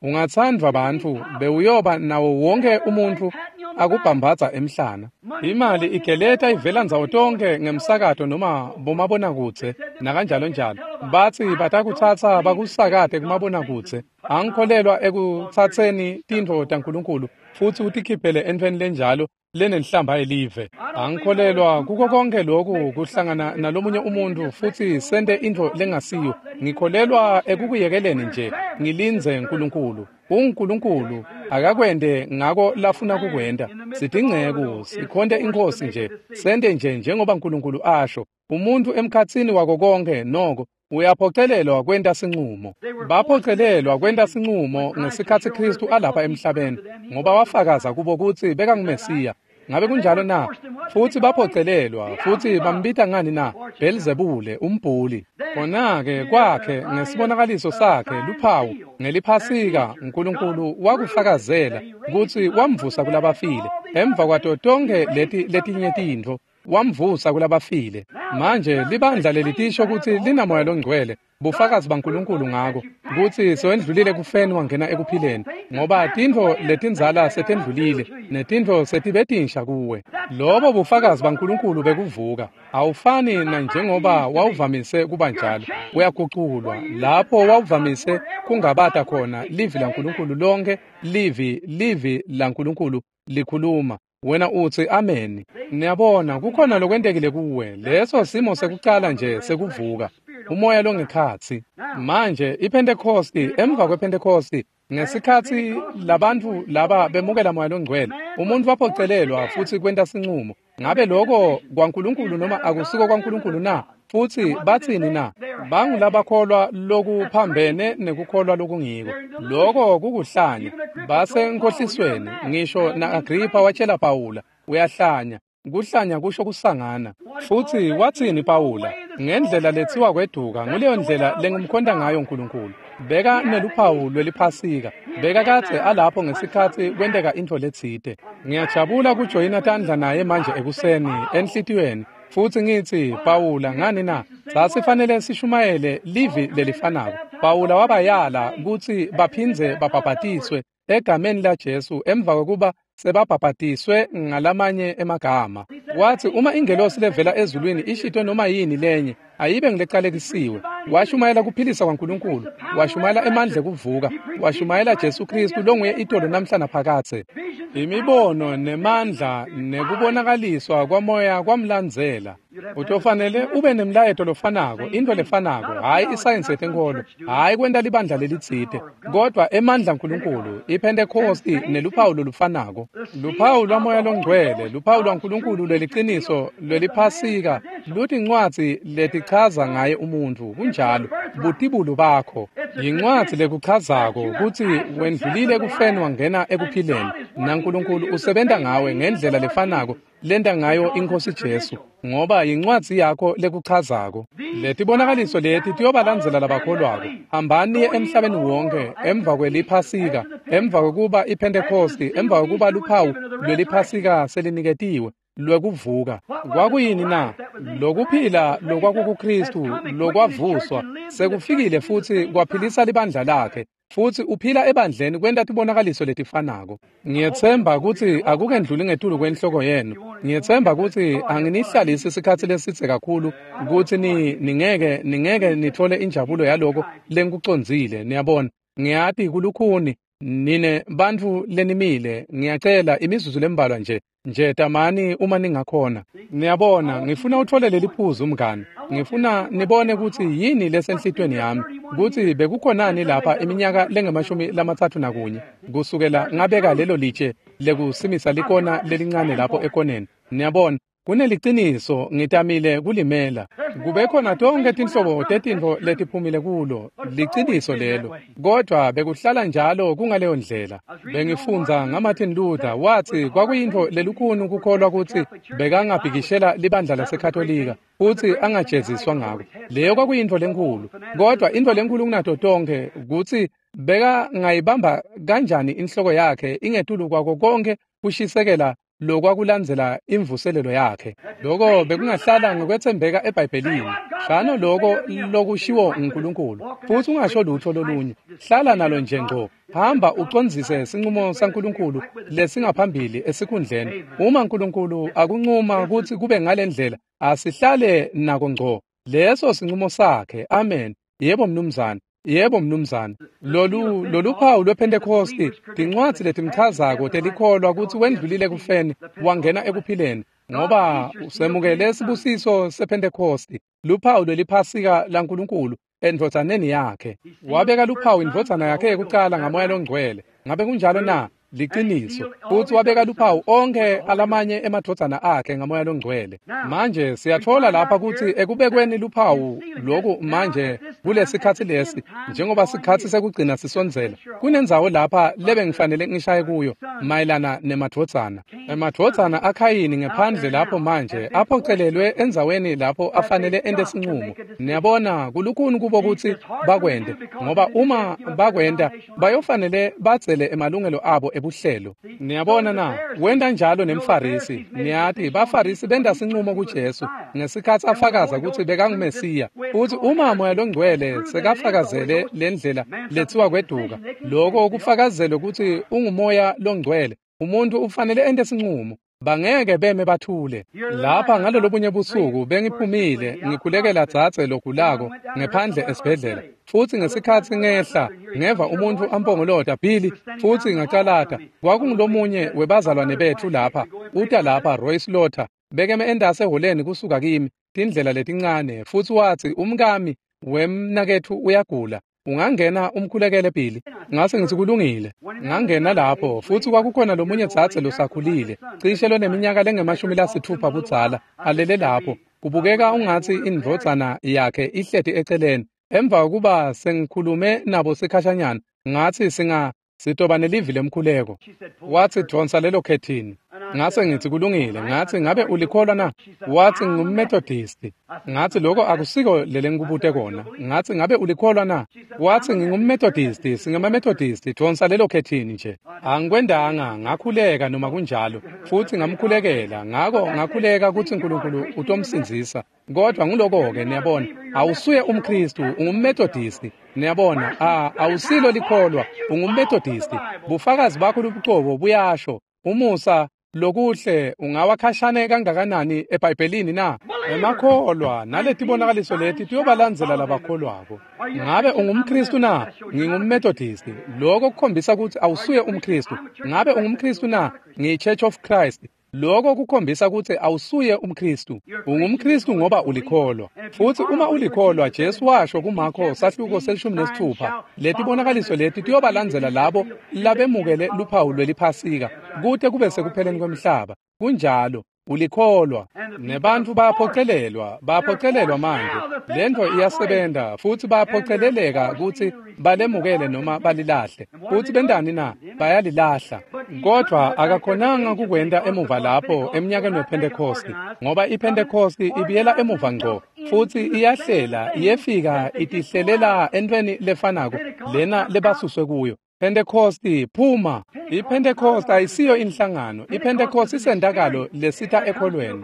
Ungatsandvwa bantfu bewuyoba nawo wonke umuntfu akubhambadza emhlana. Imali igeleta ivela ndzawo tonke ngemsakato noma bomabonakudze nakanjalo njalo. Batsi batakutsatsa bakusakate kumabonakudze. Angikholelwa ekutsatseni tintfo taNkulunkulu futsi utikhiphele entfweni lenjalo lenenhlamba yelive. Angikholelwa kuko konke lokhu kuhlangana nalomunye umuntu futsi sente intfo lengasiyo. Ngikholelwa ekukuyekeleni nje ngilindze uNkulunkulu. UNkulunkulu akakwente ngako lafuna kukwenta. Sidingceku sikhonte inkosi nje, sente nje njengoba uNkulunkulu asho. Umuntu emkhatsini wako konke noko uyaphocelelwa kwenta sinqumo. Baphocelelwa kwenta sinqumo ngesikhatsi Khristu alapha emhlabeni, ngoba wafakaza kubo kutsi bekanguMesiya. Ngabe kunjalo na? Futsi baphocelelwa, futsi bambita ngani na? Belzebule, umbhuli. Khona-ke kwakhe ngesibonakaliso sakhe luphawu ngeliphasika uNkulunkulu wakufakazela kutsi wamvusa kulabafile. Emva kwato tonkhe leti letinye tintfo wamvusa kulabafile. Manje libandla lelitisho kutsi linamoya longcwele, bufakazi baNkulunkulu ngako kutsi sewendlulile kufeni wangena ekuphileni, ngoba tintfo letindzala setendlulile netintfo setibe tinsha kuwe. Lobo bufakazi baNkulunkulu bekuvuka. Awufani na njengoba wawuvamise kuba njalo. Uyaguculwa lapho wawuvamise kungabata khona livi laNkulunkulu lonke, livi livi laNkulunkulu likhuluma. Wena utsi amen. Niyabona kukhona lokwentekile kuwe. Leso simo sekucala nje sekuvuka umoya longekhatsi. Manje iPentecosti, emva kwePentecosti, ngesikhatsi labantu laba bemukela moya longcwele, umuntu waphocelelwa futsi kwenta sinqumo. Ngabe lokho kwaNkulunkulu noma akusiko kwaNkulunkulu na? Futsi batsini na? Bangulabakholwa lokuphambene nekukholwa lokungiko. Loko kukuhlanya. Basenkhohlisweni. Ngisho na-Agripha watshela Pawula, uyahlanya. Kuhlanya kusho kusangana. Futsi watsini Pawula? Ngendlela letsiwa kweduka, nguleyo ndlela lengimkhonta ngayo uNkulunkulu. Beka neluphawu lweliphasika. Beka kadze alapho ngesikhatsi kwenteka intfo letsite. Ngiyajabula kujoyina tandla naye manje ekuseni enhlitiyweni. Futsi ngitsi Pawula, ngani na? Sasifanele sishumayele livi lelifanako. Pawula wabayala kutsi baphindze babhabhatiswe egameni laJesu emva kwekuba sebabhabhatiswe ngalamanye emagama. Wathi uma ingelosi levela ezulwini ishito noma yini lenye, ayibe ngilecalekisiwe. Washumayela kuphilisa kwaNkulunkulu, washumayela emandla ekuvuka, washumayela Jesu Kristu longuye itolo namhla naphakadze. Imibono nemandla nekubonakaliswa kwamoya kwamlandzela. Utofanele ube nemlayeto lofanako, into lefanako, hhayi isayensi yetenkholo, hhayi kwenta libandla lelitsite, kodwa emandla aNkulunkulu, iPhentekhosti neluphawu lolufanako. Luphawu lwaMoya loNgcwele, luphawu lwaNkulunkulu lweliciniso lweliphasika, lutincwadzi letichaza ngaye umuntfu, kunjalo, butibulo bakho. Yincwadzi lekuchazako kutsi wendlulile kufeni wangena ekuphileni, naNkulunkulu usebenta ngawe ngendlela lefanako lenta ngayo iNkhosi Jesu, ngoba yincwadzi yakho lekuchazako. Letibonakaliso leti tiyobalandzela labakholwako. Hambani emhlabeni wonke emva kweliphasika, emva kwekuba iPhentekhosti, emva kwekuba luphawu lweliphasika seliniketiwe lwekuvuka. Kwakuyini na? Lokuphila lokwakukuKristu lokwavuswa sekufikile futsi kwaphilisa libandla lakhe. Futsi uphila ebandleni kwenta tibonakaliso letifanako. Ngiyetsemba kutsi akukendluli ngetulu kwenhloko yenu. Ngiyetsemba kutsi anginihlalisi isikhatsi lesidze kakhulu kutsi ni ningeke ningeke nithole injabulo yaloko lengikucondzile. Niyabona, ngiyati kulukhuni nine bantfu lenimile. Ngiyacela imizuzu lembalwa nje. Nje tamani uma ningakhona. Niyabona, ngifuna uthole leli phuzu mngani. Ngifuna nibone kutsi yini lesenhlitiyweni yami, kutsi bekukhonani lapha iminyaka lengemashumi lamatsatfu nakunye kusukela ngabeka lelo litshe lekusimisa likona lelincane lapho ekoneni. Niyabona, kuneliciniso ngitamile kulimela. Kube khona tonke tinhlobo tetintfo letiphumile kulo, liciniso lelo. Kodwa bekuhlala njalo kungaleyo ndlela. Bengifundza ngaMartin Luther, wathi kwakuyintfo lelukhuni kukholwa kutsi bekangabhikishela libandla laseKatolika futsi angajeziswa ngako. Leyo kwakuyintfo lenkhulu. Kodwa intfo lenkhulu kunato tonkhe kutsi bekangayibamba kanjani inhloko yakhe ingetulu kwako konke kushisekela lokwakulandzela imvuselelo yakhe. Loko bekungahlala ngokwethembeka eBhayibhelini. Shano loko lokushiwo nguNkulunkulu, futsi ungasho lutho lolunye. Hlala nalo nje ngco. Hamba ucondzise sincumo saNkulunkulu lesingaphambili esikhundleni. Uma uNkulunkulu akuncuma kutsi kube ngalendlela, asihlale nako ngco. Leso sincumo sakhe. Amen. Yebo mnumzane. Yebo mnumzane. Lolu loluphawu lwePhentekhosti, tincwadzi letimchazako telikholwa kutsi wendlulile kufeni wangena ekuphileni, ngoba usemukele sibusiso sePhentekhosti, luphawu lweliphasika laNkulunkulu endvodzaneni yakhe. Wabeka luphawu indvodzana yakhe yekucala ngaMoya loNgcwele. Ngabe kunjalo na? Liciniso. Futsi wabeka luphawu onke alamanye emadvodzana akhe ngaMoya loNgcwele. Manje siyatfola lapha kutsi ekubekweni luphawu loku manje kulesikhatsi lesi, njengoba sikhatsi sekugcina sisondzela, kunendzawo lapha lebengifanele ngishaye kuyo mayelana nemadvodzana. Emadvodzana aKhayini ngephandle lapho manje aphocelelwe endzaweni lapho afanele ente sincumo. Niyabona, kulukhuni kubo kutsi bakwente, ngoba uma bakwenta bayofanele badzele emalungelo abo ebuhlelo. Niyabona na? Wenta njalo nemFarisi. Niyati, baFarisi benta sincumo kuJesu ngesikhatsi afakaza kutsi bekanguMesiya. Futsi uma Moya loNgcwele sekafakazele lendlela letsiwa kweduka, loko kufakazelwe kutsi unguMoya loNgcwele, umuntu ufanele ente sincumo. Bangeke beme bathule. Lapha ngalolobunye busuku bengiphumile ngikhulekela dzadze logulako ngephandle esibhedlela. Futsi ngesikhatsi ngehla ngeva umuntfu ampongolota, Billy, futsi ngacalata. Kwakungulomunye webazalwane betfu lapha, uta lapha, Roy Slaughter, bekeme endase ehholeni kusuka kimi, tindlela letincane, futsi watsi umkami wemnaketfu uyagula. Ungangena umkhulekele Billy? Ngase ngitsi kulungile. Ngangena lapho futsi kwakukhona lomunye dzadze losakhulile, cishe loneminyaka lengemashumi lasitfupha budzala, alele lapho. Kubukeka ungatsi indvodzana yakhe ihleti eceleni. Emva kokuba sengikhulume nabo sikhashanyana, ngatsi singa sitoba nelivi lemkhuleko. Watsi dvonsa lelo khethini. Ngase ngitsi kulungile. Ngatsi ngabe ulikholwa na? Watsi ngumMethodisti. Ngatsi lokho akusiko lelengikubute kona. Ngatsi ngabe ulikholwa na? Watsi ngingumMethodisti, singemaMethodisti, dvonsa lelo khethini nje. Angikwendanga, ngakhuleka noma kunjalo, futsi ngamkhulekela. Ngako ngakhuleka kutsi uNkulunkulu utomsindzisa. Kodwa nguloko-ke niyabona, awusuye umKhristu, ungumMethodisti. Niyabona, a awusilo likholwa, ungumMethodisti. Bufakazi bakho lobucobo buyasho. Umusa lokuhle ungawakhashane kangakanani eBhayibhelini na? Emakholwa naletibonakaliso leti tiyobalandzela labakholwako. Ngabe ungumKhristu na? NgingumMethodisti. Lokho kukhombisa kutsi awusuye umKhristu. Ngabe ungumKhristu na? NgiyiChurch of Christ. Lokho kukhombisa kutsi awusuye umKhristu. UngumKhristu ngoba ulikholwa. Futsi uma ulikholwa, Jesu washo kuMarko sahluko selishumi nesitfupha, letibonakaliso leti tiyobalandzela labo labemukele luphawu lweliphasika kute kube sekupheleni kwemhlaba. Kunjalo, ulikholwa. Nebantfu bayaphocelelwa, bayaphocelelwa manje. Lento iyasebenta futsi bayaphoceleleka kutsi balemukele noma balilahle. Futsi bentani na? Bayalilahla. Kodwa akakhonanga kukwenta emuva lapho emnyakeni wePhentekhosti, ngoba iPhentekhosti ibuyela emuva ngco futsi iyahlela, iyefika itihlelela entweni lefanako lena lebasuswe kuyo. Pentecosti phuma. IPentecost ayisiyo inhlangano. IPentecost isentakalo lesitha ekholweni.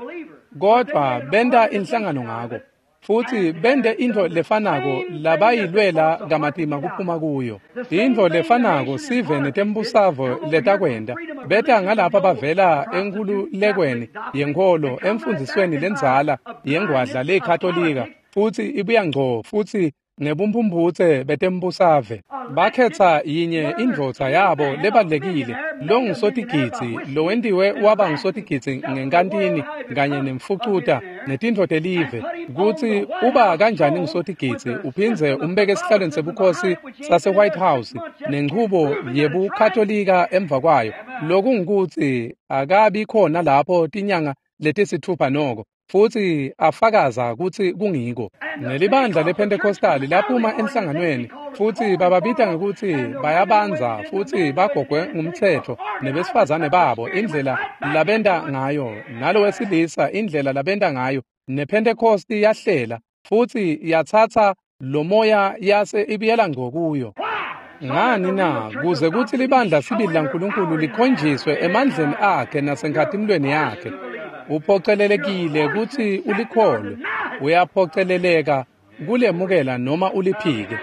Kodwa benta inhlangano ngako. Futsi bente intfo lefanako labayilwela kamatima kuphuma kuyo. Intfo lefanako sive netembusavo letakwenta. Beta ngalapha bavela enkhululekweni yenkholo emfundzisweni lendzala yengwadla leyikhatolika futsi ibuya ngco futsi ngebumphumputse betembusave. Bakhetsa yinye indvodza yabo lebalulekile longusotigidzi lowentiwe waba ngusotigidzi ngenkantini kanye nemfucuta netintfo telive kutsi uba kanjani ngusotigidzi uphindze umbeke esihlalweni sebukhosi sase-White House nenchubo yebukhatolika emva kwayo, lokungukutsi akabi khona lapho tinyanga letisitfupha noko futsi afakaza kutsi kungiko. Nelibandla lePentecostali laphuma enhlanganweni futsi bababita ngekutsi bayabandza futsi bagogwe ngumtsetfo nebesifazane babo indlela labenta ngayo nalowesilisa indlela labenta ngayo. NePentecosti yahlela futsi yatsatsa lomoya yase ibuyela ngco kuyo. Ngani na? Kuze kutsi libandla sibili laNkulunkulu likhonjiswe emandleni akhe nasenkhatimulweni yakhe. Uphocelelekile kutsi ulikholwe. Uyaphoceleleka kulemukela noma uliphike.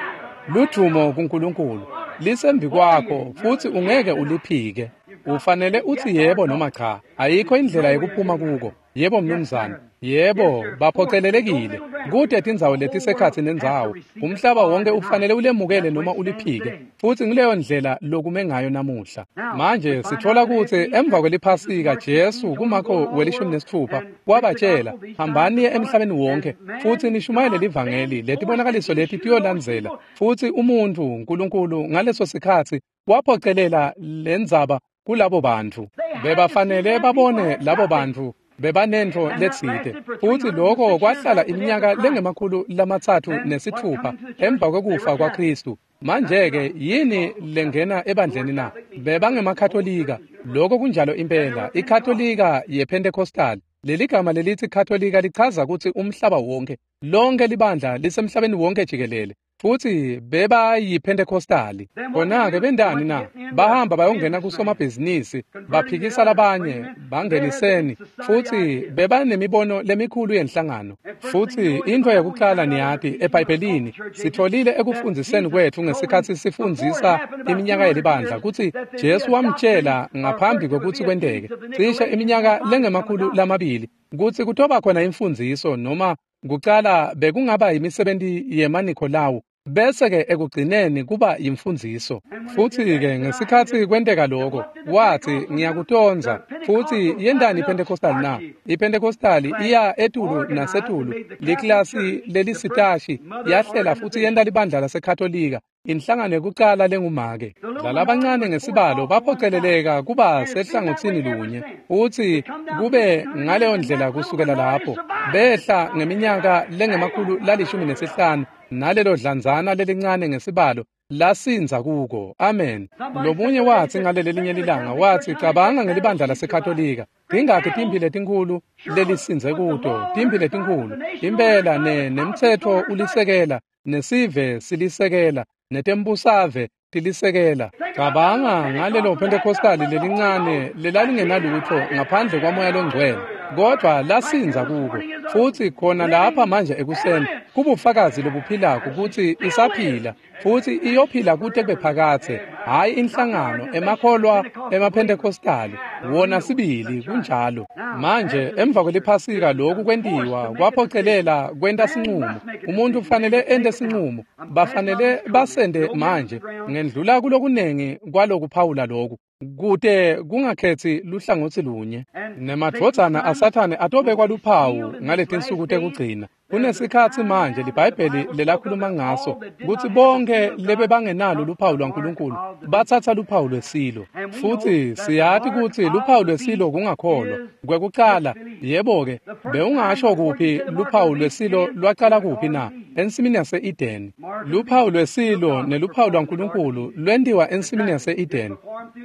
Ludvumo kuNkulunkulu lisembi kwakho futsi ungeke uliphike. Ufanele utsi yebo noma cha. Ayikho indlela yekuphuma kuko. Yebo mnumzane. Yebo, baphocelelekile. Kute tindzawo letisekhatsi nendzawo. Umhlaba wonke ufanele ulemukele noma uliphike. Futsi ngileyo ndlela lokume ngayo namuhla. Manje sithola kutsi emva kweliphasika Jesu kuMarko welishumi nesitfupha wabatshela, hambani emhlabeni wonke futsi nishumayele livangeli, letibonakaliso leti tiyolandzela. Futsi umuntfu uNkulunkulu ngaleso sikhatsi waphocelela lendzaba kulabo bantfu. Bebafanele babone labo bantfu bebanentfo letsite. Futsi lokho kwahlala iminyaka lengemakhulu lamatsatfu nesitfupha emva kwekufa kwaKhristu. Manje-ke yini lengena ebandleni na? Bebangemakhatolika. Lokho kunjalo impela. IKhatolika yePentecostal. Leli gama lelithi Katolika lichaza kutsi umhlaba wonke, lonke libandla lisemhlabeni wonke jikelele. Futsi bebayiPentecostali. Khona-ke bentani na? Bahamba bayongena kusomabhizinisi, baphikisa labanye, bangeniseni, futsi bebanemibono lemikhulu yenhlangano. Futsi intfo yekucala niyati eBhayibhelini, sitfolile ekufundziseni kwetfu ngesikhatsi sifundzisa iminyaka yelibandla kutsi Jesu wamtjela ngaphambi kwekutsi kwenteke, cishe iminyaka lengemakhulu lamabili, kutsi kutoba khona imfundziso noma kucala bekungaba imisebenti yemaNikholawu. Bese-ke ekugcineni kuba yimfundziso. Futhi-ke ngesikhatsi kwenteka lokho, wathi, "Ngiyakutondza." Futhi yentani iPentecostal na? IPentecostal iya etulu nasetulu, liklasi lelisitashi, yahlela futsi yenta libandla laseKhatolika, inhlangano yekucala lengumake. Lalabancane ngesibalo baphoceleleka kuba sehlangotsini lunye, futsi kube ngaleyo ndlela kusukela lapho. Behla ngeminyaka lengemakhulu lalishumi nesihlanu, nalelo dlanzana lelincane ngesibalo lasindza kuko. Amen. Lomunye watsi ngalelelinye lilanga, watsi, "Cabanga ngelibandla laseKhatolika. Tingakhi timphi letinkhulu lelisindze kuto, timphi letinkhulu. Impela ne nemtsetfo ulisekela, nesive silisekela, netembusave tilisekela." Cabanga ngalelo Pentecostali lelincane lelalingenalutfo ngaphandle kwaMoya loNgcwele, kodvwa lasindza kuko. Futsi khona lapha manje ekuseni kubufakazi lobuphilako kutsi isaphila, futsi iyophila kute kube phakadze. Hhayi inhlangano, emakholwa emaPentecostali, wona sibili kunjalo. Manje emva kweliphasika lokhu kwentiwa kwaphocelela kwenta sinqumo. Umuntu ufanele ente sinqumo, bafanele basende manje. Ngendlula kulokunengi kwalokuphawula lokhu, kute kungakhethi luhlangotsi lunye. Nemadvodzana aSathane atobekwa luphawu ngaletinsuku tekugcina. Kunesikhatsi manje liBhayibheli lelakhuluma ngaso kutsi bonkhe lebebangenalo luphawu lwaNkulunkulu batsatsa luphawu lwesilo. Futsi siyati kutsi luphawu lwesilo kungakholwa. Kwekucala, yebo-ke, bewungasho kuphi luphawu lwesilo lwacala kuphi na? Ensimini yase-Edeni. Luphawu lwesilo neluphawu lwaNkulunkulu lwentiwa ensimini yase-Edeni.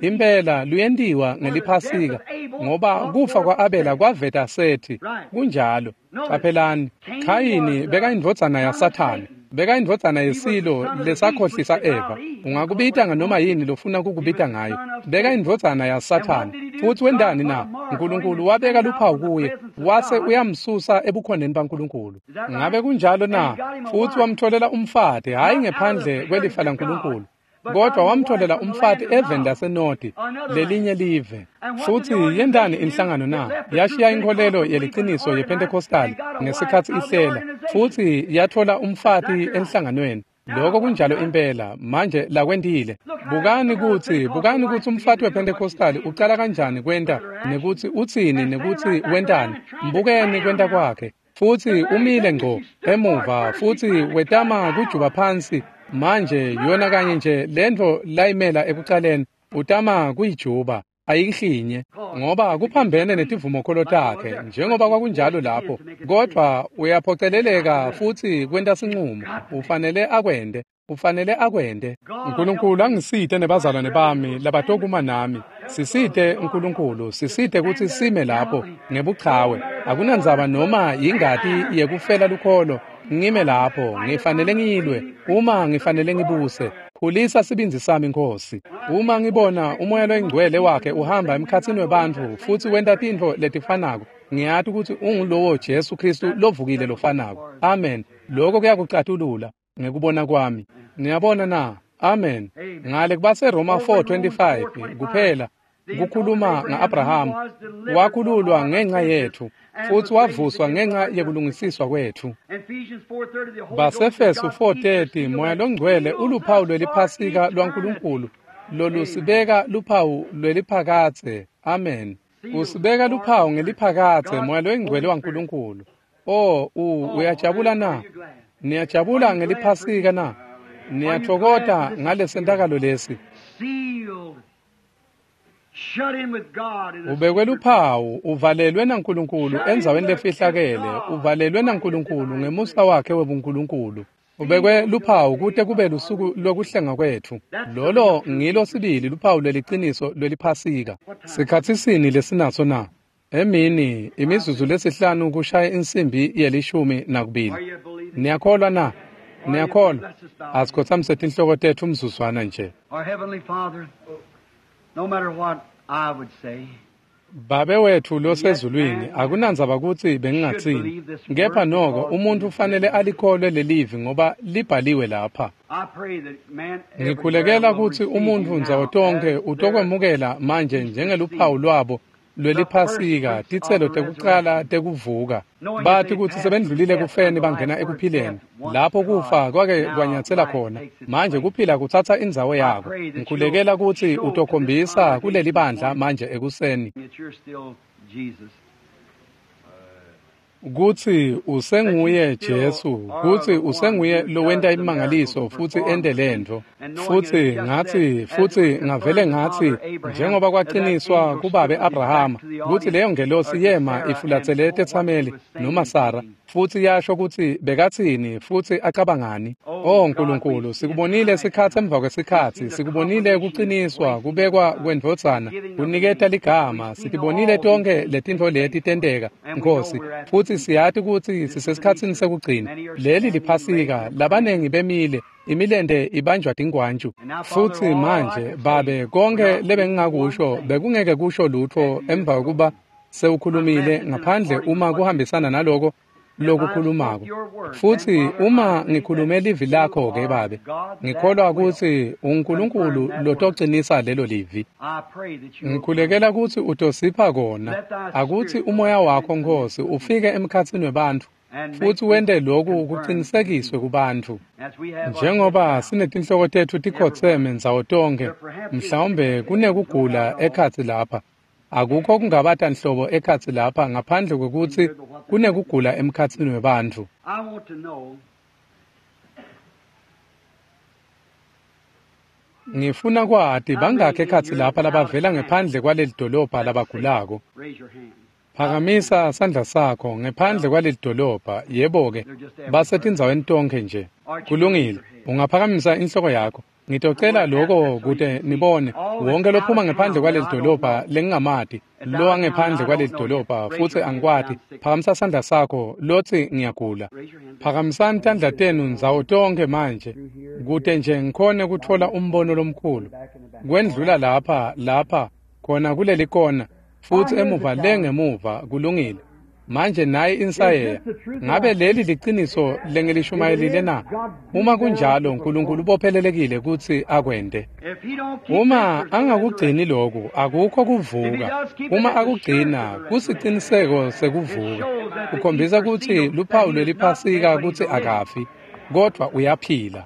Impela luyentiwa ngeliphasika, ngoba kufa kwa-Abela kwaveta Sethi. Kunjalo. Caphelani, Khayini bekayindvodzana yaSathane, bekayindvodzana yesilo lesakhohlisa Eva. Ungakubita nganoma yini lofuna kukubita ngayo. Bekayindvodzana yaSathane. Futsi wentani na? Nkulunkulu wabeka luphawu kuye, wase uyamsusa ebukhoneni baNkulunkulu. Ngabe kunjalo na? Futsi wamtholela umfati, hhayi ngephandle kwelifa laNkulunkulu, kodwa wamtholela umfati eveni laseNodi, lelinye live. Futsi yentani inhlangano na? Yashiya inkholelo yeliciniso yePentecostal ngesikhatsi ihlela, futsi yathola umfati enhlanganweni. Lokho kunjalo impela, manje lakwentile. Bukani kutsi, bukani kutsi umfati wePentecostal ucala kanjani kwenta, nekutsi utsini, nekutsi wentani. Mbukeni kwenta kwakhe. Futsi umile ngco emuva, futsi wetama kujuba phansi. Manje yona kanye nje lentfo layimela ekucaleni, utama kuyijuba, ayihlinye, ngoba kuphambene netivumokholo takhe, njengoba kwakunjalo lapho. Kodvwa uyaphoceleleka futsi kwenta sinqumo, ufanele akwente, ufanele akwente. Nkulunkulu angisite nebazalwane bami labatokuma nami. Sisite Nkulunkulu, sisite kutsi sime lapho ngebuchawe. Akunandzaba noma yingati yekufela lukholo, ngime lapho, ngifanele ngilwe, uma ngifanele ngibuse. Khulisa sibindzi sami Nkosi. Uma ngibona uMoya loyiNgcwele wakhe uhamba emkhatsini webantfu futsi wenta tintfo letifanako, ngiyati kutsi ungulowo Jesu Khristu lovukile lofanako. Amen. Lokho kuyakucatulula ngekubona kwami. Niyabona na? Amen. Ngale kubaseRoma four twenty-five kuphela kukhuluma nga-Abraham, wakhululwa ngenxa yethu, futsi wavuswa ngenxa yekulungisiswa kwethu. Basefesu four thirty, Moya loNgcwele uluphawu lweliphasika lwaNkulunkulu lolusibeka luphawu lweliphakadze. Amen. Usibeka luphawu ngeliphakadze, Moya loyiNgcwele waNkulunkulu. Oh, u uyajabula na? Niyajabula ngeliphasika na? Niyatfokota ngalesentakalo lesi? Ubekwe luphawu, uvalelwe naNkulunkulu endzaweni lefihlakele, uvalelwe naNkulunkulu ngemusa wakhe webuNkulunkulu. Ubekwe luphawu kute kube lusuku lokuhlenga kwetfu. Lolo ngilo sibili luphawu lweliciniso lweliphasika. Sikhatsi sini lesinaso na? Emini imizuzu lesihlanu kushaya insimbi yelishumi nakubili. Niyakholwa na? Niyakholwa? Asikhotsamise tinhloko tetfu umzuzwana nje. No matter what I would say, Babe wetfu losezulwini, akunandzaba kutsi bengingatsini, kepha noko umuntfu ufanele alikholwe lelivi ngoba libhaliwe lapha. Ngikhulekela kutsi umuntfu ndzawo tonkhe utokwemukela manje njengeluphawu lwabo lweliPhasika, titselo tekucala tekuvuka. Bathi kutsi sebendlulile kufeni bangena ekuphileni, lapho kufa kwake kwanyatsela khona. Manje kuphila kutsatsa indzawo yako. Ngikhulekela kutsi utokhombisa kuleli bandla manje ekuseni kutsi usenguye Jesu, kutsi usenguye lowenta imangaliso futsi ente lentfo. Futsi ngathi futsi ngavele ngathi njengoba kwaqiniswa kubabe Abrahama kutsi leyo ngelosi yema ifulatsele tetsameli noma Sara futsi yasho kutsi bekatsini futsi acabangani. Oh Nkulunkulu, sikubonile sikhatsi emva kwesikhatsi, sikubonile kuqiniswa kubekwa kwendvodzana, kuniketa ligama, sitibonile tonke letintfo leti tenteka, Nkosi, futsi siyati kutsi sisesikhatsini sekugcina. Leli liPhasika, labanengi bemile, imilente ibanjwa tingwantju. Futsi manje babe, konke lebengingakusho bekungeke kusho lutho emva kokuba sewukhulumile, ngaphandle uma kuhambisana naloko lokukhulumako. Futsi uma ngikhulume livi lakho ke babe, ngikholwa kutsi uNkulunkulu lotoqinisa lelo livi. Ngikhulekela kutsi utosipha kona, akutsi umoya wakho Nkosi ufike emkhatsini webantfu futsi wente lokhu kuqinisekiswe kubantfu. Njengoba sinetinhloko tetfu tikhotseme ndzawo tonkhe, mhlawumbe kunekugula ekhatsi lapha. Akukho kungabata nhlobo ekhatsi lapha ngaphandle kwekutsi kunekugula emkhatsini webantfu. Ngifuna kwati bangakhi ekhatsi lapha labavela ngephandle kwaleli dolobha labagulako. Phakamisa sandla sakho ngephandle kwaleli dolobha. Yebo-ke, basetindzaweni tonkhe nje. Kulungile, ungaphakamisa inhloko yakho. Ngitocela lokho kute nibone wonke lophuma ngephandle kwaleli dolobha lengingamati, lo wangephandle kwaleli dolobha futsi angikwati, phakamisa sandla sakho lotsi ngiyagula. Phakamisani tandla tenu ndzawo tonkhe manje kute nje ngikhone kutfola umbono lomkhulu. Kwendlula lapha, lapha, khona kuleli kona, futsi emuva le ngemuva. Kulungile. Manje nayi insayeya. Ngabe leli liciniso lengilishumayelile na? Uma kunjalo, uNkulunkulu ubophelelekile kutsi akwente. Uma angakugcini lokhu, akukho kuvuka. Uma akugcina, kusiciniseko sekuvuka. Kukhombisa kutsi luphawu lweliPhasika kutsi akafi, kodvwa uyaphila.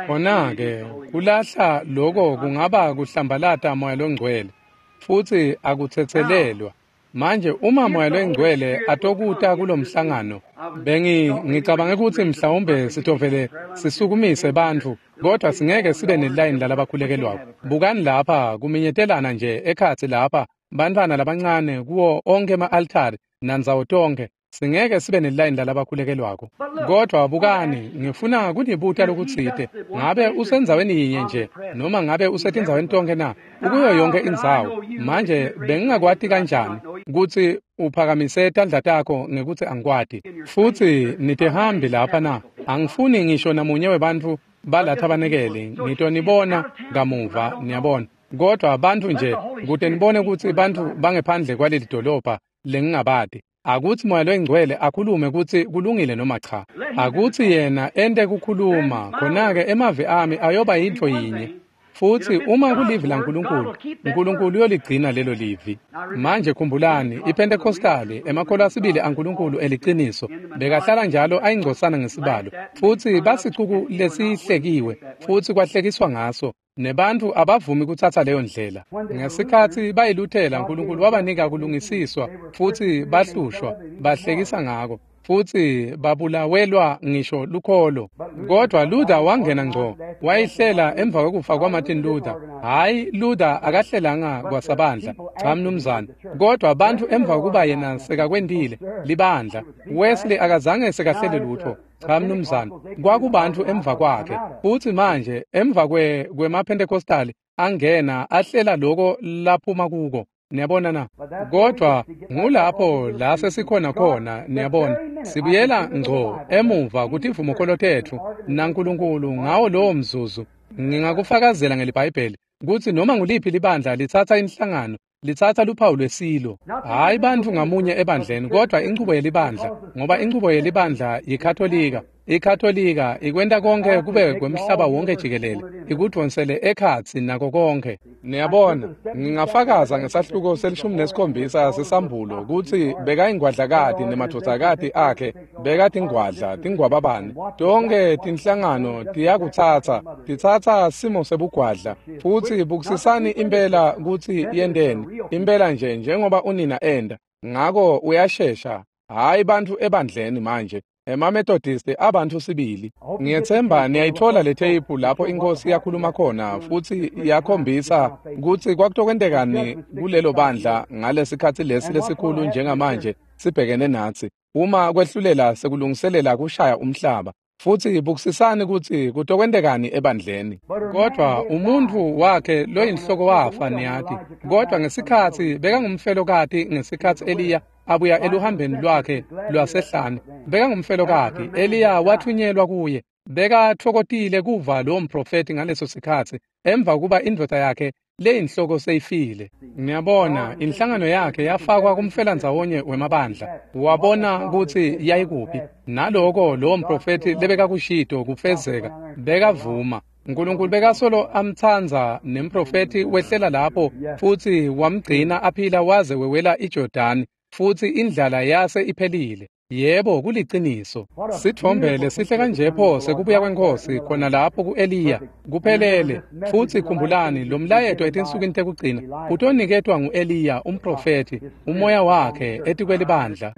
Khona-ke kulahla loko kungaba kuhlambalata Moya Longcwele, futsi akutsetselelwa. Manje uma Moya Longcwele atokuta kulomhlangano, bengi ngicabange kutsi mhlawumbe sitovele sisukumise bantfu, kodwa singeke sibe nelayini lalabakhulekelwako. Bukani lapha kuminyetelana nje ekhatsi lapha, bantfwana labancane kuwo onkhe ema-altari nandzawo tonkhe. Singeke sibe nelayini lalabakhulekelwako. Kodwa bukani, ngifuna kunibuta lokutsite. Ngabe usendzaweni yinye nje noma ngabe usetindzaweni tonkhe na? Ukuyo yonke indzawo. Manje bengingakwati kanjani kutsi uphakamise tandla takho ngekutsi angikwati? Futsi nitihambi lapha na? Angifuni ngisho namunye webantfu balatha banekele. Ngitonibona kamuva, niyabona. Kodwa bantfu nje kute nibone kutsi bantfu bangephandle kwaleli dolobha lengingabati. Akutsi Moya Longcwele akhulume kutsi kulungile noma cha. Akutsi yena ente kukhuluma, khona-ke emavi ami ayoba yintfo yinye. Futsi uma kulivi laNkulunkulu, uNkulunkulu uyoligcina lelo livi. Manje khumbulani, iPentecostali, emakholwa asibili aNkulunkulu eliciniso, bekahlala njalo ayingcosana ngesibalo, futsi basicuku lesihlekiwe, futsi kwahlekiswa ngaso. Nebantfu abavumi kutsatsa leyo ndlela. Ngesikhatsi bayiluthela, uNkulunkulu wabanika kulungisiswa, futsi bahlushwa, bahlekisa ngako, futsi babulawelwa ngisho lukholo. Kodwa Luther wangena ngco, wayihlela emva kwekufa kwaMartin Luther. Hhayi, Luther akahlelanga kwasabandla, cha mnumzane. Kodwa bantfu emva kokuba yena sekakwentile libandla, Wesley akazange sekahlele lutho. Cha mnumzane, kwakubantfu emva kwakhe. Futsi manje emva kwe kwemaPentecostali angena ahlela loko laphuma kuko. Niyabona na? Kodwa ngulapho la sesikhona khona, niyabona. Sibuyela ngco emuva kutivumokolo tetfu naNkulunkulu ngawo lowo mzuzu. Ngingakufakazela ngeliBhayibheli kutsi noma nguliphi libandla litsatsa inhlangano, litsatsa luphawu lwesilo. Hhayi bantfu ngamunye ebandleni, kodwa inchubo yelibandla, ngoba inchubo yelibandla yiKatolika. IKatolika ikwenta konke kube kwemhlaba wonke jikelele, ikudvonsele ekhatsi nako konke. Niyabona, ngingafakaza ngesahluko selishumi nesikhombisa sesambulo kutsi bekayingwadlakati nemadvodzakati akhe bekatingwadla tingwababane. Tonkhe tinhlangano tiyakutsatsa, titsatsa simo sebugwadla, futsi bukisisani impela kutsi yenteni, impela nje njengoba unina enda. Ngako uyashesha, hhayi bantfu ebandleni manje. EmaMethodisti abantu sibili. Ngiyethemba niyayithola le tape lapho inkosi yakhuluma khona futsi yakhombisa kutsi kwakutokwentekani kulelo bandla ngalesikhatsi lesi lesikhulu njengamanje sibhekene natsi. Uma kwehlulela sekulungiselela kushaya umhlaba. Futsi bukisisani kutsi kutokwentekani ebandleni. Kodwa umuntfu wakhe loyinhloko wafa, niyati. Kodwa ngesikhatsi bekangumfelokati ngesikhatsi Eliya abuya eluhambeni lwakhe lwasehlane, bekangumfelokati. Eliya wathunyelwa kuye. Bekatfokotile kuva lowo mprofethi ngaleso sikhatsi emva kuba indvodza yakhe leyinhloko seyifile. Ngiyabona inhlangano yakhe yafakwa kumfelandzawonye wemabandla. Wabona kutsi yayikuphi. Naloko lowo mprofethi lebekakushito kufezeka, bekavuma. Nkulunkulu bekasolo amtsandza nemprofethi wehlela lapho futsi wamgcina aphila waze wewela iJordani, futsi indlala yase iphelile. Yebo, kuliciniso. Sitfombe lesihle kanje pho sekubuya kweNkhosi khona lapho ku-Eliya kuphelele. Futsi khumbulani lo mlayeto etinsukwini tekugcina utoniketwa ngu-Eliya umprofethi, umoya wakhe etikwelibandla.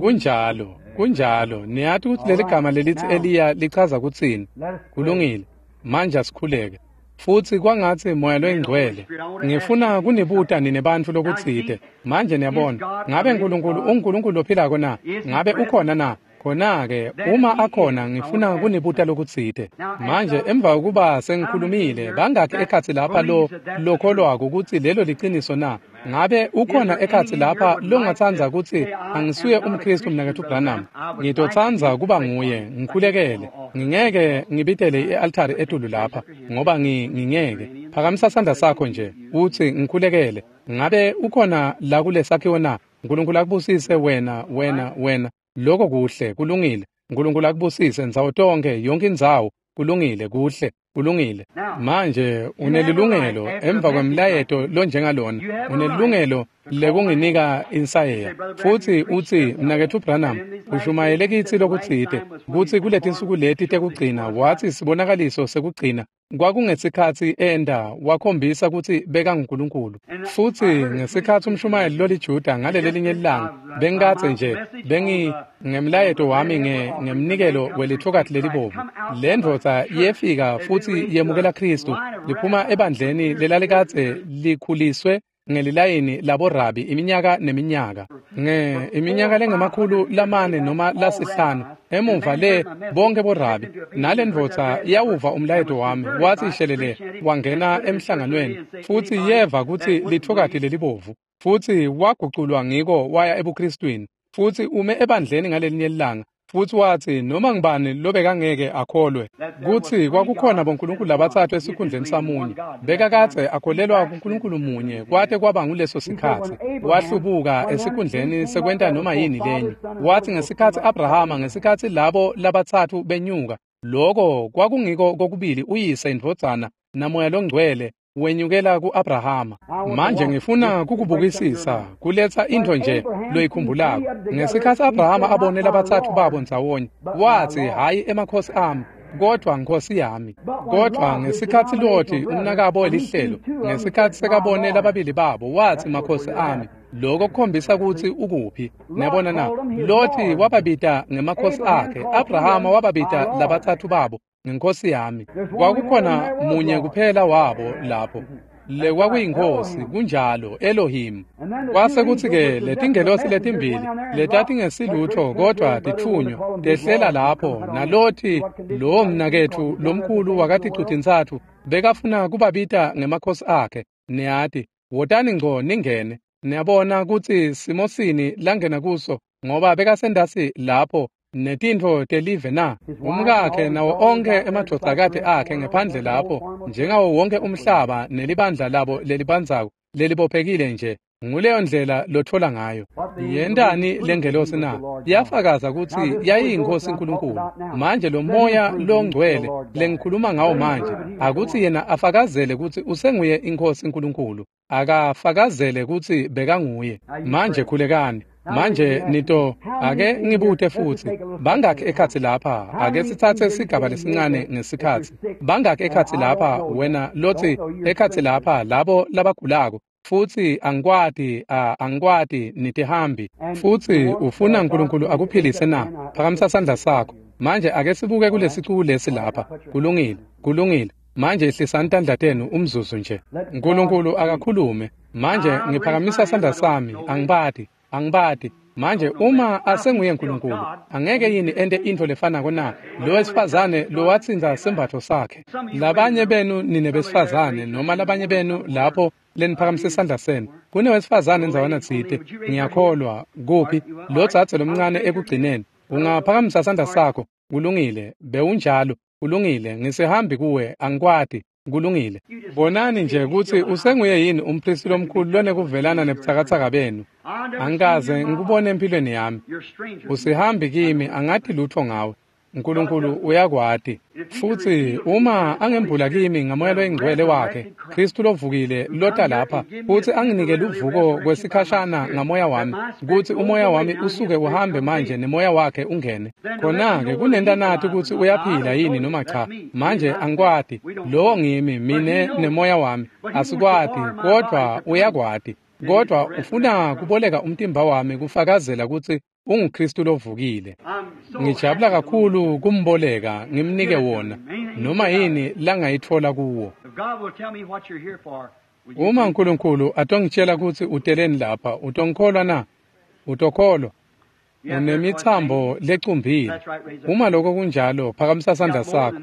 Kunjalo, kunjalo. Niyati kutsi leli gama lelitsi Eliya lichaza kutsini? Kulungile. Manje asikhuleke. Futsi kwangatsi Moya loyiNgcwele. Ngifuna kunibuta nine bantfu lokutsite. Manje niyabona, ngabe Nkulunkulu unguNkulunkulu lophilako na? Ngabe ukhona na? Khona-ke uma akhona ngifuna kunibuta lokutsite. Manje emva kokuba sengikhulumile, bangakhi ekhatsi lapha lo lokholwako kutsi lelo liciniso na? Ngabe ukhona ekhatsi lapha longatsandza kutsi angisuye umKhristu mnaketfu Branham? Ngitotsandza kuba nguye, ngikhulekele. Ngingeke ngibitele i-altari etulu lapha ngoba ngingeke. Phakamisa sandla sakho nje utsi ngikhulekele. Ngabe ukhona la kulesakhiwo na? Nkulunkulu akubusise wena, wena, wena. Lokho kuhle, kulungile. Nkulunkulu akubusise ndzawo tonke, yonke indzawo. Kulungile, kuhle, kulungile. Manje unelilungelo emva kwemlayeto lonjengalona, unelilungelo lekunginika insayeya. Futsi utsi mnaketfu Branham ushumayele kitsi lokutsite kutsi kuletinsuku leti tekugcina watsi sibonakaliso sekugcina kwakungesikhatsi enda wakhombisa kutsi bekanguNkulunkulu. Futsi ngesikhatsi umshumayeli loliJuda ngalelelinye ilanga bengikadze nje bengi ngemlayeto wami nge ngemnikelo welithokati lelibovu. Le ndvodza yefika futsi yemukela Khristu liphuma ebandleni lelalikadze likhuliswe ngelilayini laborabi iminyaka neminyaka, nge iminyaka lengemakhulu lamane noma lasihlanu emuva le bonke borabi. Nale ndvodza yawuva umlayeto wami, watsi shelele wangena emhlanganweni futsi yeva kutsi lithokati lelibovu, futsi waguculwa ngiko waya ebuKristwini, futsi ume ebandleni ngalelinye ilanga. Futsi watsi noma ngibani lobekangeke akholwe kutsi kwakukhona bonkulunkulu labatsatfu esikhundleni samunye, bekakadze akholelwa kuNkulunkulu munye kwate kwaba nguleso sikhatsi. Wahlubuka esikhundleni sekwenta noma yini lenye. Watsi ngesikhatsi Abrahama, ngesikhatsi labo labatsatfu benyuka, loko kwakungiko kokubili uyise, indvodzana naMoya loNgcwele wenyukela ku-Abrahama. Manje ngifuna kukubukisisa kuletsa intfo nje loyikhumbulako. Ngesikhatsi Abrahama abone labatsatfu babo ndzawonye, watsi hhayi emakhosi ami, kodwa Nkhosi yami. Kodwa ngesikhatsi Loti umnakabo welihlelo, ngesikhatsi sekabone lababili babo, watsi makhosi ami. Lokho kukhombisa kutsi ukuphi. Niyabona na? Loti wababita ngemakhosi akhe, Abrahama wababita labatsatfu babo ngenkosi yami. Kwakukhona munye kuphela wabo lapho, le kwakuyinkosi, kunjalo, Elohim. Kwase kutsi-ke letingelosi letimbili letatingesilutho kodwa titfunywa tehlela lapho, naLothi lowo mnaketfu lomkhulu wakaticu-tintsatfu bekafuna kubabita ngemakhosi akhe. Niyati, wotani ngco ningene. Niyabona kutsi simosini langena kuso ngoba bekasendasi lapho netintfo telive na? Umkakhe nawo onkhe emadvodzakati akhe ngephandle lapho, njengawo wonke umhlaba nelibandla labo lelibandzako lelibophekile nje. Nguleyo ndlela lotfola ngayo. Yentani lengelosi na? Yafakaza kutsi yayiyinkosi uNkulunkulu. Manje lo moya longcwele lengikhuluma ngawo manje, akutsi yena afakazele kutsi usenguye inkosi uNkulunkulu. Akafakazele kutsi bekanguye. Manje khulekani. Manje nito ake ngibute futsi, bangakhi ekhatsi lapha? Ake sitsatse sigaba lesincane ngesikhatsi. Bangakhi ekhatsi lapha wena lotsi ekhatsi lapha labo labagulako, futsi angikwati, angikwati, nitihambi, futsi ufuna uNkulunkulu akuphilise na? Phakamisa sandla sakho. Manje ake sibuke kulesicuku lesi lapha. Kulungile, kulungile. Manje ehlisani tandla tenu umzuzu nje. uNkulunkulu akakhulume. Manje ngiphakamisa sandla sami, angibati, angibati. Manje uma asenguye uNkulunkulu, angeke yini ente intfo lefanako na? Lo wesifazane lowatsinza sembatfo sakhe. Labanye benu nine besifazane, noma labanye benu lapho leniphakamise sandla senu. Kunewesifazane endzawana tsite, ngiyakholwa, kuphi? Lo dzadze lomncane ekugcineni. Ungaphakamisa sandla sakho. Kulungile, bewunjalo. Kulungile, ngisihambi kuwe, angikwati. Kulungile. Bonani nje kutsi usenguye yini umphristi lomkhulu lonekuvelana nebutsakatsaka benu. Angikaze ngikubone empilweni yami. Usihambi kimi, angati lutho ngawe. uNkulunkulu uyakwati. Futsi uma angembula kimi ngamoya loyingcwele wakhe, Kristu lovukile lota lapha, futsi anginike luvuko kwesikhashana ngamoya wami, kutsi umoya wami usuke uhambe manje nemoya wakhe ungene. Khona-ke kunenta nati kutsi uyaphila yini noma cha. Manje angikwati. Lowo ngimi, mine nemoya wami. Asikwati, kodvwa uyakwati. Kodvwa ufuna kuboleka umtimba wami kufakazela kutsi unguKristu lovukile. Ngijabula kakhulu kumboleka ngimnike wona, noma yini langayitfola kuwo. Uma uNkulunkulu atongitshela kutsi uteleni lapha, utongikholwa na? Utokholwa? Unemitsambo lecumbile. Uma lokho kunjalo, phakamisa sandla sakho.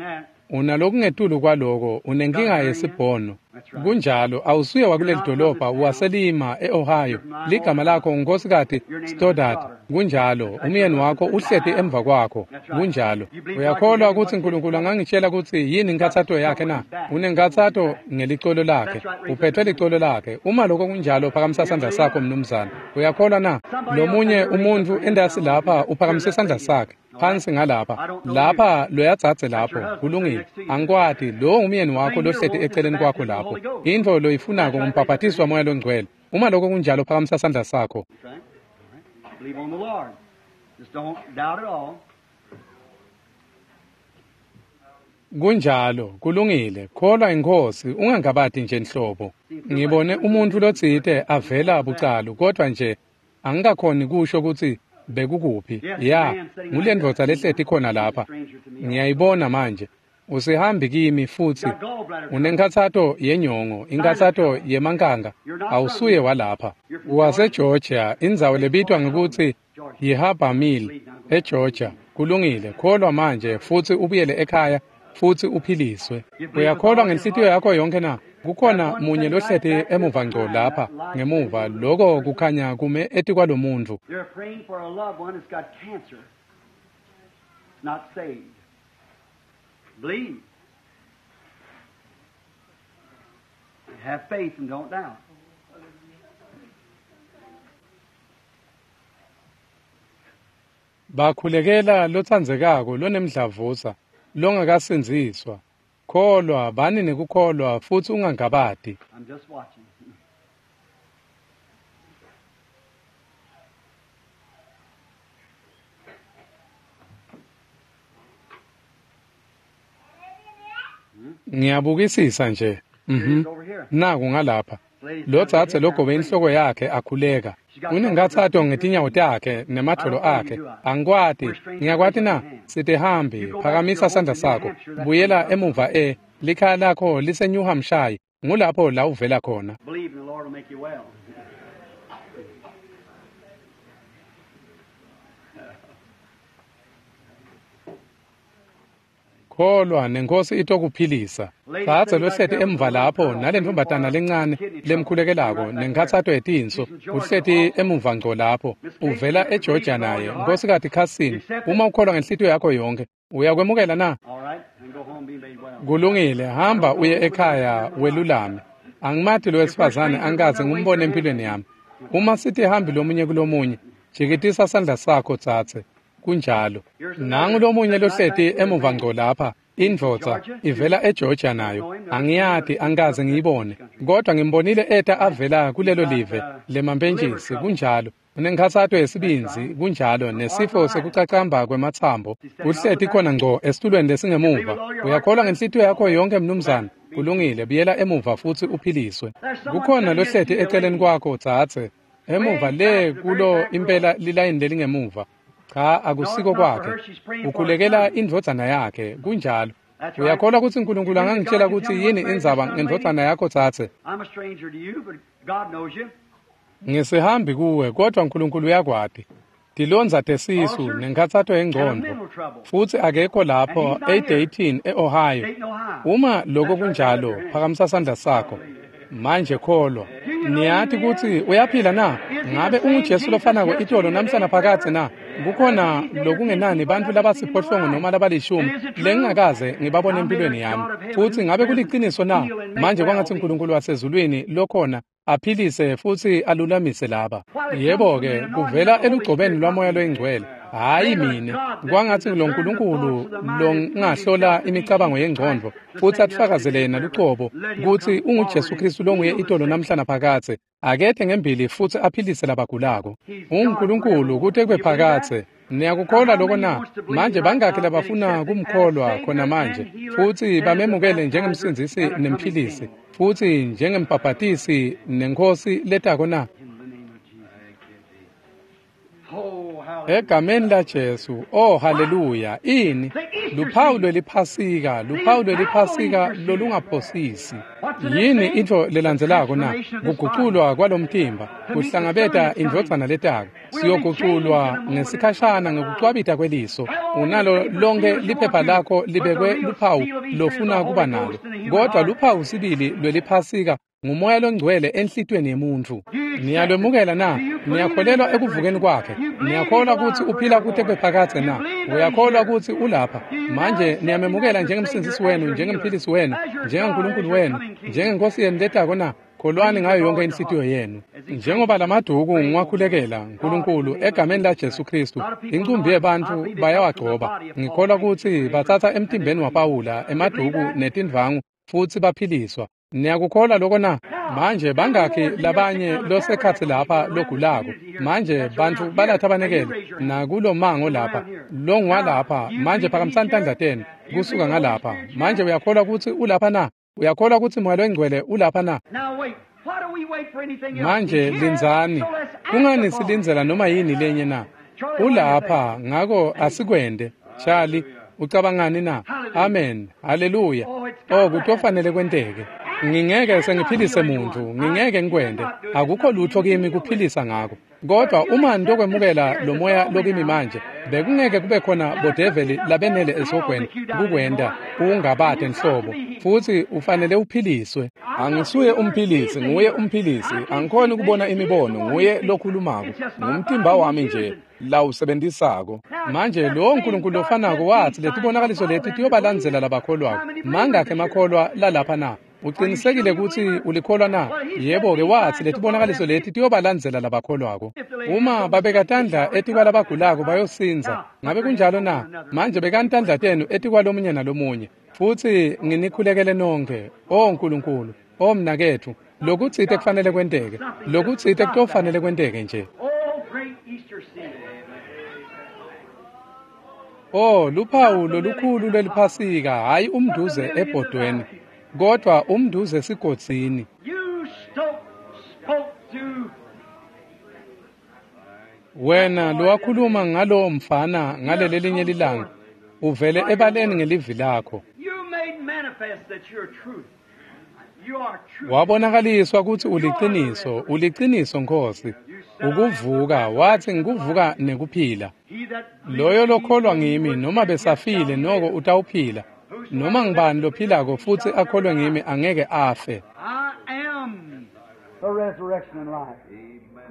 Unalokungetulu kwaloko, unenkinga yesibhono. Kunjalo, awusuye wakuleli dolobha, waselima e-Ohio. Ligama lakho uNkosikazi Stoddard. Kunjalo, umyeni wakho uhleti emva kwakho. Kunjalo. Uyakholwa kutsi uNkulunkulu angangitshela kutsi yini inkhatsato yakhe na? Unenkhatsato ngelicolo lakhe. Uphethwe licolo lakhe. Uma lokho kunjalo, phakamisa sandla sakho mnumzane. Uyakholwa na? Lomunye umuntfu endasi lapha uphakamise sandla sakhe. Phansi ngalapha. Lapha loyadzadze lapho. Kulungile. Angikwati, lowo ngumyeni wakho lohleti eceleni kwakho lapho. Intfo loyifunako ngumbhaphatiswa wamoya longcwele. Uma lokho kunjalo, phakamisa sandla sakho. Believe on the Lord. Just don't doubt at all. Kunjalo, kulungile. Kholwa inkosi, ungangabati nje nhlobo. Ngibone umuntfu lotsite avela bucalu, kodvwa nje angikakhoni kusho kutsi bekukuphi. Ya, ngulendvodza lehleti khona lapha. Ngiyayibona manje. Usihambi kimi futsi unenkhatsato yenyongo, inkhatsato yemankanga. Awusuye walapha. WaseGeorgia, indzawo lebitwa ngekutsi yiHarbor Mill eGeorgia. Kulungile, kholwa manje futsi ubuyele ekhaya futsi uphiliswe. Uyakholwa ngenhlitiyo yakho yonke na? Kukhona munye lohleti emuva ngco lapha ngemuva, loko kukhanya kume etikwalomuntfu. They're praying for a loved one that's got cancer. Not saved. Believe. Have faith and don't doubt. Bakhulekela lotsandzekako lonemdlavuza longakasindziswa. Kholwa, bani nekukholwa futsi ungangabati. I'm just watching. Ngiyabukisisa nje. Mhm. Naku ngalapha. Lo dzadze logobe inhloko yakhe akhuleka. Unenkhatsato ngetinyawo takhe nemadvolo akhe. Angikwati. Ngiyakwati na? Sitihambi, phakamisa sandla sakho. Buyela emuva e likhaya lakho lise New Hampshire. Ngulapho la uvela khona. Believe in the Lord will make you well. Kholwa nenkosi itokuphilisa. Dzadze lohleti emva lapho nalentfombatana lencane lemkhulekelako nenkhatsato yetinso uhleti emuva ngco lapho uvela eGeorgia naye. Nkosikazi Carson, uma ukholwa ngenhlitiyo yakho yonke, uyakwemukela na? All right, and go home and be made well. Kulungile, hamba uye ekhaya welulame. Angimati lo wesifazane, angikaze ngimbone empilweni yami. Uma sitihambi lomunye kulomunye, jikitisa sandla sakho tsatse. Kunjalo. Nangu lomunye lohleti emuva ngco lapha, indvodza ivela eGeorgia nayo. Angiyati, angikaze ngiyibone, kodwa ngimbonile eta avela kulelo live lemampentjisi. Kunjalo. Unenkhatsato yesibindzi, kunjalo, nesifo sekucacamba kwematsambo. Uhleti khona ngco esitulweni lesingemuva. Uyakholwa ngenhlitiyo yakho yonke, mnumzane? Kulungile, buyela emuva futsi uphiliswe. Kukhona lohleti eceleni kwakho, dzadze, emuva le kulo impela lilayini lelingemuva. Cha, akusiko kwakhe. Ukhulekela indvodzana yakhe, kunjalo. Uyakholwa kutsi Nkulunkulu angangitjela kutsi yini indzaba ngendvodzana yakho, dzadze? I'm a stranger to you, but God knows you. Ngisihambi kuwe, kodwa Nkulunkulu uyakwati. Tilondza tesisu nenkhatsato yengcondvo. Futsi akekho lapho e-Dayton, e-Ohio. Dayton, Ohio. Uma lokho kunjalo, phakamisa sandla sakho. Manje kholwa. Niyati kutsi uyaphila na? Ngabe unguJesu lofanako itolo namhla naphakadze na? Kukhona lokungenani bantfu labasiphohlongo noma labalishumi lengingakaze ngibabone empilweni yami. Futsi ngabe kuliciniso na? Manje kwangatsi Nkulunkulu wasezulwini lokhona aphilise futsi alulamise laba. Yebo-ke, kuvela elugcobeni lwaMoya loyiNgcwele. Hhayi mine, kwangatsi lo Nkulunkulu longahlola imicabango yengcondvo futsi atfakazele yena lucobo kutsi unguJesu Khristu longuye itolo namhla naphakadze, akethe ngembili futsi aphilise labagulako. UnguNkulunkulu kute kube phakadze. Niyakukholwa loko na? Manje bangakhi labafuna kumkholwa khona manje futsi bamemukele njengemsindzisi nemphilisi futsi njengembhabhatisi nenkhosi letako na? In the name of Jesus. Oh, hallelujah. Egameni laJesu, oh haleluya, ini luphawu lweliphasika, luphawu lweliphasika lolungaphosisi. Yini intfo lelandzelako na? Kuguculwa kwalomtimba, kuhlangabeta indvodzana letako. Siyoguculwa ngesikhashana ngekucwabita kweliso. Unalo lonke liphepha lakho libekwe luphawu lofuna kuba nalo, kodwa luphawu sibili lweliphasika ngumoya longcwele enhlitiyweni yemuntfu. Niyalwemukela na? Niyakholelwa ekuvukeni kwakhe? Niyakholwa kutsi uphila kute kube phakadze na? Uyakholwa kutsi ulapha manje? Niyamemukela njengemsindzisi wenu, njengemphilisi wenu, njengaNkulunkulu wenu, njengenkosi yenu letako na? Kholwani ngayo yonke inhlitiyo yenu. Njengoba lamaduku ngiwakhulekela, Nkulunkulu, egameni laJesu Khristu, incumbi yebantfu bayawagcoba. Ngikholwa kutsi batsatsa emtimbeni waPawula emaduku netindvangu futsi baphiliswa. Niyakukholwa loko na? Manje bangakhi labanye losekhatsi lapha logulako? Manje bantfu balatha banekele nakulomango lapha, longwalapha. Manje phakamisani tandla tenu kusuka ngalapha. Manje uyakholwa kutsi ulapha na? Uyakholwa kutsi Moya loyiNgcwele ulapha na? Now wait. Why do we wait for anything else? Manje He's here, lindzani. so let's act Kungani upon it. silindzela noma yini lenye na? Ulapha, ngako asikwende. Charlie, ucabangani na? Amen. Haleluya. Oh, kutofanele kwenteke. Ngingeke sengiphilise muntu, ngingeke ngikwente. Akukho lutho kimi kuphilisa ngako. Kodwa uma nitokwemukela lo moya lokimi manje, bekungeke kube khona bodeveli labenele esogweni kukwenta ungabate nhlobo, futsi ufanele uphiliswe. Angisuye umphilisi, nguye umphilisi. Angikhoni kubona imibono, nguye lokhulumako. Ngumtimba wami nje lawusebentisako. Manje lowo Nkulunkulu lofanako watsi letibonakaliso leti tiyobalandzela labakholwako. Mangakhi emakholwa lalapha na? Ucinisekile kutsi ulikholwa na? Yebo-ke, watsi letibonakaliso leti tiyobalandzela labakholwako. Uma babeka tandla etikwalabagulako bayosindza. Ngabe kunjalo na? Manje bekani tandla tenu etikwalomunye nalomunye. Futsi nginikhulekele nonkhe. O Nkulunkulu, o mnaketfu, lokutsite kufanele kwenteke. Lokutsite kutofanele kwenteke nje. Oh, great Easter season. Oh, luphawu lolukhulu lweliphasika, hhayi umnduze ebhodweni, kodwa umnduze esigodzini. You spoke, spoke to Wena lowakhuluma ngalowo mfana ngaleli linye lilanga, uvele ebaleni ngelivi lakho. You made manifest that you're truth. You are truth. Wabonakaliswa kutsi uliciniso, uliciniso Nkosi. Ukuvuka, wathi ngikuvuka nekuphila. He that Loyo lokholwa ngimi noma besafile noko utawuphila. Noma ngibani lophilako futsi akholwe ngimi angeke afe. I am the resurrection and life.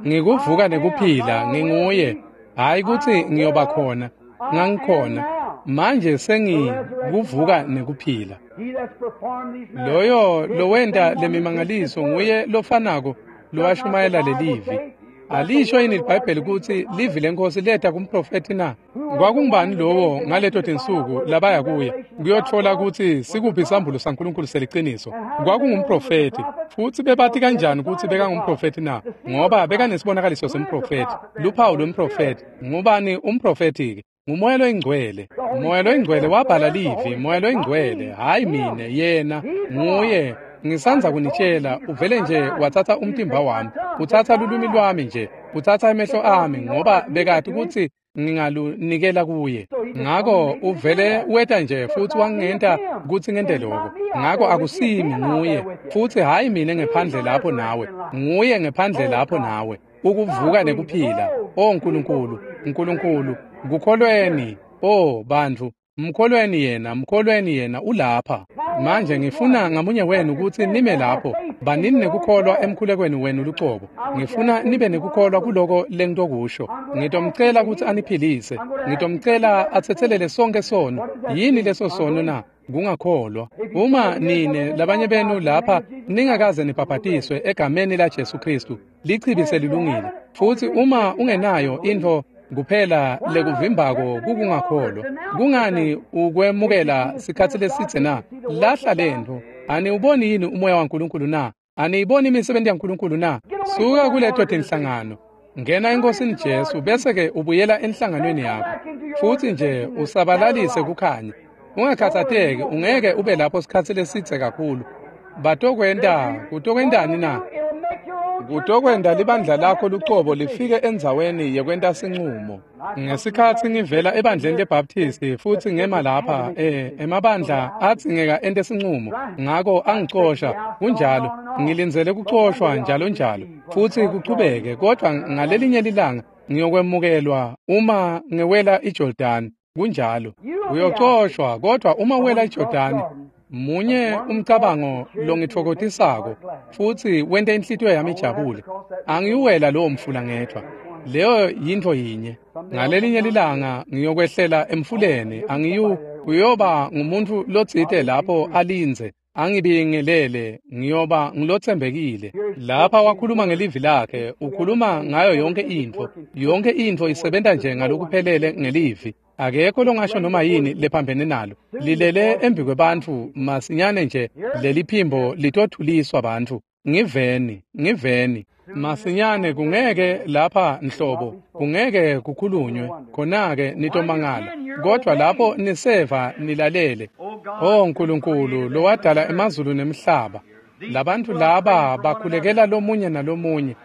Ngikuvuka nekuphila, nginguye. Hayi kutsi ngiyoba khona, ngangikhona. Manje sengikuvuka nekuphila. He that's performed these miracles Loyo is the lowenta same one who lemimangaliso preached this nguye lofanako lowashumayela lelivi. Alisho yini iBhayibheli kutsi livi lenkosi leta kumprofethi na? Kwakungubani lowo ngaleto tinsuku labaya kuye kuyotfola kutsi sikuphi isambulo saNkulunkulu seliciniso? Kwakungumprofethi. Futsi bebati kanjani kutsi bekangumprofethi na? Ngoba bekanesibonakaliso semprofethi, luphawu lwemprofethi. Ngubani umprofethi-ke? Ngumoya loyingcwele. Moya loyingcwele wabhala livi, moya loyingcwele, hhayi mine, yena, nguye. Ngisandza kunitshela, uvele nje watsatsa umtimba wami, utsatsa lulwimi lwami nje, utsatsa emehlo ami, ngoba bekati kutsi ngingalunikela kuye. Ngako uvele weta nje futsi wangenta kutsi ngente lokho. Ngako akusimi, nguye, futsi hhayi mine ngephandle lapho nawe, nguye ngephandle lapho nawe. Ukuvuka nekuphila. O Nkulunkulu, Nkulunkulu, kukholweni, o bantfu, mkholweni yena, mkholweni yena ulapha. Manje ngifuna ngamunye wenu kutsi nime lapho, banini nekukholwa emkhulekweni wenu lucobo. Ngifuna nibe nekukholwa kuloko lengitokusho. Ngitomcela kutsi aniphilise. Ngitomcela atsetselele sonke sono. Yini leso sono na? Kungakholwa. Uma nine labanye benu lapha ningakaze nibhabhatiswe egameni la Jesu Kristu, lichibi selilungile. Futsi uma ungenayo intfo kuphela lekuvimbako kukungakholwa, kungani ukwemukela sikhatsi lesitse na? Lahla lentfo. Aniwuboni yini umoya waNkulunkulu na? Aniyiboni imisebenti yaNkulunkulu na? Suka kuleto tinhlangano, ngena eNkosini Jesu, bese-ke ubuyela enhlanganweni yakho, futsi nje usabalalise kukhanya. Ungakhatsateki, ungeke ube lapho sikhatsi lesitse kakhulu. Batokwenta, kutokwentani na? Kutokwenta libandla lakho lucobo lifike endzaweni yekwenta sincumo. Ngesikhatsi ngivela ebandleni leBaptisti futsi ngema lapha, eh, emabandla adzingeka ente sincumo, ngako angicosha. Kunjalo, ngilindzele kucoshwa njalo njalo, futsi kuchubeke, kodvwa ngalelinye lilanga ngiyokwemukelwa uma ngewela iJordani. Kunjalo, uyocoshwa, kodvwa uma uwela iJordani, munye umcabango longitfokotisako futsi wente inhlitiyo yami ijabule. Angiyuwela lowo mfula ngedvwa. Leyo yintfo yinye. Ngalelinye lilanga ngiyokwehlela emfuleni, angiyu uyoba ngumuntfu lotsite lapho alindze, angibingelele, ngiyoba ngilotsembekile. Lapha wakhuluma ngelivi lakhe, ukhuluma ngayo yonke intfo. Yonke intfo isebenta nje ngalokuphelele ngelivi. Akekho longasho noma yini lephambene nalo. Lilele embi kwebantfu masinyane nje leliphimbo litothuliswa bantfu. Ngiveni, ngiveni. Masinyane kungeke lapha nhlobo, kungeke kukhulunywe, khona-ke nitomangala. Kodvwa lapho niseva nilalele. O Nkulunkulu lowadala emazulu nemhlaba, labantfu laba bakhulekela lomunye nalomunye.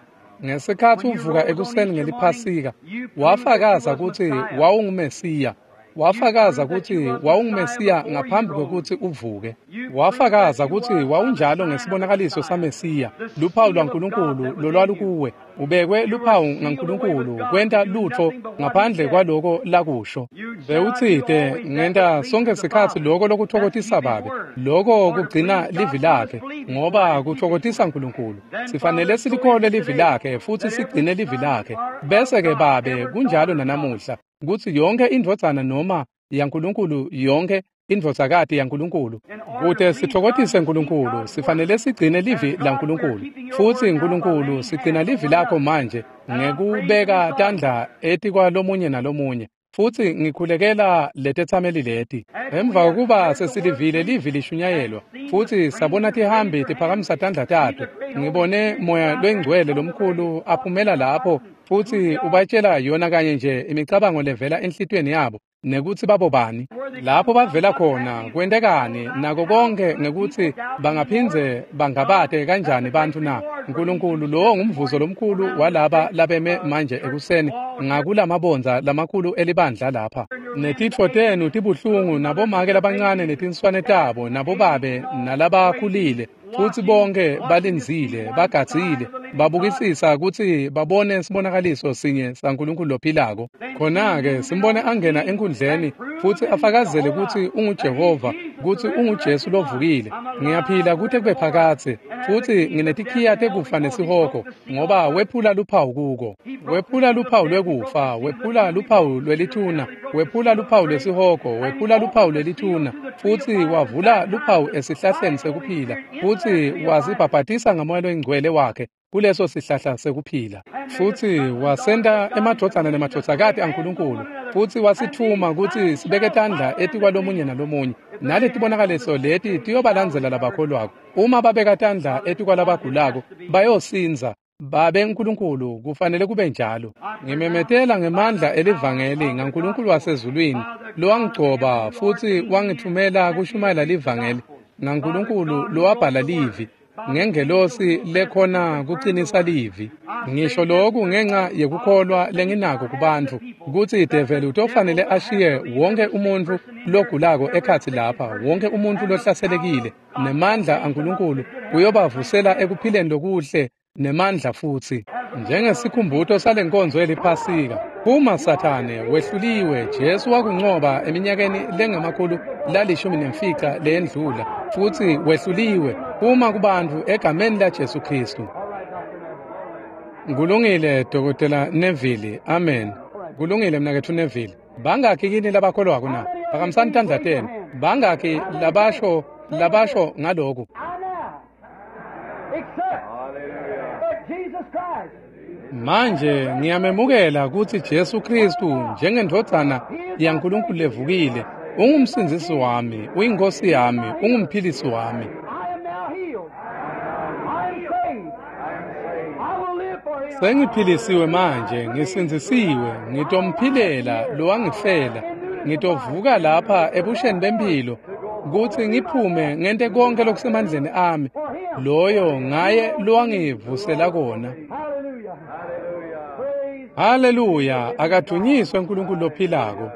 Ngesikhatsi uvuka ekuseni ngeliphasika, wafakaza kutsi wawungumesiya. Wafakaza kutsi wawungumesiya ngaphambi kwekutsi uvuke. Wafakaza kutsi wawunjalo ngesibonakaliso saMesiya, luphawu lwaNkulunkulu lolwalukuwe. Ubekwe luphawu ngaNkulunkulu kwenta lutfo ngaphandle kwaloko lakusho. Bewutsite ngenta sonke sikhatsi loko lokutfokotisa Babe, loko kugcina livi lakhe, ngoba kutfokotisa Nkulunkulu. Sifanele silikholwe livi lakhe futsi sigcine livi lakhe. Bese-ke Babe kunjalo nanamuhla, kutsi yonkhe indvodzana noma yaNkulunkulu, yonkhe indvodzakati yaNkulunkulu, kute sitfokotise Nkulunkulu, sifanele sigcine livi laNkulunkulu. Futsi Nkulunkulu, sigcina livi lakho manje ngekubeka tandla etikwalomunye nalomunye. Futsi ngikhulekela letetsameli leti. Emva kokuba sesilivile livi lishunyayelwa, futsi sabona tihambi tiphakamisa tandla tato, ngibone moya loyingcwele lomkhulu aphumela lapho futsi ubatshela yona kanye nje imicabango levela enhlitiyweni yabo, nekutsi babobani, lapho bavela khona, kwentekani, nako konke, ngekutsi bangaphindze bangabate kanjani bantfu na. Nkulunkulu, lowo ngumvuzo lomkhulu walaba labeme manje ekuseni ngakulamabondza lamakhulu elibandla lapha. Netitfo tenu tibuhlungu, nabomake labancane netinswane tabo, nabobabe nalabakhulile, futsi bonke balindzile, bagadzile, babukisisa kutsi babone sibonakaliso sinye saNkulunkulu lophilako. Khona-ke simbone angena enkundleni futsi afakazele kutsi unguJehova, kutsi unguJesu lovukile. Ngiyaphila kute kube phakadze, futsi nginetikhiya tekufa nesihogo, ngoba wephula luphawu kuko. Wephula luphawu lwekufa, wephula luphawu lwelithuna, wephula luphawu lwesihogo, wephula luphawu lwelithuna, futsi wavula luphawu esihlahleni sekuphila, futsi wasibhabhatisa ngamoya loyingcwele wakhe. kuleso sihlahla sekuphila. Futsi wasenta emadvodzana nemadvodzakati aNkulunkulu, futsi wasitfuma kutsi sibeke tandla etikwalomunye nalomunye. Naletibonakaliso leti tiyobalandzela labakholwako. Uma babeka tandla etikwalabagulako, bayosindza. Babe Nkulunkulu, kufanele kube njalo. Ngimemetela ngemandla elivangeli ngaNkulunkulu wasezulwini lowangigcoba futsi wangitfumela kushumayela livangeli, ngaNkulunkulu lowabhala livi ngengelosi lekhona kucinisa livi. Ngisho lokhu ngenxa yekukholwa lenginako kubantfu kutsi develi utofanele ashiye wonke umuntfu logulako ekhatsi lapha, wonke umuntfu lohlaselekile, nemandla aNkulunkulu uyobavusela ekuphileni lokuhle nemandla futsi. Njengesikhumbuto salenkonzo yeliphasika, phuma Sathane, wehluliwe. Jesu wakuncoba eminyakeni lengemakhulu lalishumi nemfica leyendlula, futsi wehluliwe. Phuma kubantfu egameni la Jesu Khristu. Kulungile, Dokotela Neville. Amen. Kulungile, mnaketfu Neville. Bangakhi kini labakholwako na? Phakamisani tandla tenu. Bangakhi labasho labasho ngalokhu? Manje ngiyamemukela kutsi Jesu Khristu njengendvodzana yaNkulunkulu levukile ungumsindzisi wami, uyinkosi yami, ungumphilisi wami. Sengiphilisiwe manje, ngisindzisiwe, ngitomphilela lowangifela. Ngitovuka lapha ebusheni bempilo kutsi ngiphume ngente konke lokusemandleni ami, loyo ngaye lowangivusela kona. Haleluya, akadunyiswe uNkulunkulu lophilako.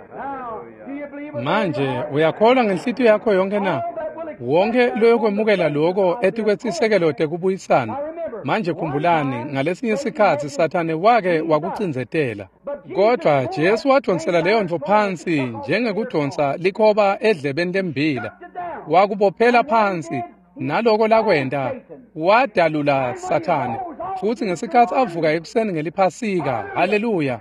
Manje uyakholwa ngenhlitiyo yakho yonke na? Wonke loyokwemukela lokho etikwesisekelo tekubuyisana. Manje khumbulani, ngalesinye sikhatsi Sathane wake wakucindzetela, kodvwa Jesu wadvonsela leyo ntfo phansi njengekudonsa likhoba edlebeni lembila. Wakubophela phansi, naloko lakwenta wadalula Sathane. Futsi ngesikhatsi avuka ekuseni ngeliphasika, haleluya,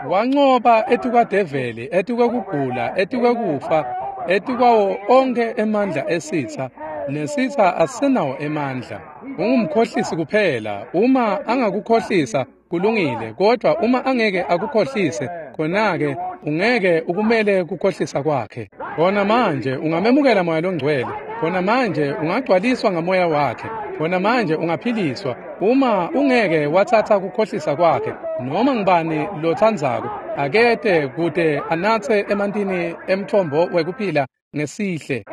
wancoba etikwadeveli, etikwekugula, etikwekufa, etikwawo onkhe emandla esitsa. Nesitsa asinawo emandla. Ungumkhohlisi kuphela. Uma angakukhohlisa kulungile, kodwa uma angeke akukhohlise, khona-ke ungeke ukumele kukhohlisa kwakhe. Khona manje ungamemukela Moya loNgcwele. Khona manje ungagcwaliswa ngamoya wakhe. Khona manje ungaphiliswa. Uma ungeke watsatsa kukhohlisa kwakhe, noma ngubani lotsandzako akete kute anatse emantini emthombo wekuphila ngesihle.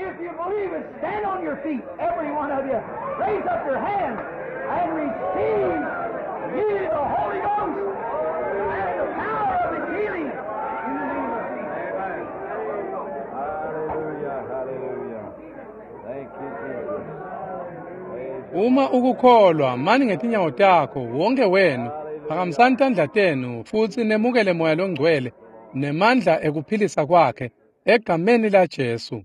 Uma ukukholwa, mani ngetinyawo takho, wonke wenu, phakamisani tandla tenu futsi nemukele Moya loNgcwele nemandla ekuphilisa kwakhe egameni la Jesu.